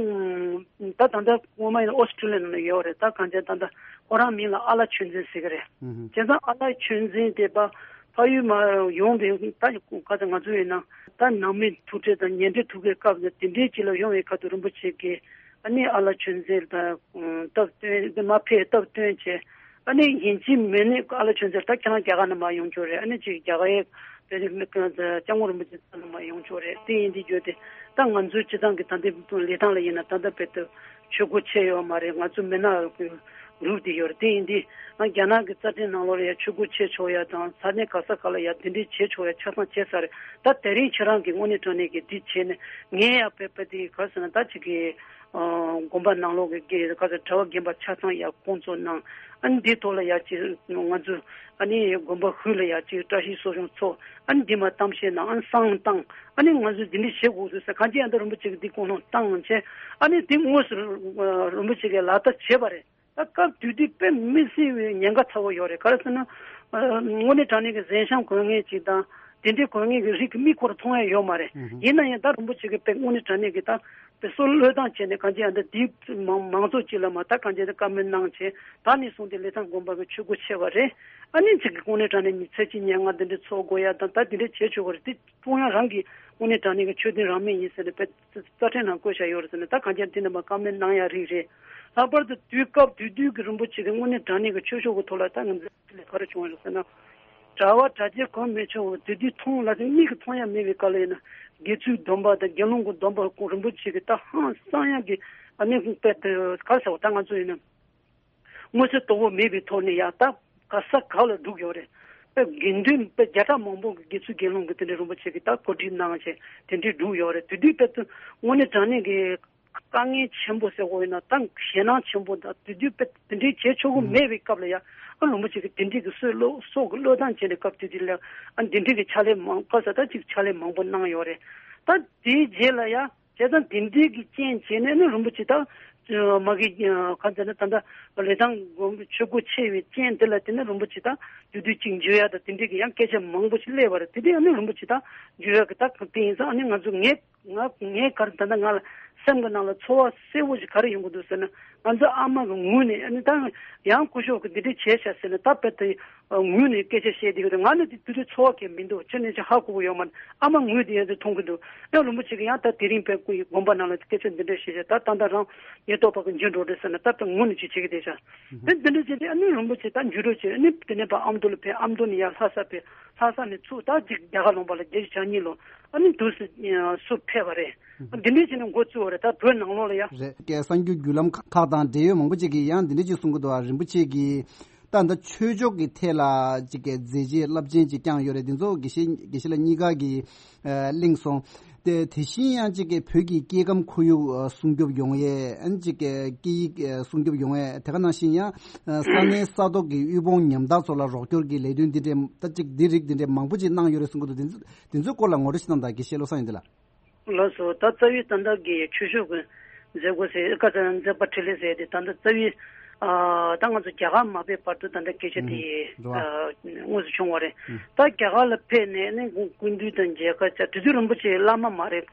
ད་ད་ལྟ་སྔོན་མ་ཡིན་ན་ཨོ་སི་ཀྲི་ལི་ཡ་ནང་ལ་ཡོད་རེད། ད་གང་ཅི་ད་ལྟ་ཁོ་རང་མིང་ལ་ཨ་ལ་ཆོས་འཛིན་ཟེར་གི་རེད། ཨུ་ཧུ། བྱས་ཙང་ཨ་ལ་ཆོས་འཛིན་དེ་པ་ཕ་ཡུལ་མ་ཡོང་བའི་ད་ག་ཚོད་ང་ཚོ་ཡིན་ན་ད་ནང་མི་ཐུག་འཕྲད་དང་ཉེ་འབྲེལ་ཐུག་པའི་སྐབས་དེ་འདྲའི་ཅིག་ལ་ཡོང་བའི་ཁ་ཐུག་རིན་པོ་ཆེ་གིས། ཨ་ནི་ཨ་ལ་ཆོས་འཛིན་དང་སྟབས་བསྟུན་དེ་མ་ཕེབས་སྟབས་བསྟུན་བྱས། ཨ་ནི་ཡིན་གཅིག་མིན་གཅིག་ཨ་ལ་ཆོས་འཛིན་ད་ཁྱེད་རང་རྒྱ་གར་ནས་མར་ཡོང་ཆོག་རེད། ཨ་ནི་ཅིག་རྒྱ་གར་ཡའི་དཔེ་དེ་སྐྱབས་མགོན་རིན་པོ་ཆེ་ཚང་ནས་མར་ཡོང་ཆོག་རེད། དེ་ཡིན་དུས་རྒྱུ་དེ་ད་ང་ཚོའི་སྤྱི་བཏང་གི་ད་ལྟའི་ལི་ཐང་ལ་ཡིན་ན་ད་ལྟ་བར་དུ་ཆོས་སྒོ་ཕྱེ་ཡོད་མ་རེད། ང་ཚོ་མི་ནག་གི་ལུགས་དེ་ཡོད་རེད། དེ་ཡིན་དུས་ང་རྒྱ་ནག་གི་རྩ་ཁྲིམས་ནང་ལོགས་ལ་ཡ་ཆོས་སྒོ་ཕྱེ་ཆོག་ཡ་དང་ས་གནས་ག་ས་ག་ལ་ཡ་དེ་འདྲའི་བྱེད་ཆོག་ཡ་ཆ་ཚང་བྱས་ཚར་རེད། ད་དེ་རིང་ཁྱེད་རང་གི་དངོས་གནས་དྲང་གནས་ཀྱི་འདི་བྱས་ནས་ངས་ཡ་བོད་པ་དེ་ག་ཟེར་ན་ད་ཅིག་གི་ཨ་དགོན་པ་ནང་ལོགས་ཀྱི་དགེ་ག་ཟེར་གྲྭ་པ་རྒན་པ་ཆ་ཚང་ཡ་བསྐོང་ཚོགས་གནང་། ཨ་ནི་འདི་ཐོག་ལ་ཡ་ཅིག་ང་ཚོ་ཨ་ནི་དགོན་པ་ཧུད་ལ་ཡ་ཅིག་བཀྲ་ཤིས་གསོ་སྦྱོང་ཚོགས། ཨ་ནི་འདི་མ་གཏམ་བཤད་གནང་། ཨ་ནི་བསང་བཏང་། ཨ་ནི་ང་ཚོས་འདི་འདྲ་བྱེད་དགོས་ཟེར་གང་ཅི་ཡང་ད་རིན་པོ་ཆེ་གི་འདི་དགོངས་དོན་བཏང་བྱས། ཨ་ནི་འདི་དངོས་སུ་རིན་པོ་ཆེ་གིས་ལག་བསྟར་བྱས་པ་རེད། ད་སྐབས་དེ་དུས་དཔེ་མི་སྲིད་པའི་ཉེན་ཁ་ཚ་བོ་ཡོད་རེད། ག་རེ་ཟེར་ན། ཨ་དངོས་གནས་དྲང་གནས་ཀྱི་གཟན་ཤམ་གོན་མཁན་ཅིག་དང་དེ་འདྲའི་གོན་མཁན་གྱི་རིགས་ཀྱི་མིག་ཁོ་ར་མཐོང་ཡ་ཡོད་མ་རེད། ཨུ་ཧུ། ཡིན་ན་ཡང་ད་རིན་པོ་ཆེ་གིས་དཔེ་དངོས་གནས་དྲང་གནས་ཀྱི་ད་དཔེ་སྲོག་བློས་བཏང་བྱས་ནས་གང་ཅི་ཡང་ད་འདི་མང་མང་ཚོགས་སྤྱི་ལ་མ་ད་གང་ཅི་ད་བཀའ་མོལ་གནང་བྱས། ད་ནས་བཟུང་སྟེ་ལི་ཐང་དགོན་པ་གི་ཆོས་སྒོ་ཕྱེ་བ་རེད། ཨ་ནི་ཅིག་གི་དངོས་གནས་དྲང་གནས་མི་ཚེ་གཅིག་ཉལ་ངལ་འདི་འདྲའི་འཚོ་དགོས་ཡ་དང་ད་འདི་འདྲའི་བྱེད་ཆོག་གི་རེད། འདི་ཀྲུང་དབྱང་རང་གི་དངོས་གནས་དྲང་གནས་ཀྱི་ཆོས་དོན་རང་མོས་ཡིན་ཟེར་ནས་དཔེ་རྩ་ཁྲིམས་ནང་བཀོད་བཞག་ཡོད་རེད་ཟེར་ནས་ད་གང་ཅི་ཡང་དེ་རྣམ་པ་བཀའ་མོལ་གནང་ཡ་རིགས་རེད། ལྷག་པར་དུ་དུས་སྐབས་དེ་དུས་ཀྱི་རིན་པོ་ཆེ་གི་དངོས་གནས་དྲང་གནས་ཀྱི་ཆོས་ཕྱོགས་ཀྱི་ཐོག་ལ་ད་ང་ཚོ་ལས་ག་རེ་བྱུང་བ་རེད་ཟེར་ན། གྲྭ་བ་གྲྭ་རྒྱས་གང་མི་ཆོག་པ་དེ་དུས་མཐོང་ལ་དེ་མིག་གིས་མཐོང་ཡ་མེད་པའི་སྐབས་ལ་ཡིན་ན་དགེ་ཚུལ་སྡོམ་པ་དང་དགེ་སློང་གི་སྡོམ་པ་ཁོང་རིན་པོ་ཆེ་གི་ད་ཧང་སང་ཡ་གི་ཨ་ནི་དཔེ་དེ་ག་རེ་ཟེར་བ་ད་ང་ཚོ་ཡིན་ན། མངོན་གསལ་དོད་པོ་མེད་པའི་ཐོག་ནས་ཡང་ད་ག་ས་ག་ལ་བསྒྲུགས་ཡོད་རེད། དཔེ་དགེ་འདུན་དཔེ་བརྒྱ་ཕྲག་མང་པོ་གི་དགེ་ཚུལ་དགེ་སློང་གི་དེ་འདྲའི་རིན་པོ་ཆེ་གི་ད་གོ་སྒྲིག་གནང་བྱས་དེ་འདྲའི་བསྒྲུགས་ཡོད་རེད། དེ་དུས་དཔེ་དུ་དངོས་གནས་དྲང་གནས་ཀྱི་དཀའ་ངལ་ཆེན་པོ་ཟེར་དགོས་ཡིན་ན་ད་ཞེད་སྣང་ཆེན་པོ་དང་དེ་དུས་དཔེ་དེ་འདྲའི་བྱེད་ཆོག་གི་མེད་པའི་སྐབས་ལ་ཡང་ཨ་རིན་པོ་ཆེ་གི་དེ་འདྲའི་གི་སྲོག་བློས་སྲོག་གི་བློས་བཏང་བྱས་ནས་སྐབས་དེ་དུས་ལ་ཨ་འདི་འདྲའི་གི་ཕྱག་ལས་མང་ག་ས་ད་ཅིག་ཕྱག་ལས་མང་པོ་གནང་ཡོད་རེད། ད་དེའི་རྗེས་ལ་ཡང་། བྱས་ཙང་དེ་འདྲའི་གི་རྐྱེན་བྱས་ནས་ནི་རིན་པོ་ཆེ་དང་། མ་གི་གང་ཟེར་ན་ད་ལྟ་ལི་ཐང་དགོན་པའི་ཆོས་སྒོ་ཕྱེ་བའི་རྐྱེན་དེ་ལ་བརྟེན་ནས་རིན་པོ་ཆེ་དང་དུས་དུས་གཅིག་འཇུ་ཡ་དང་དེ་འདྲའི་གི་ཡང་སྐད་ཆ་མང་པོ་ཞིག་སླེབས་པ་རེད། དེ་དུས་ཨ་ནི་རིན་པོ་ཆེ་དང་འཇུ་ཡ་གི་ད་དེ་ཡིན་ཙང་ཨ་ནི་ང་ཚོ་ངས་ང་ངས་ག་རེ་ད་ལྟ་ང་ལ་སེམས་ཀྱི་ནང་ལ་ཚོར་བ་གསལ་པོ་ཞིག་ག་རེ་ཡོང་གི་འདུག་ཟེར་ན་ང་ཚོ་ཨ་མ་གི་ངོས་ནས་ཨ་ནི་ད་ཡང་སྐུ་ཞབས་གི་འདི་འདྲ་བྱས་ཤག་ཟེར་ན་ད་དཔེ་དེ། ངོས་ནས་སྐད་ཆ་བཤད་བསྡད་ཀྱི་འདུག་ང་ནི་དེ་དུས་དུས་ཚོར་བ་གང་མི་འདུག་ཁྱོད་ནས་ཅི་ཧ་གོ་གི་ཡོད་མ་རེད། ཨ་མ་ངོས་དེ་ཡང་དེ་མཐོང་གི་འདུག་ཨེ་རིན་པོ་ཆེ་གི་ཡང་ད་དེ་རིང་དཔེ་སྐུ་ཡི་དགོན་པ་ནང་ལ་སྐད་ཆ་འདི་འདྲ་བཤད་བྱས་ད་ད་ལྟ་རང་ཉེན་རྟོག་པ་གི་འཇུ་འགྲོ་རེད་ཟེར་ན་ད་དཔེ་ངོས་ནས་ཅི་བྱེད་ཀྱི་བསྡད་ཤག་དེ་འདི་འདྲ་བྱས་ཏེ་ཨ་ནི་རིན་པོ་ཆེ་ད་འཇུ་འགྲོ་བྱས་ཨ་ནི་དེ་ནས་ཕར་ཨ་མདོ་ལ་ཕེབས། ཨ་མདོ་ནས་ཡར་ལྷ་ས་ཕེབས། ལྷ་ས་ནས་ཚུར་ད་ཅིག་རྒྱ་གར་ལུང་པ་ལ་བརྒྱད་ཅུ་གྱ་གཉིས་ལོ་ཨ་ནི་དུས་སུ་སུ་ཕེབས་པ་རེད། འདི་འདྲ་བྱས་ནས་འགོ་བཙུགས་པ་རེད། ད་བོད་ནང་ལོགས་ལ་ཡ། རེད། གསར་འགྱུར་བརྒྱུད་ལམ་ཁག་དང་འབྲེལ་ཡོད་མང་པོ་ཅིག་གིས་ཡང་འདི་འདྲ་ཅིག་གསུང་གི་འདུག་ཨ་རིན་པོ་ཆེ་གིས། ད་ལྟ་ཆོས་ཕྱོགས་ཀྱི་ཐད་ལ་ཅིག་གི་མཛད་རྗེས་རླབས་ཆེན་ཅིག་བསྐྱངས་ཡོད་རེད། འདི་ཚོ་དགེ་བཤེས་དགེ་བཤེས་ལགས་གཉིས་ཀ་གིས་ཨ་གླེང་སོང་། དེ་དེ་བཞིན་ཡང་ཅིག་གི་བོད་ཀྱི་སྐྱེ་ཁམས་ཁོར་ཡུག་ཨ་སྲུང་སྐྱོབ་ཡོང་ཡས་ཨ་ཅིག་གི་སྐད་ཡིག་ཨ་སྲུང་སྐྱོབ་ཡོང་ཡས་དེ་ག་ནང་བཞིན་ཡང་ཨ་ས་གནས་ས་ཐོག་གི་དབུལ་ཕོངས་ཉམ་ཐག་ཚོ་ལ་རོགས་སྐྱོར་གྱི་ལས་དོན་འདི་འདྲའི་ད་ཅིག་འདི་རིགས་འདི་འདྲའི་མང་པོ་ཅིག་གནང་ཡོད་རེད་གསུང་གི་འདུག་འདི་ཚོ་འདི་ཚོའི་སྐོར་ལ་ངོ་སྤྲོད་ཅིག་གནང་དང་དགེ་བཤེས་བློ་བཟང་ཡོན་ཏན་ལགས། ལགས་སོ། ད་རྩ་བའི་ད་ལྟ་གི་ཆོས་ཕྱོགས་ཀྱི་མཛད་སྒོ་ཟེར་ཨེ་ཀ་ཙ་མཛད་པ་འཕྲིན་ལས་ཟེར་དེ་ད་ལྟ་རྩ་བའི་ཨ་ད་ང་ཚོ་རྒྱ་གར་མ་ཕེབས་བར་དུ་ད་ལྟ་སྐད་ཆ་དེ་ཨ་དངོས་སུ་བྱུང་བ་རེད། ད་རྒྱ་གར་ལ་ཕེབས་ནས་ནི་སྐུ་མདུན་དང་མཇལ་ཁ་བྱ་དེ་དུས་རིན་པོ་ཆེ་བླ་མ་མ་རེད།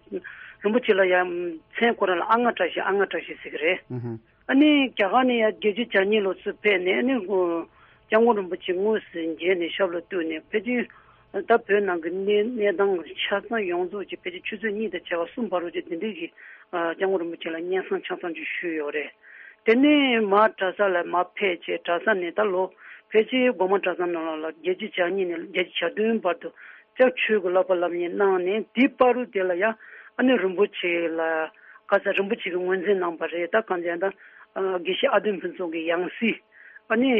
རིན་པོ་ཆེ་ལ་ཡང་མཚན་ཁོ་རང་ལ་ཨ་ང་བཀྲ་ཤིས་ཨ་ང་བཀྲ་ཤིས་ཟེར་གི་རེད། ཨ་ནི་རྒྱ་གར་ནས་ཡང་བརྒྱད་ཅུ་གྱ་གཉིས་ལོ་ཚུར་ཕེབས་ནས་ཨ་ནི་སྐྱབས་མགོན་རིན་པོ་ཆེ་དངོས་སུ་མཇལ་ནས་ཞབས་ལ་གཏུགས་ནས་ཕལ་ཆེར་ད་བོད་ནང་གི་གནས་གནས་སྟངས་ཆ་ཚང་ཡོངས་རྫོགས་ཀྱི་ཕལ་ཆེར་ཆུ་ཚོད་གཉིས་དང་བྱེ་བ་གསུམ་བར་དུ་ཅིག་འདི་འདྲའི་གི་སྐྱབས་མགོན་རིན་པོ་ཆེ་ལ་སྙན་སེང་ཆ་ཚང་ཅིག་ཞུས་ཡོད་རེད། དེ་ནས་མར་གྲྭ་ས་ལ་མར་ཕེབས་བྱས་གྲྭ་ས་ནས་ད་ལོ་ཕལ་ཆེར་སྒོ་མང་གྲྭ་ཚང་ནང་ལ་བརྒྱད་ཅུ་གྱ་གཉིས་ནས་བརྒྱད་ཅུ་གྱ་བདུན་བར་དུ་སྐྱབས་ཆོས་ཀྱི་བསླབ་པ་སློབ་གཉེར་གནང་ནས་དེའི་བར་དུ་དེ་ལ་ཡང་ཨ་ནི་རིན་པོ་ཆེ་ལ་ག་ས་རིན་པོ་ཆེ་གིས་ངོས་འཛིན་གནང་བ་རེད། ད་གང་ཟེར་ན་ད་དགེ་བཤེས་ཨ་དོན་ཕུན་ཚོགས་ཀྱི་ཡང་སྲིད་ཨ་ནི་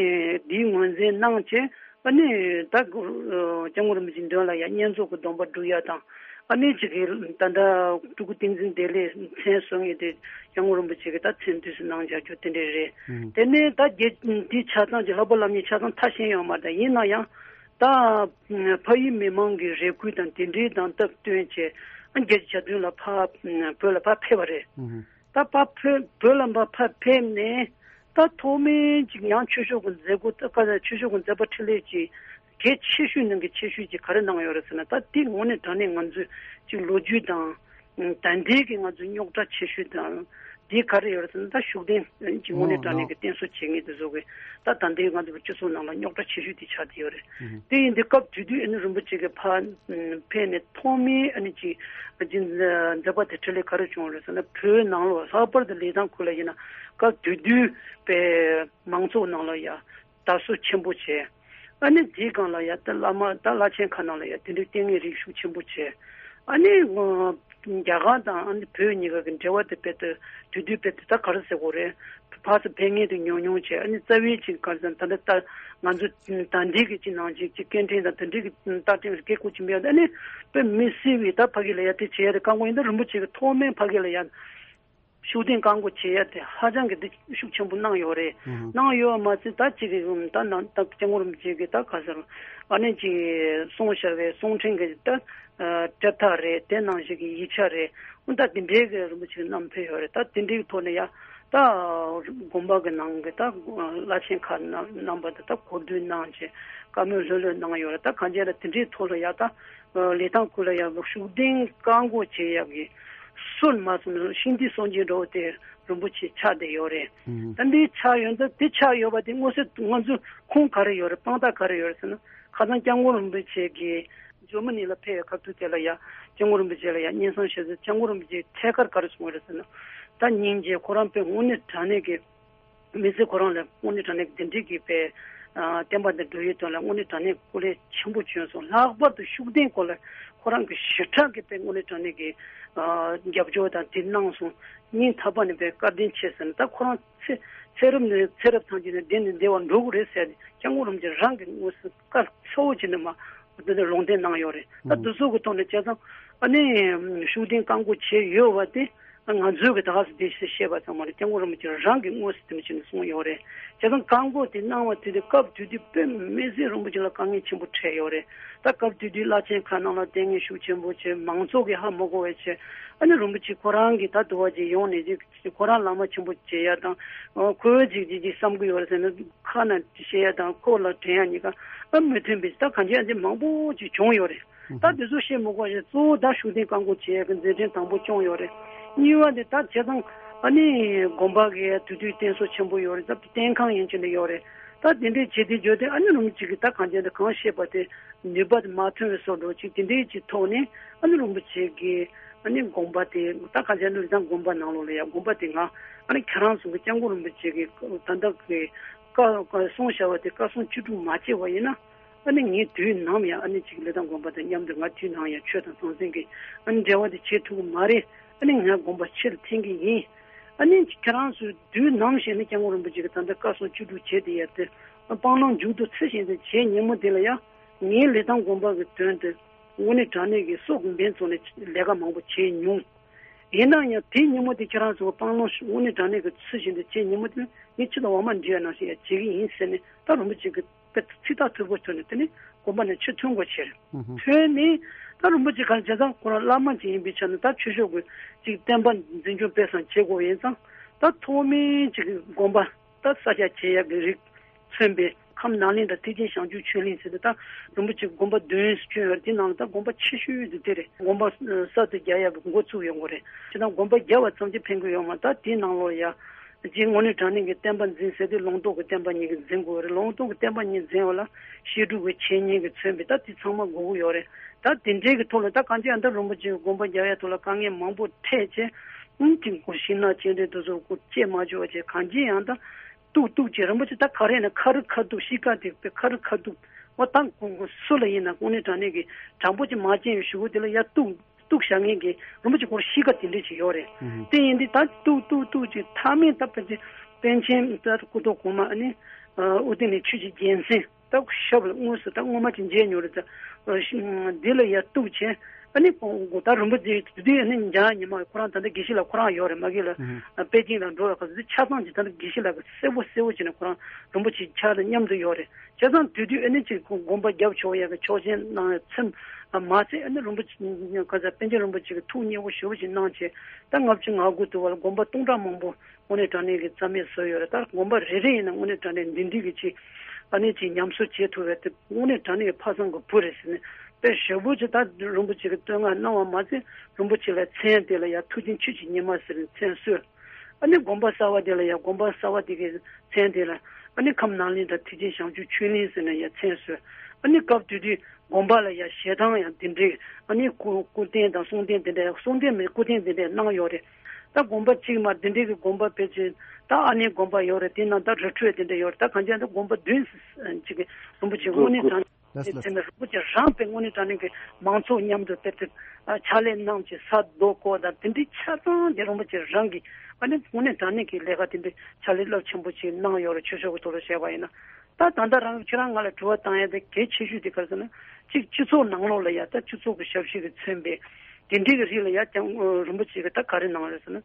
དེའི་ངོས་འཛིན་གནང་བྱས་ཨ་ནི་ད་སྐྱབས་མགོན་རིན་པོ་ཆེའི་མདུན་ལ་ཡང་བསྙེན་རྫོགས་ཀྱི་སྡོམ་པ་སྒྲུབ་ཡ་དང་ཨ་ནི་ཅིག་གི་ད་ལྟ་སྤྲུལ་སྐུ་བསྟན་འཛིན་བདེ་ལེགས་མཚན་གསོལ་མཁན་དེ་སྐྱབས་མགོན་རིན་པོ་ཆེ་གིས་ད་མཚན་དུས་སུ་གནང་བཞག་རྒྱུ་དེ་འདྲས་རེད། དེ་ནས་ད་རྒྱལ་འདི་ཆ་ཚང་གི་བསླབ་པ་སློབ་གཉེར་ཆ་ཚང་མཐར་ཕྱིན་ཡོད་མ་རེད། ཡིན་ན་ཡང་། ད་ཕ་ཡུལ་མི་མང་གི་རེ་སྐུལ་དང་དེ་འདྲའི་དང་སྟབས་བསྟུན་བྱས་བརྒྱད་ཅུ་གྱ་བདུན་ལ་ཕར་བོད་ལ་ཕར་ཕེབས་པ་རེད། ད་ཕར་ཕེབས་བོད་ལ་ཕར་ཕེབས་ནས་ད་ཐོག་མའི་ཅིག་ཡང་ཆོས་ཕྱོགས་ཀྱི་མཛད་སྒོ་ད་ག་ཆོས་ཕྱོགས་ཀྱི་མཛད་པ་འཕྲིན་ལས་ཀྱི་གལ་ཆེ་ཤོས་ནང་གི་ཆེ་ཤོས་ཀྱི་ག་རེ་གནང་ཡོད་རེད་ཟེར་ན། ད་དེ་དངོས་གནས་དྲང་གནས་ང་ཚོས་ཅིག་ལོ་རྒྱུས་དང་ད་ལྟའི་གི་ང་ཚོའི་རྙོག་དྲ་ཆེ་ཤོས་དང་། འདི་ག་རེ་ཡོད་རེད་ཟེར་ན། ད་ཤུགས་ལྡན་གྱི་དངོས་གནས་དྲང་གནས་ཀྱི་བསྟེན་གསོལ་བྱེད་མཁན་དེ་ཚོ་གི་ད་ད་ལྟའི་ང་ཚོ་གི་སྤྱི་ཚོགས་ནང་ལ་རྙོག་དྲ་ཆེ་ཤོས་དེ་ཆགས་བསྡད་ཡོད་རེད། དེ་ཡིན་དུས་སྐབས་དེ་དུས་ཨ་ནི་རིན་པོ་ཆེ་གི་ཕར་ཕེབས་ནས་ཐོག་མའི་ཨ་ནི་ཅིག་མཛད་པ་དེ་འཕྲིན་ལས་ག་རེ་བྱུང་རེད་ཟེར་ན། བོད་ནང་ལོགས་ལྷག་པར་དུ་ལི་ཐང་ཁུལ་ལ་ཡིན་ན་སྐབས་དེ་དུས་པའི་མང་ཚོགས་ནང་ལ་ཡ་དར་སྲོལ་ཆེན་པོ་བྱས། ཨ་ནི་དེའི་སྒང་ལ་ཡ་ད་བླ་མ་ད་བླ་ཆེན་ཁག་ནང་ལ་ཡ་དེ་འདྲའི་ལྟས་ངན་རིགས་ཤུགས་ཆེན་པོ་བྱས། ཨ་ནི་རྒྱ་གར་དང་ཨ་ནི་བོད་གཉིས་ཀ་གི་འབྲེལ་བ་དེ་དཔེ་དེ་དུས་དུས་དཔེ་དེ་ད་ག་རེ་ཟེར་དགོས་རེད། ཕར་ཚུར་ཕན་ངེས་དེ་ཉུང་ཉུང་བྱས། ཨ་ནི་རྩ་བའི་ཅིག་ག་རེ་ཟེར་ད་ལྟ་ད་ང་ཚོ་ད་འདི་གི་ཅིག་ནང་ཅིག་ཅིག་སྐད་འཕྲིན་དང་དེ་འདྲའི་གི་རྟགས་ཅན་གི་སྐད་ཁུག་ཅིག་མེད། ཨ་ནི་དཔེ་མི་སྲིད་པའི་ད་ཕ་གི་ལ་ཡ་དེ་བྱས་ཡ་དེ་ཁག་པོ་ཡིན། ད་རིན་པོ་ཆེ་གི་ཐོག་མའི་ཕ་གི་ལ་ཡ། ཤུགས་ལྡན་བཀག་འགོག་བྱེད་ཡ་དེ་ཧ་ཅང་གི་འདི་ཤུགས་ཆེན་པོ་གནང་ཡོད་རེད། གནང་ཡོད་མ་ཟད་ད་ཅིག་གི་ད་ནང་ད་སྐྱབས་མགོན་རིན་པོ་ཆེ་གི་ད་ག་ཟེར་ཨ་ནི་ཅིག་གསུངས་བཞག་པའི་གསུང་འཕྲིན་གི་ད་གྲུབ་མཐའ་རེད། དེ་ནང་བཞིན་གི་ཡིག་ཆ་རེད། འོ་ད་དེ་འདྲའི་གི་རིན་པོ་ཆེ་གི་བསྣམས་ཕེབས་ཡོད་རེད། ད་དེ་འདྲའི་གི་ཐོག་ནས་ཡ་ ད་དགོན་པ་གི་ནང་གི་ད་བླ་ཆེན་ཁག་རྣམ་རྣམ་པ་དེ་ད་གོ་སྒྲིག་གནང་བྱས་བཀའ་མོལ་ལྷོད་ལྷོད་གནང་ཡོད་རེད། ད་གང་ཅི་ལ་དེ་འདྲའི་ཐོག་ལ་ཡ་ད་ལི་ཐང་ཁུལ་ལ་ཡ་ཤུགས་ལྡན་བཀག་འགོག་བྱེད་ཡག་གི་སྲོལ་མ་སོང་ན་ཤིང་རྟའི་སྲོལ་འབྱེད་འདྲ་བོ་དེ་རིན་པོ་ཆེ་ཆགས་བསྡད་ཡོད་རེད། ད་འདི་ཆགས་ཡོད་ད་དེ་ཆགས་ཡོད་པ་དེ་མངོན་གསལ་ང་ཚོ་ཁུངས་ག་རེ་ཡོད་རེད། དཔང་རྟགས་ག་རེ་ཡོད་རེད་ཟེར་ན། ཁ་སང་སྐྱབས་མགོན་རིན་པོ་ཆེ་གིས་ཇར་མ་ནི་ལ་ཕེབས་པའི་སྐབས་དུས་དེ་ལ་ཡ་སྐྱབས་མགོན་རིན་པོ་ཆེ་ལ་ཡ་སྙན་སེང་ཞུས་ཚེ་སྐྱབས་མགོན་རིན་པོ་ཆེས་ཐད་ཀར་ག་རེ་གསུངས་ཡོད་རེད་ཟེར་ན། ད་སྙིང་རྗེ་ཁོ་རང་དཔེ་དངོས་གནས་དྲང་གནས་ཀྱི་མི་ཚེ་ཁོ་རང་ལ་དངོས་གནས་དྲང་གནས་དེ་འདྲའི་གི་དཔེ་བསྟན་པ་འདི་འགྲོ་ཡུལ་དོན་ལ་དངོས་གནས་དྲང་གནས་སྐུ་ལས་ཆེན་པོ་བསྐྱོན་སོང་། ལྷག་པར་དུ་ཤུགས་ལྡན་སྐོར་ལ་ཁོ་རང་གི་ཞེ་དྲག་གི་དཔེ་དངོས་གནས་དྲང་གནས་ཀྱི་རྒྱབ་སྐྱོར་དང་དེ་གནང་སོང་། སྙིང་ཐག་པ་ནས་དཔེ་བཀའ་དྲིན་ཆེ་ཟེར་ནས། ད་ཁོ་རང་ཚེ་ཚེ་རབས་ནས་ཚེ་རབས་ཐམས་ཅད་ནས་བདེ་ནས་བདེ་བར་འགྲོ་གི་རེད་ཟེར་ཏེ་སྐྱབས་མགོན་རིན་པོ་ཆེ་རང་གི་དངོས་སུ་བཀའ་གསལ་པོ་བྱས་ནས་མ་འདི་ནས་ལུང་བསྟན་གནང་ཡོད་རེད། ད་འདི་ཚོ་གི་ཐོག་ནས་བྱས་ཙང་ཨ་ནི་ཤུགས་ལྡན་བཀག་འགོག་བྱས་ཡོད་པ་དེ་ང་ཚོས་གི་ད་ག་སེ་དེ་བཤད་པ་ཙམ་མ་རེད། སྐྱབས་མགོན་རིན་པོ་ཆེ་རང་གི་དངོས་སུ་དེ་མ་བྱས་ནས་གསུངས་ཡོད་རེད། བྱས་ཙང་བཀག་འགོག་དེ་གནང་བ་དེ་དུས་སྐབས་དེ་དུས་དཔེ་མི་སྲིད་རིན་པོ་ཆེ་ལ་དཀའ་ངལ་ཆེན་པོ་འཕྲད་ཡོད་རེད། ད་སྐབས་དེ་དུས་བླ་ཆེན་ཁག་ནང་ལ་ལྟས་ངན་ཤུགས་ཆེན་པོ་བྱས། མང་ཚོགས་ཀྱིས་ཧ་མ་གོ་བ་བྱས། ཨ་ནི་རིན་པོ་ཆེ་ཁོ་རང་གིས་ད་དུ་བ་ཅིག་ཡོང་ནས་ཅིག་ཁོ་རང་བླ་མ་ཆེན་པོ་བྱེད་ཡ་དང་། ཁོས་ཅིག་ཅིག་ཅིག་བསམ་གི་ཡོད་རེད་ཟེར་ན་ཁ་ནས་བཤད་ཡ་དང་ཁོ་ལ་དྲན་ཡ་གཉིས་ཀ་ཨ་མི་མཐུན་པའི་ད་གང་ཅི་ཨ་ཅེ་མང་པོ་ཅིག་བྱུང་ཡོད་རེད། ད་དེ་ཚོ་བཤད་མི་དགོས་ཤིང་གཙོ་བོ་ད་ཤུགས་ལྡན་བཀག་འགོག་བྱེད་ཡ་གི་མཛད་འཕྲིན་དང་པོ་སྐྱོང་ཡོད་རེད། གཉིས་པ་དེ་ད་བྱས་ཙང་ཨ་ནི་དགོན་པ་གི་དེ་དུས་རྟེན་གསོ་ཆེན་པོ་ཡོད་རེད། ད་རྟེན་ཁང་ཡན་ཆད་ནས་ཡོད་རེད། ད་དེ་འདྲའི་བྱེད་དེ་བརྗོད་དེ་ཨ་ནི་རིན་པོ་ཆེ་གིས་ད་གང་ཅི་འདི་གང་བཤད་པ་དེ་ནུས་པ་དེ་མ་ཐོན་པའི་བཟོ་འདྲ་ཅིག་དེ་འདྲའི་ཅིག་ཐོག་ནས་ཨ་ནི་རིན་པོ་ཆེ་གིས་ཨ་ནི་དགོན་པ་དེ་ད་ག་ཅི་ནུས་ཙང་དགོན་པ་ནང་ལོགས་ལ་ཡ་དགོན་པ་དེ་ང་ཨ་ནི་ཁྱེད་རང་ཚོ་གི་སྐྱབས་མགོན་རིན་པོ་ཆེ་གིས་ད་ལྟ་གི་བཀའ་བཀའ་གསུང་བྱ་བ་དེ་བཀའ་གསུང་བཅུ་དྲུག་མ་བྱས་པ་ཡིན་ན་ཨ་ནི་ངས་དུས་ནམ་ཡང་ཨ་ནི་ཅིག་ལི་ཐང་དགོན་པ་དང་མཉམ་དུ་ང་དུས་ནམ་ཡང་ཆོས་དང་ཟང་ཟིང་གི་ཨ་ནི་འབྲེལ་བ་དེ་བྱེད་ཐུབ་ཀྱི་མ་རེད། ཨ་ནི་ང་དགོན་པ་ཕྱིར་འཐེན་གི་ཡིན། ཨ་ནི་ཁྱེད་རང་ཚོས་དུས་ནམ་ཞིག་ནས་སྐྱབས་མགོན་རིན་པོ་ཆེ་གི་ད་ལྟ་བཀའ་གསུང་བཅུ་དྲུག་བྱས་དེ་ཡ་དེ་སྤང་བླང་མཇུག་ཏུ་ཚུད་བཞིན་དུ་བྱས་ཉིན་མོ་དེ་ལ་ཡ། ངའི་ལི་ཐང་དགོན་པ་གི་དོན་དུ་དངོས་གནས་དྲང་གནས་ཀྱི་སྲོག་གི་འབེན་བཙོང་ནས་ལས་ཀ་མང་པོ་བྱས་མྱོང་། ཡིན་ན་ཡང་དེའི་ཉིན་མོ་དེ་ཁྱེད་རང་ཚོ་སྤང་བླང་དངོས་གནས་དྲང་གནས་ཀྱི་ཚུལ་བཞིན་དུ་བྱས་ཉིན་མོ་དེ་ངས་ཁྱེད་དང་འོ་མ་འདྲེས་པ་ནང་བཞིན་ཡང་བྱེད་ཀྱི་ཡིན་ཟེར་ནས་ད་རིན་པོ་ཆེ་གི་དཔེ་ཚིག་ཐག་ཐུར་པོ་ཐོན་ནས་དེ་ནས་དགོན་པ་ནས་ཕྱིར་ཐོན་དགོས་བྱས་རེད། ཐོན་ནས་ད་རིན་པོ་ཆེ་ག་རེ་བྱས་ཙང་ཁོ་རང་བླ་མ་ཅིག་ཡིན་པའི་ཆ་ནས་ད་ཆོས་ཕྱོགས་ཀྱི་ཅིག་བསྟན་པ་འཛིན་སྐྱོང་སྤེལ་གསུམ་བྱེད་དགོས་ཡིན་ཙང་ད་ཐོག་མའི་ཅིག་དགོན་པ། ད་ས་སྐྱ་ཆེ་ཡབ་ཀྱི་རིགས་མཚོན་པའི་ཁམས་ནང་གླིང་དང་ཐེག་ཆེན་བྱང་ཆུབ་ཆོས་གླིང་ཟེར་ཏེ་ད་རིན་པོ་ཆེ་དགོན་པ་བདུན་བསྐྱོན་ཡོད་རེད། དེ་ནང་ལ་ད་དགོན་པ་ཆེ་ཤོས་དེ་དེ་རེད། དགོན་པ་གསར་དུ་རྒྱག་ཡག་གི་འགོ་བཙུགས་ཡོང་གི་རེད། ཁྱེད་རང་དགོན་པ་རྒྱག་པ་ཙམ་གྱིས་ཕན་གྱི་ཡོད་མ་རེད། ད་དེའི་ནང་ལོགས་ཡ་རྗེ་དངོས་གནས་དྲང་གནས་ཀྱི་བསྟན་པ་འཛིན་ཟེར་དུས་ལུང་རྟོགས་ཀྱི་བསྟན་པ་གཉིས་ཀྱི་འཛིན་དགོས་རེད། ལུང་རྟོགས་ཀྱི་བསྟན་པ་གཉིས་འཛིན་པ་ལ་བཤད་སྒྲུབ་ཀྱི་འཆད་ཉན་གྱི་མཚོན་པའི་ད་དེ་ཚང་མ་དགོས་ཀྱི་ཡོད་རེད། ད་དེ་འདྲའི་གི་ཐོག་ལ་ད་གང་ཅི་ཨ་ད་རིན་པོ་ཆེ་གི་དགོན་པ་རྒྱག་ཡ་ཐོག་ལ་དཀའ་ངལ་མང་པོ་འཕྲད་བྱས་ཨུམ་གྱི་གོ་ཤིང་ནགས་སྤྱན་འདྲེན་དེ་ཚོ་སྐོར་བཅད་མ་བཅུག་པ་བྱས་གང་ཅི་ཡང་ད། གཏུག་གཏུག་བྱས་རིན་པོ་ཆེ་ད་ག་རེ་ན་ཁ་རི་ཁ་ཐུག་གཤིས་ཀ་དེ་དཔེ་ཁ་རི་ཁ་ཐུག་འོ་ད་ཁོང་ཁོང་སུ་ལ་ཡིན་ན་དངོས་གནས་དྲང་གནས་ཀྱི་དྲང་པོ་ཅིག་མ་བྱས་ཡོད་ཞུ་གི་དེ་ལ་ཡ་གཏུག་གཏུག་བྱ་མཁན་གྱི་རིན་པོ་ཆེ་ཁོར་གཤིས་ཀ་དེ་འདྲས་ཅིག་ཡོད་རེད། དེ་ཡིན་དུས་ད་གཏུག་གཏུག་གཏུག་ཅིག་མཐའ་མའི་ད་ཕལ་ཆེར་པཎ་ཆེན་ད་སྐུ་ཐོག་གོང་མ་ཨ་ནི་ཨོ་དེ་ནས་ཆོས་ཀྱི་རྒྱལ་མཚན་ད་ཞབས་ལ་དངོས་སུ་ད་སྔོན་མ་ཅིག་མཇལ་མྱོང་རེད། ད་འདི་ལ་ཡ་གཏུག་བྱས། ཨ་ནི་ཁོང་ད་རིན་པོ་ཆེ་དེ་དུས་ཨ་ནི་འཇང་ཉི་མ་ཁོ་རང་ད་ལྟ་དགེ་བཤེས་ལགས་ཁོ་རང་ཡོད་རེད། མ་གི་ལ་ཨ་པེ་ཅིང་ལ་འགྲོ་བའི་སྐབས་སུ་ཆ་ཚང་གི་ད་ལྟ་དགེ་བཤེས་ལགས་ཀྱི་གསལ་པོ་གསལ་པོ་བྱས་ནས་ཁོ་རང་རིན་པོ་ཆེ་ཕྱག་ལ་མཉམ་དུ་ཡོད་རེད། བྱས་ཙང་དེ་དུས་ཨ་ནི་ཅིག་ཁོང་དགོན་པ་རྒྱབ་ཆོག་ཡ་གི་ཆོག་མཆན་གནང་ཡ་ཚེམས་མ་ཚད་ཨ་ནི་རིན་པོ་ཆེ་ག་ཚ་པཎ་ཆེན་རིན་པོ་ཆེ་གི་ཐུགས་མཉེས་པོ་ཞེ་པོ་ཅིག་གནང་བྱས་ད་ལྔ་བཅུ་ང་དགུ་དུ་བར་དགོན་པ་སྟོང་ཕྲག་མང་པོ་དངོས་གནས་དྲང་གནས་ཀྱི་རྩ་མེད་བཟོས་ཡོད་རེད། ད་དགོན་པ་རེ་རེ་ཡིན་ན་དངོས་གནས་དྲང་གནས་འདི་འདྲའི་གི་ཅིག་ཨ་ནི་ཅིག་ཉམས་གསོ་བྱེད་ཐུབ་པའི་དེ་དངོས་གནས་དྲང་གནས་ཀྱི་ཕ་བཟང་གི་བུ་རེད་ཟེར་ནས་དཔེ་ཞེ་པོ་ཅིག་ད་རིན་པོ་ཆེ་གི་བསྟོད་བསྔགས་གནང་བ་མ་ཟད་རིན་པོ་ཆེ་ལ་མཚན་དེ་ལ་ཡ་མཐུ་ཆེན་ཆོས་ཀྱི་ཉི་མ་ཟེར་ནས་མཚན་གསོལ། ཨ་ནི་དགོན་པ་གསར་བ་དེ་ལ་ཡ་དགོན་པ་གསར་བ་དེ་གི་མཚན་དེ་ལ་ཨ་ནི་ཁམས་ནང་གླིང་དང་ཐེག་ཆེན་བྱང་ཆུབ་ཆོས་གླིང་ཟེར་ནས་ཡ་མཚན་གསོལ། ཨ་ནི་སྐབས་དེ་དུས་དགོན་པ་ལ་ཡ་ཞལ་ཐང་ཡང་དེ་འདྲའི་ཨ་ནི་སྐུ་སྐུ་རྟེན་དང་གསུང་རྟེན་དེ་འདྲ་གསུང་རྟེན་མིན་སྐུ་རྟེན་དེ་འདྲ་གནང་ཡོད་རེད། ད་དགོན་པ་གཅིག་མ་དེ་འདྲའི་གི་དགོན་པ་ཕལ་ཆེར་ད་ཨ་ནེ་དགོན་པ་ཡོད་རེད། དེ་ནང་ད་རི་ཁྲོད་དེ་འདྲ་ཡོད་རེད། ད་གང་ཅི་ད་དགོན་པ་བདུན་ཅིག་གི་རིན་པོ་ཆེ་དངོས་གནས་དྲང་གནས་དེ་ནས་རིན་པོ་ཆེ་རང་དཔེ་དངོས་གནས་དྲང་གནས་ཀྱི་མང་ཚོགས་མཉམ་དུ་དེ་དེ་ཕྱག་ལས་གནང་བྱས་ས་རྡོ་བརྐོས་དང་དེ་འདྲའི་ཆ་ཚང་དེ་རིན་པོ་ཆེ་རང་གིས་ཨ་ནི་དངོས་གནས་དྲང་གནས་ཀྱི་ལས་ཀ་དེ་འདྲའི་ཕྱག་ལས་རླབས་ཆེན་པོ་ཅིག་གནང་ཡོད་རེད། ཆོས་ཕྱོགས་ཀྱི་ཐོག་ལ་བཤད་པ་ཡིན་ན། ད་ད་ལྟ་རང་ཁྱེད་རང་ང་ལ་དྲི་བ་བཏང་ཡ་དེ་གལ་ཆེ་ཤོས་དེ་ག་རེ་ཟེར་ན་གཅིག་སྤྱི་ཚོགས་ནང་ལོགས་ལ་ཡ་ད་སྤྱི་ཚོགས་ཀྱི་ཞབས་ཕྱི་གིས་མཚོན་པའི་དེ་འདྲའི་གི་རིགས་ལ་ཡ་ཀྱང་རིན་པོ་ཆེ་གིས་ད་ག་རེ་གནང་རེད་ཟེར་ན།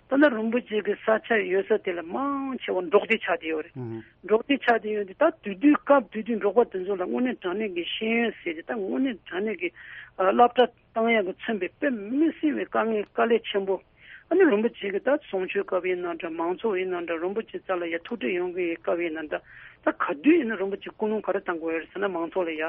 ད་ལྟ་རིན་པོ་ཆེ་གི་ས་ཆ་ཡོད་ས་དེ་ལ་མང་ཆེ་བ་འབྲོག་སྡེ་ཆགས་བསྡད་ཡོད་རེད། འབྲོག་སྡེ་ཆགས་བསྡད་ཡོད་དུས་ད་དུས་དུས་སྐབས་དུས་དུས་འབྲོག་པ་དེ་ཚོ་ལ་དངོས་གནས་དྲང་གནས་ཀྱི་ཤེས་ཡོན་ཟེར་ཏེ་ད་དངོས་གནས་དྲང་གནས་ཀྱི་ཨ་སློབ་གྲྭ་བཏང་ཡག་གི་མཚོན་པའི་དཔེ་མི་སྲིད་པའི་དཀའ་ངལ་དཀའ་ལས་ཆེན་པོ་ ཨ་ནི་རིན་པོ་ཆེ་གི་ད་གསུང་ཆོས་སྐབས་ཡིན་ན་འདྲ། མང་ཚོགས་ཡིན་ན་འདྲ། རིན་པོ་ཆེ་རྩ་ལ་ཡ་ཐུགས་ཁྲལ་ཡོང་གི་སྐབས་ཡིན་ན་འདྲ། ད་ག་དུས་ཡིན་ན་རིན་པོ་ཆེ་སྐུལ་སློང་ག་རེ་བཏང་དགོས་ཡོད་ཟེར་ན། མང་ཚོགས་ལ་ཡ་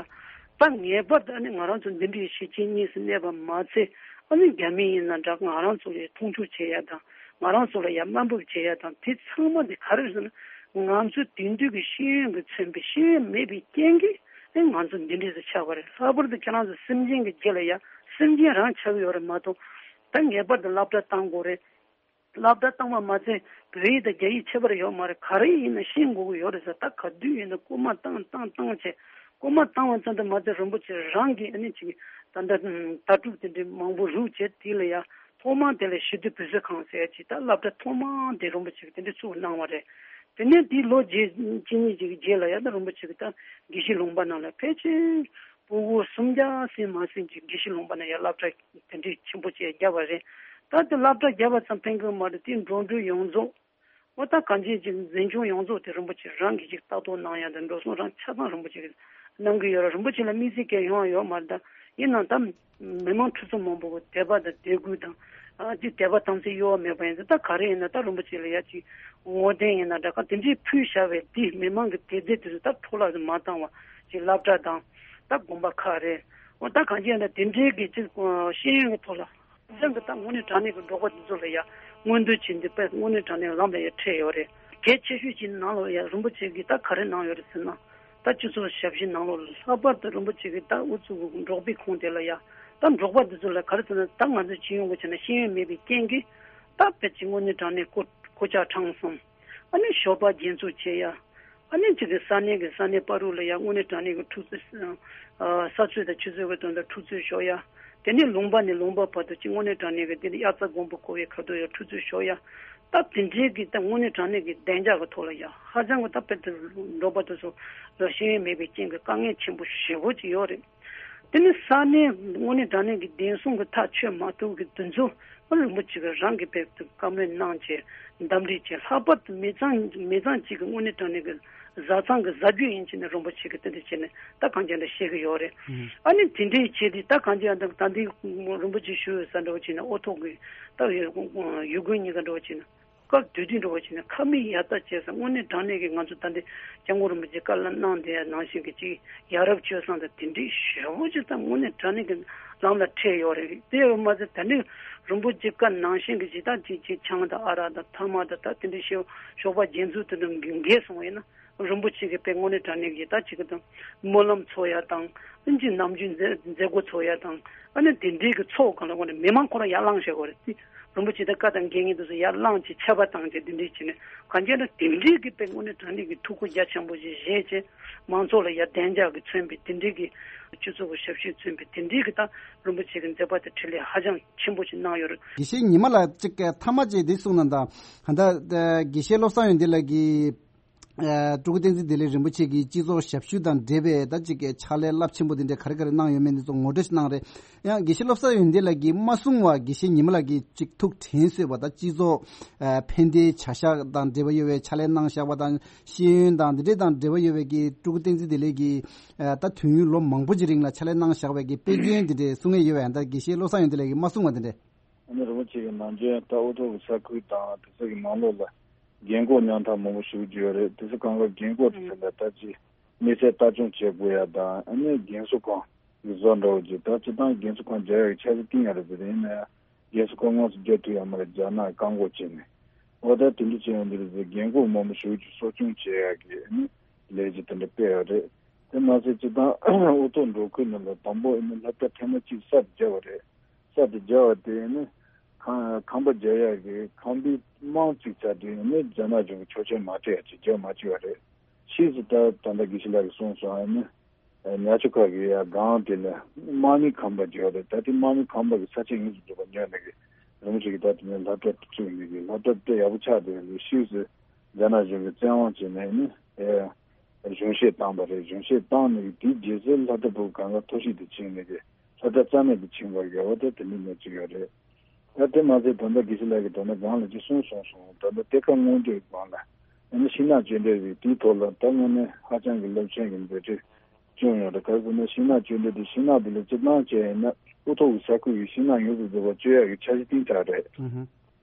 ད་ངེས་པར་དུ་ཨ་ནི་ང་རང་ཚོ་འདི་འདྲའི་གཞིས་བྱེས་གཉིས་སུ་གནས་པ་མ་ཚད། ཨ་ནི་རྒྱ་མི་ཡིན་ན་འདྲ། ང་རང་ཚོ་ལ་ཡ་མཐོང་ཆུང་བྱེད་ཡ་དང་། ང་རང་ཚོ་ལ་ཡ་དམའ་འབེབས་བྱེད་ཡ་དང་། དེ་ཚང་མ་དེ་ག་རེ་རེད་ཟེར་ན། ང་ཚོའི་དེང་དུས་ཀྱི་ཤེས་ཡོན་གྱིས་མཚོན་པའི་ཤེས་ཡོན་མེད་པའི་རྐྱེན་གྱིས་ཨེ་ང་ཚོ་འདི་འདྲས་སུ་ཆགས་པ་རེད། ལྷག་པར་དུ་ཁྱེད་རང་ཚོ་སེམས་ཅན་གྱི་རྗེས་ལ་ཡ་སེམས་ཅན་རང་ཆགས་ཀྱི་ཡོད་རེད་མ་གཏོགས། ད་ངེས་པར་དུ་སློབ་གྲྭ་བཏང་དགོས་རེད། སློབ་གྲྭ་བཏང་བ་མ་ཚད་བོད་ཡིག་དང་རྒྱ་ཡིག་ཁྱད་པར་ཡོད་མ་རེད། ག་རེ་ཡིན་ན་ཤེས་དགོས་ཀྱི་ཡོད་རེད་ཟེར། ད་ག་དུས་ཡིན་ན་སྐུལ་མ་བཏང་བཏང་བཏང་བྱས། སྐུལ་མ་བཏང་བ་ཙམ་དུ་མ་ཚད་རིན་པོ་ཆེ་རང་གིས་ཨ་ནི་ཅིག་ད་ལྟ་ལྟ་གྲུབ་དེ་འདྲའི་མང་པོ་རུབ་བྱས། དེ་ལ་ཡ་ཐོག་མར་དེ་ལ་ཞི་བདེ་བོད་ཟས་ཁང་ཟེར་ཡ་ཅིག་ད་སློབ་གྲྭ་ཐོག་མ་དེ་རིན་པོ་ཆེ་གིས་དེ་འདྲ་བཙུགས་གནང་བ་རེད། དེ་ནས་དེའི་ལོ་རྗེས་གཅིག་གཉིས་ཅིག་གི་རྗེས་ལ་ཡ་ད་རིན་པོ་ཆེ་གིས་ད་དགེ་བཤེས་ལུང་པ་ནང་ལ་ཕལ་ཆེར་ཕྲུ་གུ་སུམ་བརྒྱ་ཟིན་མ་ཟིན་ཅིག་དགེ་བཤེས་ལུང་པ་ནང་ཡ་སློབ་གྲྭ་དེ་འདྲའི་ཆེན་པོ་ཅིག་བརྒྱབ་པ་རེད། ད་དེ་སློབ་གྲྭ་བརྒྱབ་པ་ཙམ་ཕན་གྱི་མ་རེད། དེ་འགྲོ་འགྲུལ་ཡོངས་རྫོགས། འོ་ད་གང་ཅི་ཅིག་འཛིན་སྐྱོང་ཡོངས་རྫོགས་དེ་རིན་པོ་ཆེ་རང་གིས་ཅིག་ལྟ་རྟོག་གནང་ཡ་དང་། འགྲོ་སོང་རང་ཆ་ཚང་རིན་པོ་ཆེ་གིས་གནང་གི་ཡོད་རེད། རིན་པོ་ཆེ་ལ་དམིགས་བསལ་གང་ཡོང་ཡོད་མ་རེད། ད་ཡིན་ནའང་ད་མི་མང་ཁྲི་ཚོ་མང་པོ་གི་དད་པ་དང་དད་གུས་དང་། ཨ་ཅིག་དད་པ་དམ་ཚིག་གཡོ་བ་མེད་པ་ཡིན་ཙང་། ད་ག་རེ་ཡིན་ན་ད་རིན་པོ་ཆེ་ལ་ཡ་ཅིག་བསྔོ་རྟེན་ཡིན་ན་འདྲ། ག་དེ་འདྲའི་ཕུལ་བཞག་པའི་དེ་མི་མང་གི་དད་རྫས་དེ་ཚོ་ད་འཕྲོ་བརླག་ཏུ་མ་བཏང་བ་ཅིག་སློབ་གྲྭ་དང་ད་དགོན་པ་ཁག་རེད། འོ་ད་གང་ཅི་ཡིན་ན་དེ་འདྲའི་གི་ཅིག་ཤེས་ཡོན་གྱི་ཐོག་ལ། ཅང་གི་ད་དངོས་གནས་དྲང་གནས་ཀྱི་འབྲོག་པ་འདི་ཚོ་ལ་ཡ་མངོན་འདོད་བྱེད་འདི་དཔེ་དངོས་གནས་དྲང་གནས་ལམ་ལ་ཡ་འཁྲིད་ཡོད་རེད། གལ་ཆེ་ཤོས་ཀྱི་ནང་ལོགས་ཡ་རིན་པོ་ཆེ་གིས་ད་ག་རེ་གནང་ཡོད་རེད་ཟེར་ན། ད་སྤྱི་ཚོགས་ཞབས་ཞུའི་ནང་ལོགས་ལ་ལྷག་པར་དུ་རིན་པོ་ཆེ་གིས་ད་ཨུ་ཚུགས་འབྲོག་པའི་ཁོངས་དེ་ལ་ཡ་ད་འབྲོག་པ་འདི་ཚོ་ལ་ག་རེ་ཟེར་ན། ད་ང་ཚོ་སྤྱི་ཡོངས་ཀྱི་ཆ་ནས་ཤེས་ཡོན་མེད་པའི་རྐྱེན་གྱིས་ད་དཔེ་ཅིག་དངོས་གནས་དྲང་གནས་ཀོ་ཀོ་ཅག་ཁྲང་གསུམ། ཨ་ནི་ཞོགས་པ་རྒྱན་འཛུགས་བྱེད་ཡ། ཨ་ནི་ཅིག་གི་ས་གནས་ཀྱི་ས་གནས་བར་དུ་ལ་ཡ་དངོས་གནས་དྲང་གནས་ཀྱི་འཁྲུག་རྩོད། ཨ་ས་རྩོད་དང་ཆུ་རྩོད་ཀྱི་དོན་དུ་འཁྲུག་རྩོད་ཤོར་ཡ། དེ་ནས་ལུང་པ་ནས་ལུང་པ་བར་དུ་ཅིག་དངོས་གནས་དྲང་གནས་ཀྱི་དེ་ནས་དབྱར་རྩྭ་དགུན་འབུ་བརྐོ་བའི་ཁ་ཐུག་ཡ་འཁྲུག་རྩོད་ཤོར་ཡ། ད་དེ་འདྲའི་གི་ད་དངོས་གནས་དྲང་གནས་ཀྱི་བདེ་འཇགས་ཀྱི་ཐོག་ལ་ཡ་ཧ་ཅང་གི་ད་དཔེ་དེ་འབྲོག་པ་དེ་ཚོ་ལ་ཤེས་ཡོན་མེད་པའི་རྐྱེན་གྱིས་དཀའ་ངལ་ཆེན་པོ་ཞེ་པོ་ཅིག་ཡོད་རེད། དེ་ནི་ས་གནས་དངོས་གནས་དྲང་གནས་ཀྱི་བདེན་སྲུང་གི་ཐག་ཆོད་མ་ཐུབ་ཀྱི་དེ་ཚོ་རིན་པོ་ཆེ་གིས་རང་གིས་དཔེ་བཀའ་མོལ་གནང་བྱས། འདུམ་འགྲིག་བྱས། ལྷག་པར་དུ་མི་ཚང་མི་ཚང་གཅིག་གི་དངོས་གནས་དྲང་གནས་ཀྱི་བཟའ་ཚང་གི་བཟའ་རྒྱུ་ཡིན་བྱས་ནས་རིན་པོ་ཆེ་གིས་དེ་འདྲ་བྱས་ནས་ད་གང་ཅི་འདྲ་བཤད་ཀྱི་ཡོད་རེད། ཨ་ནི་དེ་འདྲའི་བྱས་ཏེ་ད་གང་ཅི་འདྲ་ད་འདི་རིན་པོ་ཆེ་ཞུ་ཡོད་ས་འདྲ་བོ་བྱས་ན། ཨོ་ཐོག་གི་ད་ཡུལ་དགོན་གཉིས་ཀ་འདྲ་བོ་བྱས་ན། སྐབས་དུས་དུས་འགྲོ་བ་བྱས་ན་ཁ་མིག་ཡར་ལྟ་བྱས་ཙང་དངོས་གནས་དྲང་གནས་ཀྱི་ང་ཚོ་ད་འདི་སྐྱབས་མགོན་རིན་པོ་ཆེ་བཀའ་སློབ་གནང་དེ་ནང་བཞིན་གྱི་ཅིག་ཡ་རབས་སྤྱོད་བཟང་དང་དེ་འདྲའི་ཞེ་པོ་ཅིག་ད་དངོས་གནས་དྲང་གནས་ཀྱི་ལམ་ལ་འཁྲིད་ཡོད་རེད། དེ་ཡོད་མ་ཟད་ད་ནི་རིན་པོ་ཆེ་བཀའ་ནང་བཞིན་གྱི་ཅིག་ད་ཅིག་ཅིག་ཆང་དང་ཨ་རག་དང་ཐ་མག་དང་ད་དེ་འདྲའི་ཞོགས་ཞོགས་པ་རྒྱན་འཛུགས་དེ་འདྲ་འགེལ་སོང་བ་ཡིན་ན། རིན་པོ་ཆེ་གིས་དཔེ་དངོས་གནས་དྲང་གནས་ཀྱི་ད་ཅིག་གི་དང་སྨོན་ལམ་ཚོགས་ཡ་དང་། ཨ་ནི་ཅིག་ནམ་རྒྱུན་མཛད་མཛད་སྒོ་ཚོགས་ཡ་དང་། ཨ་ནི་དེ་འདྲའི་གི་ཚོགས་གང་ལ་དངོས་གནས་མི་མང་ཁོ་རང་ཡར་ལངས་བྱེད་དགོས་རེད། རིན་པོ་ཆེ་དང་བཀའ་དང་དགེ་བསྙེན་དེ་ཚོ་ཡར་ལངས་བྱས་ཆད་པ་བཏང་བྱས་དེ་འདྲའི་བྱས་ནས་གང་བྱས་ན་དེ་འདྲའི་གི་དཔེ་དངོས་གནས་དྲང་གནས་ཀྱི་ཐུགས་ཁུར་རྒྱ་ཆེན་པོ་ཞིག་བཞེས་བྱས། མང་ཚོགས་ལ་ཡར་བདེ་འཇགས་ཀྱིས་མཚོན་པའི་དེ་འདྲའི་གི་སྤྱི་ཚོགས་ཀྱི་ཞབས་ཞུས་མཚོན་པའི་དེ་འདྲའི་གི་ད་རིན་པོ་ཆེ་གི་མཛད་པ་དེ་འཕྲིན་ལས་ཧ་ཅང་ཆེན་པོ་ཞིག་གནང་ཡོད་རེད། དགེ་བཤེས་ཉི་མ་ལགས་གཅིག་མཐའ་མ་གཅིག་འདི་གསུངས་ན་ད། ད་དགེ་བཤེས་བློ་བཟང་ཡོན་ཏན་ལགས་ཀྱིས། ཨ་སྤྲུལ་སྐུ་བསྟན་འཛིན་བདེ་ལེགས་རིན་པོ་ཆེ་གིས་སྤྱི་ཚོགས་ཞབས་ཞུ་དང་འབྲེལ་བའི་ད་ཅིག་གི་ཕྱག་ལས་རླབས་ཆེན་པོ་འདི་འདྲ་ག་རེ་ག་རེ་གནང་ཡོད་མེད་འདི་ཚོ་ངོ་སྤྲོད་ཞིག་གནང་རེད། ཡང་དགེ་བཤེས་བློ་བཟང་ཡོན་ཏན་ལགས་ཀྱིས་མ་གསུངས་པར་དགེ་བཤེས་ཉི་མ་ལགས་ཀྱིས་ཅིག་ཐུགས་དྲན་གསོས་པ་ད་སྤྱི་ཚོགས་ཨ་ཕན་བདེའི་བྱ་གཞག་དང་འབྲེལ་བ་ཡོད་པའི་ཕྱག་ལས་གནང་བཞག་པ་དང་ཤེས་ཡོན་དང་འདི་འདྲ་དང་འབྲེལ་བ་ཡོད་པའི་གི་སྤྲུལ་སྐུ་བསྟན་འཛིན་བདེ་ལེགས་ཀྱིས་ཨ་ད་དུས་ཡུན་ལོ་མང་པོ་ཅིག་རིང་ལ་ཕྱག་ལས་གནང་བཞག་པའི་གི་དཔེ་རྒྱུན་འདི་འདྲ་གསུང་ཡས་ཡོད་པ་ཡང་ད་དགེ་བཤེས་བློ་བཟང་ཡོན་ཏན་ལགས་ཀྱིས་མ་གསུངས་པ་འདི་འདྲ། ཨ་ནི་རིན་པོ་ཆེ་གི་ནང་བྱོན་ད་ཨོ་ཐོག་གི་ས་ཁུལ་དང་དེ་ཚོ་གི་ནང་ལོགས་ལ་རྒན་འཁོགས་མཉམ་ཐག་མང་པོ་ཞུ་རྒྱུ་ཡོད་རེད། དེ་ཚོ་གང་ག་རྒན་འཁོགས་དེ་ཚོ་ལ་ད་ཅི་དམིགས་བསལ་ལྟ་སྐྱོང་བྱེད་དགོས་ཡ་དང་། ཨ་ནི་རྒན་གསོ་ཁང་གི་བཟོ་འདྲ་བོ་ཅིག་ད་སྤྱིར་བཏང་རྒན་གསོ་ཁང་རྒྱག་ཡ་གི་འཆར་གཞི་བཏིང་ཡ་རེད་ཟེར། ཡིན་ན་ཡང་རྒན་གསོ་ཁང་དངོས་སུ་རྒྱག་ཐུབ་ཡ་མ་རེད། རྒྱ་ནག་གིས་བཀག་འགོག་བྱས་ནས། འོ་ད་དེ་འདྲ་བྱས་ཡོང་དུས་རེད་ཟེར། རྒན་འཁོགས་མང་པོ་ཞེ་པོ་ཅིག་གསོ་སྐྱོང་བྱེད་ཡག་གི་ཨ་ནི་ལས་གཞི་དེ་འདྲ་སྤེལ་ཡོད་རེད། དེ་མ་ཟད་སྤྱིར་བཏང་ཨོ་ཐོག་འབྲོག་ཁུལ་ནང་ལ་དང་པོ་ཨ་ནི་སློབ་གྲྭ་ཐེངས་མ་གཅིག་གསར་དུ་བརྒྱབ་པ་རེད། གསར་དུ་བརྒྱབ་པ་དེ་ཨ་ནི་ཁང་ཁང་པ་རྒྱག་ཡག་གི་ཁང་པའི་རྨང་བཙུགས་ཚར་དུས་ཨ་ནི་རྒྱ་ནག་གཞུང་གིས་ཆོག་མཆན་མ་སྤྲད་ཡ་ཅིག་རྒྱག་མ་བཅུག་པ་རེད། ཕྱིས་སུ་ད་ད་ལྟ་དགེ་བཤེས་ལགས་ཀྱིས་གསུངས་སོང་། ཨ་ནི་ཉ་ཆུ་ཁ་གི་ཡ་སྒང་དེ་ལ་དམག་མིའི་ཁང་པ་བརྒྱབ་པ་རེད། ད་དེ་དམག་མིའི་ཁང་པ་གི་ས་ཆ་དངོས་སུ་འཛུགས་པ་ཉོས་ནས་གི་རིན་པོ་ཆེ་གིས་ད་དེ་ནས་སློབ་གྲྭ་དེ་བཙུགས་ནས་གི་སློབ་གྲྭ་དཔེ་ཡག་པོ་ཆགས་བསྡད་ཡོད་རེད། ཕྱིས་སུ་རྒྱ་ནག་གཞུང་གིས་བཙན་དབང་བྱས་ནས་ནི་ཨེ་གཞུང་བཞེས་བཏང་པ་རེད། གཞུང་བཞེས་བཏང་ནས་གི་དེའི་རྗེས་སུ་སློབ་གྲྭ་ཕྲུ་གུ་གང་ག་མཐོ་གཤིས་དེ་ཕྱིན་ནས་གི་སློབ་གྲྭ་རྩ་མེད་དུ་ཕྱིན་པ་རེད། འོ་ད་དེ་འདྲ་ནས་ཅིག་ཡོད་རེད། ད་དེ་མ་ཟད་ད་ལྟ་དགེ་བཤེས་ལགས་ཀྱིས་ད་ལྟ་སྒང་ལ་ཅིག་གསུངས་སོང་སོང་། ད་ལྟ་གཏེར་ཁ་སྔོག་འདོན་སྒང་ལ་ཨ་ནི་ཤིང་ནགས་གཅོད་འབྲེག་རེད། དེའི་ཐོག་ལ་ད་དངོས་གནས་ཧ་ཅང་གི་རླབས་ཆེན་གྱི་མཛད་འཕྲིན་བསྐྱངས་ཡོད་རེད། ག་རེ་ཟེར་ན་ཤིང་ནགས་གཅོད་འབྲེག་དེ་ཤིང་ནགས་དེ་ལ་སྤྱིར་བཏང་བྱས་ཡིན་ན་ཨུ་ཐུག་གི་ས་ཁུལ་གྱི་ཤིང་ནགས་ཡོངས་སུ་རྫོགས་པ་གཅོད་ཡག་གི་འཆར་གཞི་བཏིང་ཚར་རེད། ཨུ་ཧུ།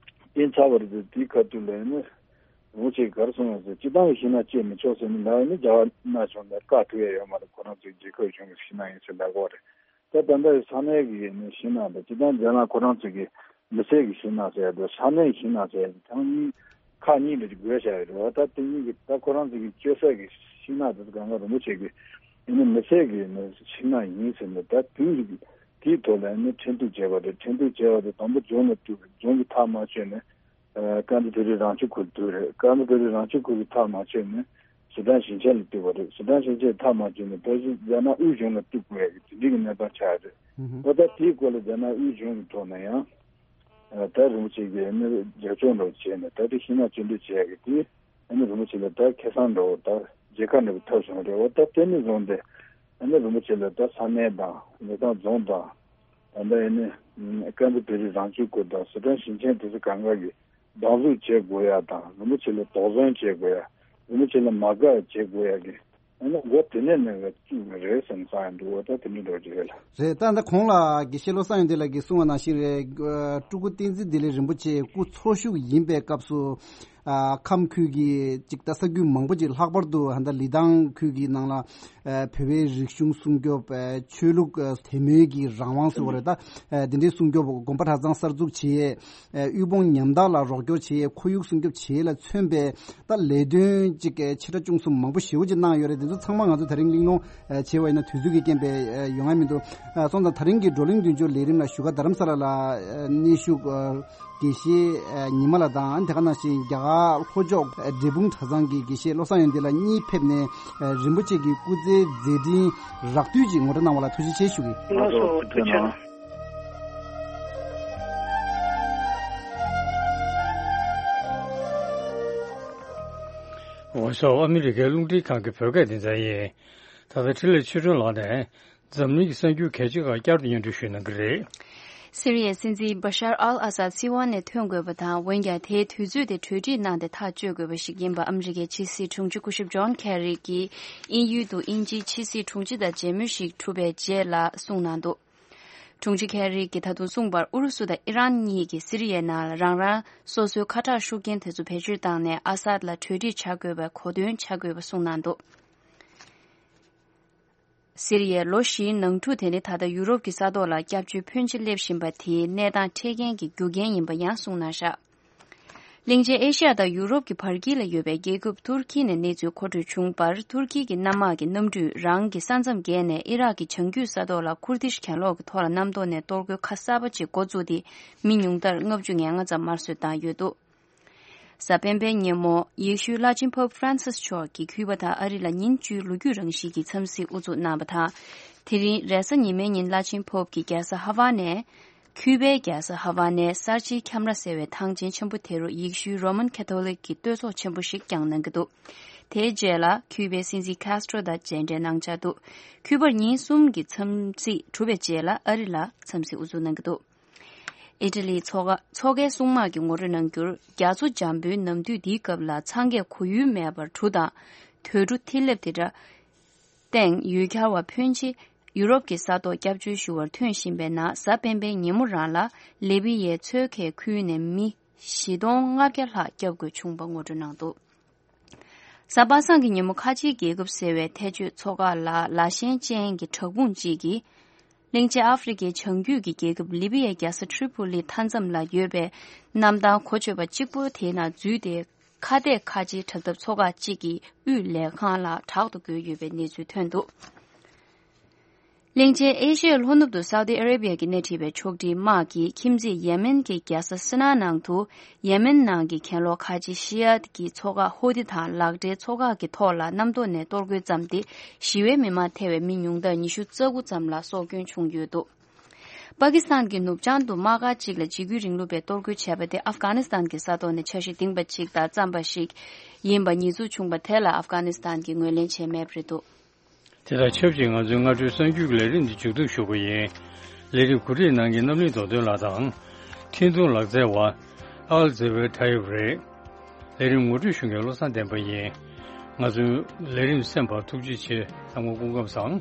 བསྟན་ཚར་བ་རེད། དེའི་ཁ་ཐུག་ལ་ནི་རིན་པོ་ཆེས་ག་རེ་གསུངས་ཡོད་ཟེར། སྤྱིར་བཏང་གི་ཤིང་ནགས་བཅད་མི་ཆོག་ཟེར་ནས་ལབ་ཡོད་ན། རྒྱ་གར་ནག་གཞུང་ལ་བཀག་ཐུབ་ཡ་ཡོད་མ་རེད། ཁོ་རང་ཚོའི་རྒྱལ་ཁབ་གཞུང་གི་ཤིང་ནགས་ཡིན་ཟེར་ལབ་ཀྱི་ཡོད་རེད། ད་ད་ལྟ་ས་གནས་ཀྱི་ནི་ཤིང་ནགས་དང་། སྤྱིར་བཏང་རྒྱ་ནག་ཁོ་རང་ཚོ་གི་མི་སེར་གྱི་ཤིང་ནགས་ཟེར་ཡ་དང་། ས་གནས་ཀྱི་ཤིང་ནགས་ཟེར་ཡ་དེ་ཚང་མ་ཁག་གཉིས་ལ་བགོས་བཞག་ཡོད་རེད་བ། ད་དེ་གཉིས་ཀྱི། ད་ཁོ་རང་ཚོ་གི་གཅོད་ས་གི་ཤིང་ནགས་དེ་ཚོ་གང་ག་རིན་པོ་ཆེ་གི་ཨ་ནི་མི་སེར་གྱི་ནི་ཤིང་ནགས་ཡིན་ཟེར་ནས། ད་དུས་དེའི་ཐོག་ལ་ཨ་ནི་ཁྲིམས་གཏུག་བྱས་པ་རེད། ཁྲིམས་གཏུག་བྱས་པ་དེ་དང་པོ་རྫོང་ལ་གཏུགས། རྫོང་གི་ཐག་མ་ཆོད་ནས་ཨ་ཀན་ཏི་ཕུ་རི་རང་སྐྱོང་ཁུལ་གཏུགས་རེད། ཀན་ཏི་ཕུ་རི་རང་སྐྱོང་ཁུལ་གྱི་ཐག་མ་ཆོད་ནས་ཟི་ཁྲོན་ཞིང་ཆེན་ལ་གཏུགས་པ་རེད། ཟི་ཁྲོན་ཞིང་ཆེན་ཐག་མ་ཆོད་ནས་ཕལ་ཆེར་རྒྱ་ནག་དབུས་གཞུང་ལ་གཏུགས་དགོས་ཡ་གི་དེ་འདྲའི་གི་གནས་སྟངས་ཆགས་རེད། ཨོ་ད་དེའི་སྐོར་ལ་རྒྱ་ནག་དབུས་གཞུང་གི་ཐོག་ནས་ཡང་ཨ་ད་རིན་པོ་ཆེ་གིས་ཨ་ནི་རྒྱབ་སྐྱོར་འདྲ་བོ་བྱས་ནས། ད་དེ་ཤིང་ནགས་གཅིག་སྡུད་བྱས་ཡ་གི་དེ་ཨ་ནི་རིན་པོ་ཆེ་ལ་ད་ཁེ་བཟང་འདྲ་བོ། ད་རྒྱལ་ཁ་འདྲ་བོ་ཐོབ་བྱུང་བ་རེད། ཨོ་ད་དེ་ནས་བཟུང་སྟེ་ཨ་ནི་རིན་པོ་ཆེ་ལ་ད་ས་གནས་དང་ལི་ཐང་རྫོང་དང་། ད་ལྟ་ཨ་ནི་ཀན་ཏི་ཕུ་རི་རང་སྐྱོང་ཁུལ་དང་ཟི་ཁྲོན་ཞིང་ཆེན་དེ་ཚོ་གང་ག་གི་སྡང་ཟུག་བྱེད་དགོས་ཡ་དང་། རིན་པོ་ཆེ་ལ་དོགས་ཟོན་བྱེད་དགོས་ཡ། རིན་པོ་ཆེ་ལ་མ་དགའ་བྱེད་དགོས་ཡ་གི་ཨ་ནི་འགོ་དེ་ནས་ནས་བཙུགས་པ་རེད་བསམ་བསམ་ཡ་འདུག། ཨོ་ད་དེ་འདྲ་འདྲ་བོ་ཅིག་རེད་ལ། རེད། ད་ད་གོང་ལ་དགེ་བཤེས་བློ་བཟང་ཡོན་ཏན་ལགས་ཀྱིས་གསུངས་པ་ནང་བཞིན་རེད། ཨ་སྤྲུལ་སྐུ་བསྟན་འཛིན་བདེ་ལེགས་རིན་པོ་ཆེ་སྐུ་འཚོ་བཞུགས་ཡིན་པའི་སྐབས་སུ། ཨ་ཁམས་ཁུལ་གྱི་ཅིག་ད་ས་ཁུལ་མང་པོ་ཅིག་ལྷག་པར་དུ་ད་ལི་ཐང་ཁུལ་གྱི་ནང་ལ་ཨ་བོད་པའི་རིག་གཞུང་སྲུང་སྐྱོབ། ཨ་ཆོས་ལུགས་ཨ་དད་མོས་ཀྱི་རང་དབང་ཟེར་བ་རེད། ད་ཨ་དེ་འདྲའི་སྲུང་སྐྱོབ། དགོན་པ་གྲྭ་ཚང་གསར་འཛུགས་བྱེད་ཡས། ཨ་དབུལ་ཕོངས་ཉམ་ཐག་ལ་རོགས་སྐྱོར་བྱེད་ཡས། ཁོར་ཡུག་སྲུང་སྐྱོབ་བྱེད་ཡས་ལ་མཚོན་པའི་ད་ལས་དོན་ཅིག་ཆེ་ཕྲ་ཆུང་གསུམ་མང་པོ་ཞེ་པོ་ཅིག་གནང་ཡོད་རེད། དེ་ཚོ་ཚང་མ་ང་ཚོ་དེ་རིང་གླེང་སློང་བྱས་པ་ཡིན་ན་དུས་ཚོད་ཀྱི་རྐྱེན་པས་ཡོང་ཡ་མི་འདུག། སོང་ཙང་དེ་རིང་གི་བགྲོ་གླེང་མདུན་སྐྱོད་ལས་རིམ་ལ་བཞུགས་སྒར་རྡ་རམ་ས་ལ་ལ་གནས་བཞུགས་དགེ་བཤེས་ཉི་མ་ལགས་དང་། དེ་ག་ནང་བཞིན་རྒྱ་གར་ལྷོ་ཕྱོགས་འབྲས་སྤུངས་གྲྭ་ཚང་གི་དགེ་བཤེས་བློ་བཟང་ཡོན་ཏན་ལགས་གཉིས་ཕེབས་ནས་རིན་པོ་ཆེ་གི་སྐུ་ཚེའི་མཛད་འཕྲིན་རགས་བསྡུས་ཅིག་ངོ་སྤྲོད་གནང་བ་ལ་ཐུགས་རྗེ་ཆེ་ཞུ་གི། ལགས་སོ། ཐུགས་རྗེ་གནང་། འོ་ཤོག། ཨ་མི་རི་ཀའི་རླུང་འཕྲིན་ཁང་གི་བོད་སྐད་སྡེ་ཚན་ཡིན། ད་ལྟ་འཕྲིན་ལས་ཆོས་སྒྲོན་ལགས་ནས་འཛམ་གླིང་གི་གསར་འགྱུར་གལ་ཆེ་ཁག་བསྐྱར་དུ་སྙན་སྒྲོན་ཞུ་གནང་གི་རེད། སི་རི་ཡའི་སྲིད་འཛིན་བ་ཤར་ཨལ་ཨ་སཱད་སྲིད་དབང་ནས་ཐོན་དགོས་པ་དང་། འོན་ཀྱང་དེའི་དུས་ཚོད་དེ་གྲོས་འགྲིག་གནང་སྟེ་ཐག་གཅོད་དགོས་པ་ཞིག་ཡིན་པ་ཨ་མི་རི་ཀའི་ཕྱི་སྲིད་དྲུང་ཆེ་སྐུ་ཞབས་ཇོན་ཁེ་རི་གིས་དབྱིན་ཡུལ་དུ་དབྱིན་ཇིའི་ཕྱི་སྲིད་དྲུང་ཆེ་དང་མཇལ་མོལ་ཞིག་གྲུབ་པའི་རྗེས་ལ་གསུངས་གནང་འདུག། དྲུང་ཆེ་ཁེ་རི་གིས་ད་དུང་གསུངས་པར། ཨུ་རུ་སུ་དང་ཨི་རན་གཉིས་ཀྱིས་སི་རི་ཡའི་ནང་ལ་རང་རང་སོ་སོའི་ཁ་གྲག་ཤུགས་རྐྱེན་དེ་ཚོ་བེད་སྤྱོད་བཏང་ནས་ཨ་སཱད་ལ་གྲོས་འགྲིག་བྱ་དགོས་པའི་གོ་སྟོན་བྱ་དགོས་པ་གསུངས་གནང་འདུག། སི་རི་ཡའི་ལོ་བཞིའི་ནང་འཁྲུག་དེ་ནི་ད་ལྟ་ཡུ་རོབ་ཀྱི་ས་ཐོག་ལ་སྐྱབས་བཅོལ་ཕོན་ཆེ་སླེབས་བཞིན་པ་དེའི་གནས་སྟངས་འཕྲད་མཁན་གྱི་རྒྱུ་རྐྱེན་ཡིན་པ་ཡང་གསུངས་གནང་བཞག། གླིང་ཆེན་ཨེ་ཤི་ཡ་དང་ཡུ་རོབ་ཀྱི་བར་དཀྱིལ་ལ་ཡོད་པའི་རྒྱལ་ཁབ་ཏུར་ཀི་ནས་གནས་ཚུལ་མཁོ་སྤྲོད་བྱུང་བར། ཏུར་ཀི་གི་གནམ་དམག་གི་གནམ་གྲུས་རང་གི་ས་མཚམས་བརྒལ་ནས་ཨི་རག་གི་བྱང་རྒྱུད་ས་ཐོག་ལ་ཁུར་དིཤ་གྱེན་ལོག་གི་ཐོག་ལ་གནམ་ཐོག་ནས་གཏོར་རྒོལ་ཁ་གསར་པ་ཅིག་འགོ་བཙུགས་ཏེ། མི་ཉུང་མཐར་ལྔ་བཅུ་ང་ལྔ་ཙམ་དམར་གསོད་བཏང་ཡོད་འདུག། གཟའ་སྤེན་པའི་ཉིན་མོ། ཡེ་ཤུའི་བླ་ཆེན་པོབ་ཧྥ་རན་སིས་མཆོག་གིས་ཁུ་པ་དང་ཨ་རི་ལ་ཉིན་བཅུའི་ལོ་རྒྱུས་རང་བཞིན་གྱི་འཚམས་གཟིགས་དབུ་འཛུགས་གནང་བ་དང་། དེ་རིང་རེས་གཟའ་ཉི་མའི་ཉིན་བླ་ཆེན་པོབ་ཀྱིས་རྒྱལ་ས་ཧ་ཝ་ནའི། ཁུ་པའི་རྒྱལ་ས་ཧ་ཝ་ནའི་གསར་བརྗེའི་ཁྱམས་ར་ཟེར་བའི་ཐང་ཆེན་ཆེན་པོ་དེ་རུ་ཡེ་ཤུའི་རོ་མན་ཁ་ཐོ་ལིག་གི་བསྟོད་ཚོགས་ཆེན་པོ་ཞིག་བསྐྱངས་གནང་གི་འདུག། དེའི་རྗེས་ལ་ཁུ་པའི་སྲིད་འཛིན་ཁཱས་ཏྲོ་དང་མཇལ་འཕྲད་གནང་འཆར་འདུག། ཁུ་པར་ཉིན་གསུམ་གྱི་འཚམས་གཟིགས་གྲུབ་པའི་རྗེས་ལ་ཨ་རི་ལ་འཚམས་གཟིགས་དབུ་འཛུགས་གནང་གི་འདུག། ཨི་ཊ་ལིའི་མཚོ་ཁ་མཚོ་ཁའི་སྲུང་དམག་གིས་ངོ་སྤྲོད་གནང་རྒྱུར། རྒྱ་མཚོ་འཇམ་པོའི་ནམ་དུས་འདིའི་སྐབས་ལ་འཚང་ཁས་ཁོར་ཡུག་མེད་པར་གྲུ་དང་དུད་འགྲོ་ཐིག་ལེབ་དེ་འདྲ་སྟེང་ཡུལ་གྱར་བ་ཕོན་ཆེ་ཡུ་རོབ་ཀྱི་ས་ཐོག་སྐྱབས་བཅོལ་ཞུ་བར་ཐོན་བཞིན་པའི་ནང་། གཟའ་སྤེན་པའི་ཉིན་མོ་རང་ལ་ལི་བི་ཡའི་མཚོ་ཁའི་ཁུལ་ནས་མི་བཞི་སྟོང་ལྔ་བརྒྱ་ལྷག་སྐྱོབ་དགོས་བྱུང་བ་ངོ་སྤྲོད་གནང་འདུག། གཟའ་པ་སངས་ཀྱི་ཉིན་མོ་ཁ་ཆེའི་རྒྱལ་ཁབ་ཟེར་བའི་ཐེ་ཇུས་མཚོ་འགག་ལ་ལ་ཞེན་ཅན་གྱི་བྲག་ཕུང་གཅིག་གིས། གླིང་ཆེན་ཨ་ཧྥེ་རི་ཁའི་བྱང་རྒྱུད་ཀྱི་རྒྱལ་ཁབ་ལི་བི་ཡའི་རྒྱལ་ས་ཏྲི་པོ་ལི་མཐའ་མཚམས་ལ་ཡོད་པའི་གནམ་ཐང་གོ་ཆོད་པ་གཅིག་པོ་དེའི་ནང་འཛུལ་ཏེ། ཁ་གཏད་ཁ་ཆེའི་དྲག་འཐབ་མཚོ་འགག་གཅིག་གི་དབུས་ལས་ཁང་ལ་དྲག་ཏུ་རྒོལ་ཡོད་པའི་གནས་ཚུལ་ཐོན་འདུག། གླིང་ཆེན་ཨེ་ཤི་ཡའི་ལྷོ་ནུབ་ཏུ་སའུ་ཏི་ཨ་རེ་བི་ཡ་གིས་སྣེ་ཁྲིད་པའི་ཕྱོགས་སྒྲིག་དམག་གིས་ཁྱིམ་མཚེས་ཡེ་མེན་གྱི་རྒྱལ་ས་སི་ན་ནང་དུ། ཡེ་མེན་ནང་གི་གྱེན་ལོག་ཁ་ཆེ་ཤི་ཡ་གི་མཚོ་འགག་ཧོ་ཏི་དང་ལག་འབྲེལ་མཚོ་འགག་གི་ཐོག་ལ་གནམ་ཐོག་ནས་གཏོར་རྒོལ་བརྩམས་ཏེ། ཞི་བའི་མི་མང་ཐེ་བའི་མི་ཉུང་མཐར་ཉི་ཤུ་རྩ་དགུ་ཙམ་ལ་སྲོག་སྐྱོན་བྱུང་ཡོད་འདུག། པ་ཀི་སི་ཐན་གྱི་ནུབ་བྱང་དུ་དམག་སྒར་གཅིག་ལ་འཇིགས་སྐུལ་རིང་ལུགས་པས་གཏོར་རྒོལ་བྱས་པ་དེ་ཨབ་གྷ་ནི་སི་ཐན་གྱི་ས་ཐོག་ནས་འཆར་གཞི་འདིང་པ་ཅིག་དང་འཚམས་པ་ཞིག་ཡིན་པ་ཉེས་འཛུགས་བྱུང་བ་དེ་ལ་ཨབ་གྷ་ནི་སི་ཐན་གྱིས་ངོས་ལེན་བྱས་མེད་པ་རེད་འདུག། དེ་དང་ཆབས་ཅིག་ང་ཚོའི་སྔ་དྲོའི་གསར་འགྱུར་གྱི་ལས་རིམ་འདི་མཇུག་བསྡོམས་ཞུ་གི་ཡིན། ལས་རིམ་གོ་སྒྲིག་གནང་མཁན་རྣམ་གླིང་རྡོ་རྡོ་ལགས་དང་། འཕྲིན་ཐུང་ལག་རྩལ་བ་ཨལ་ཛེ་ཝེ་ཁྲ་ཡོབ་རེད། ལས་རིམ་ངོ་སྤྲོད་ཞུ་མཁན་བློ་བཟང་བསྟན་པ་ཡིན། ང་ཚོའི་ལས་རིམ་གསན་པར་ཐུགས་རྗེ་ཆེ། ཚང་མ་སྐུ་ཁམས་བཟང་།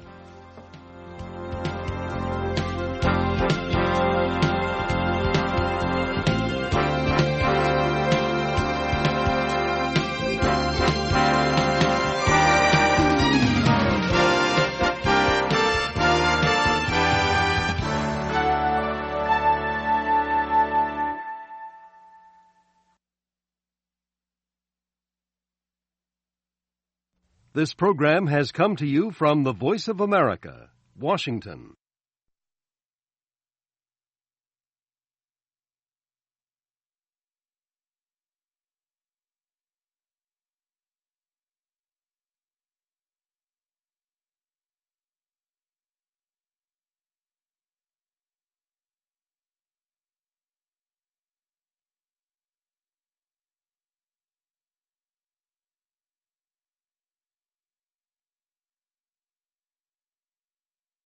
This program has come to you from the Voice of America, Washington.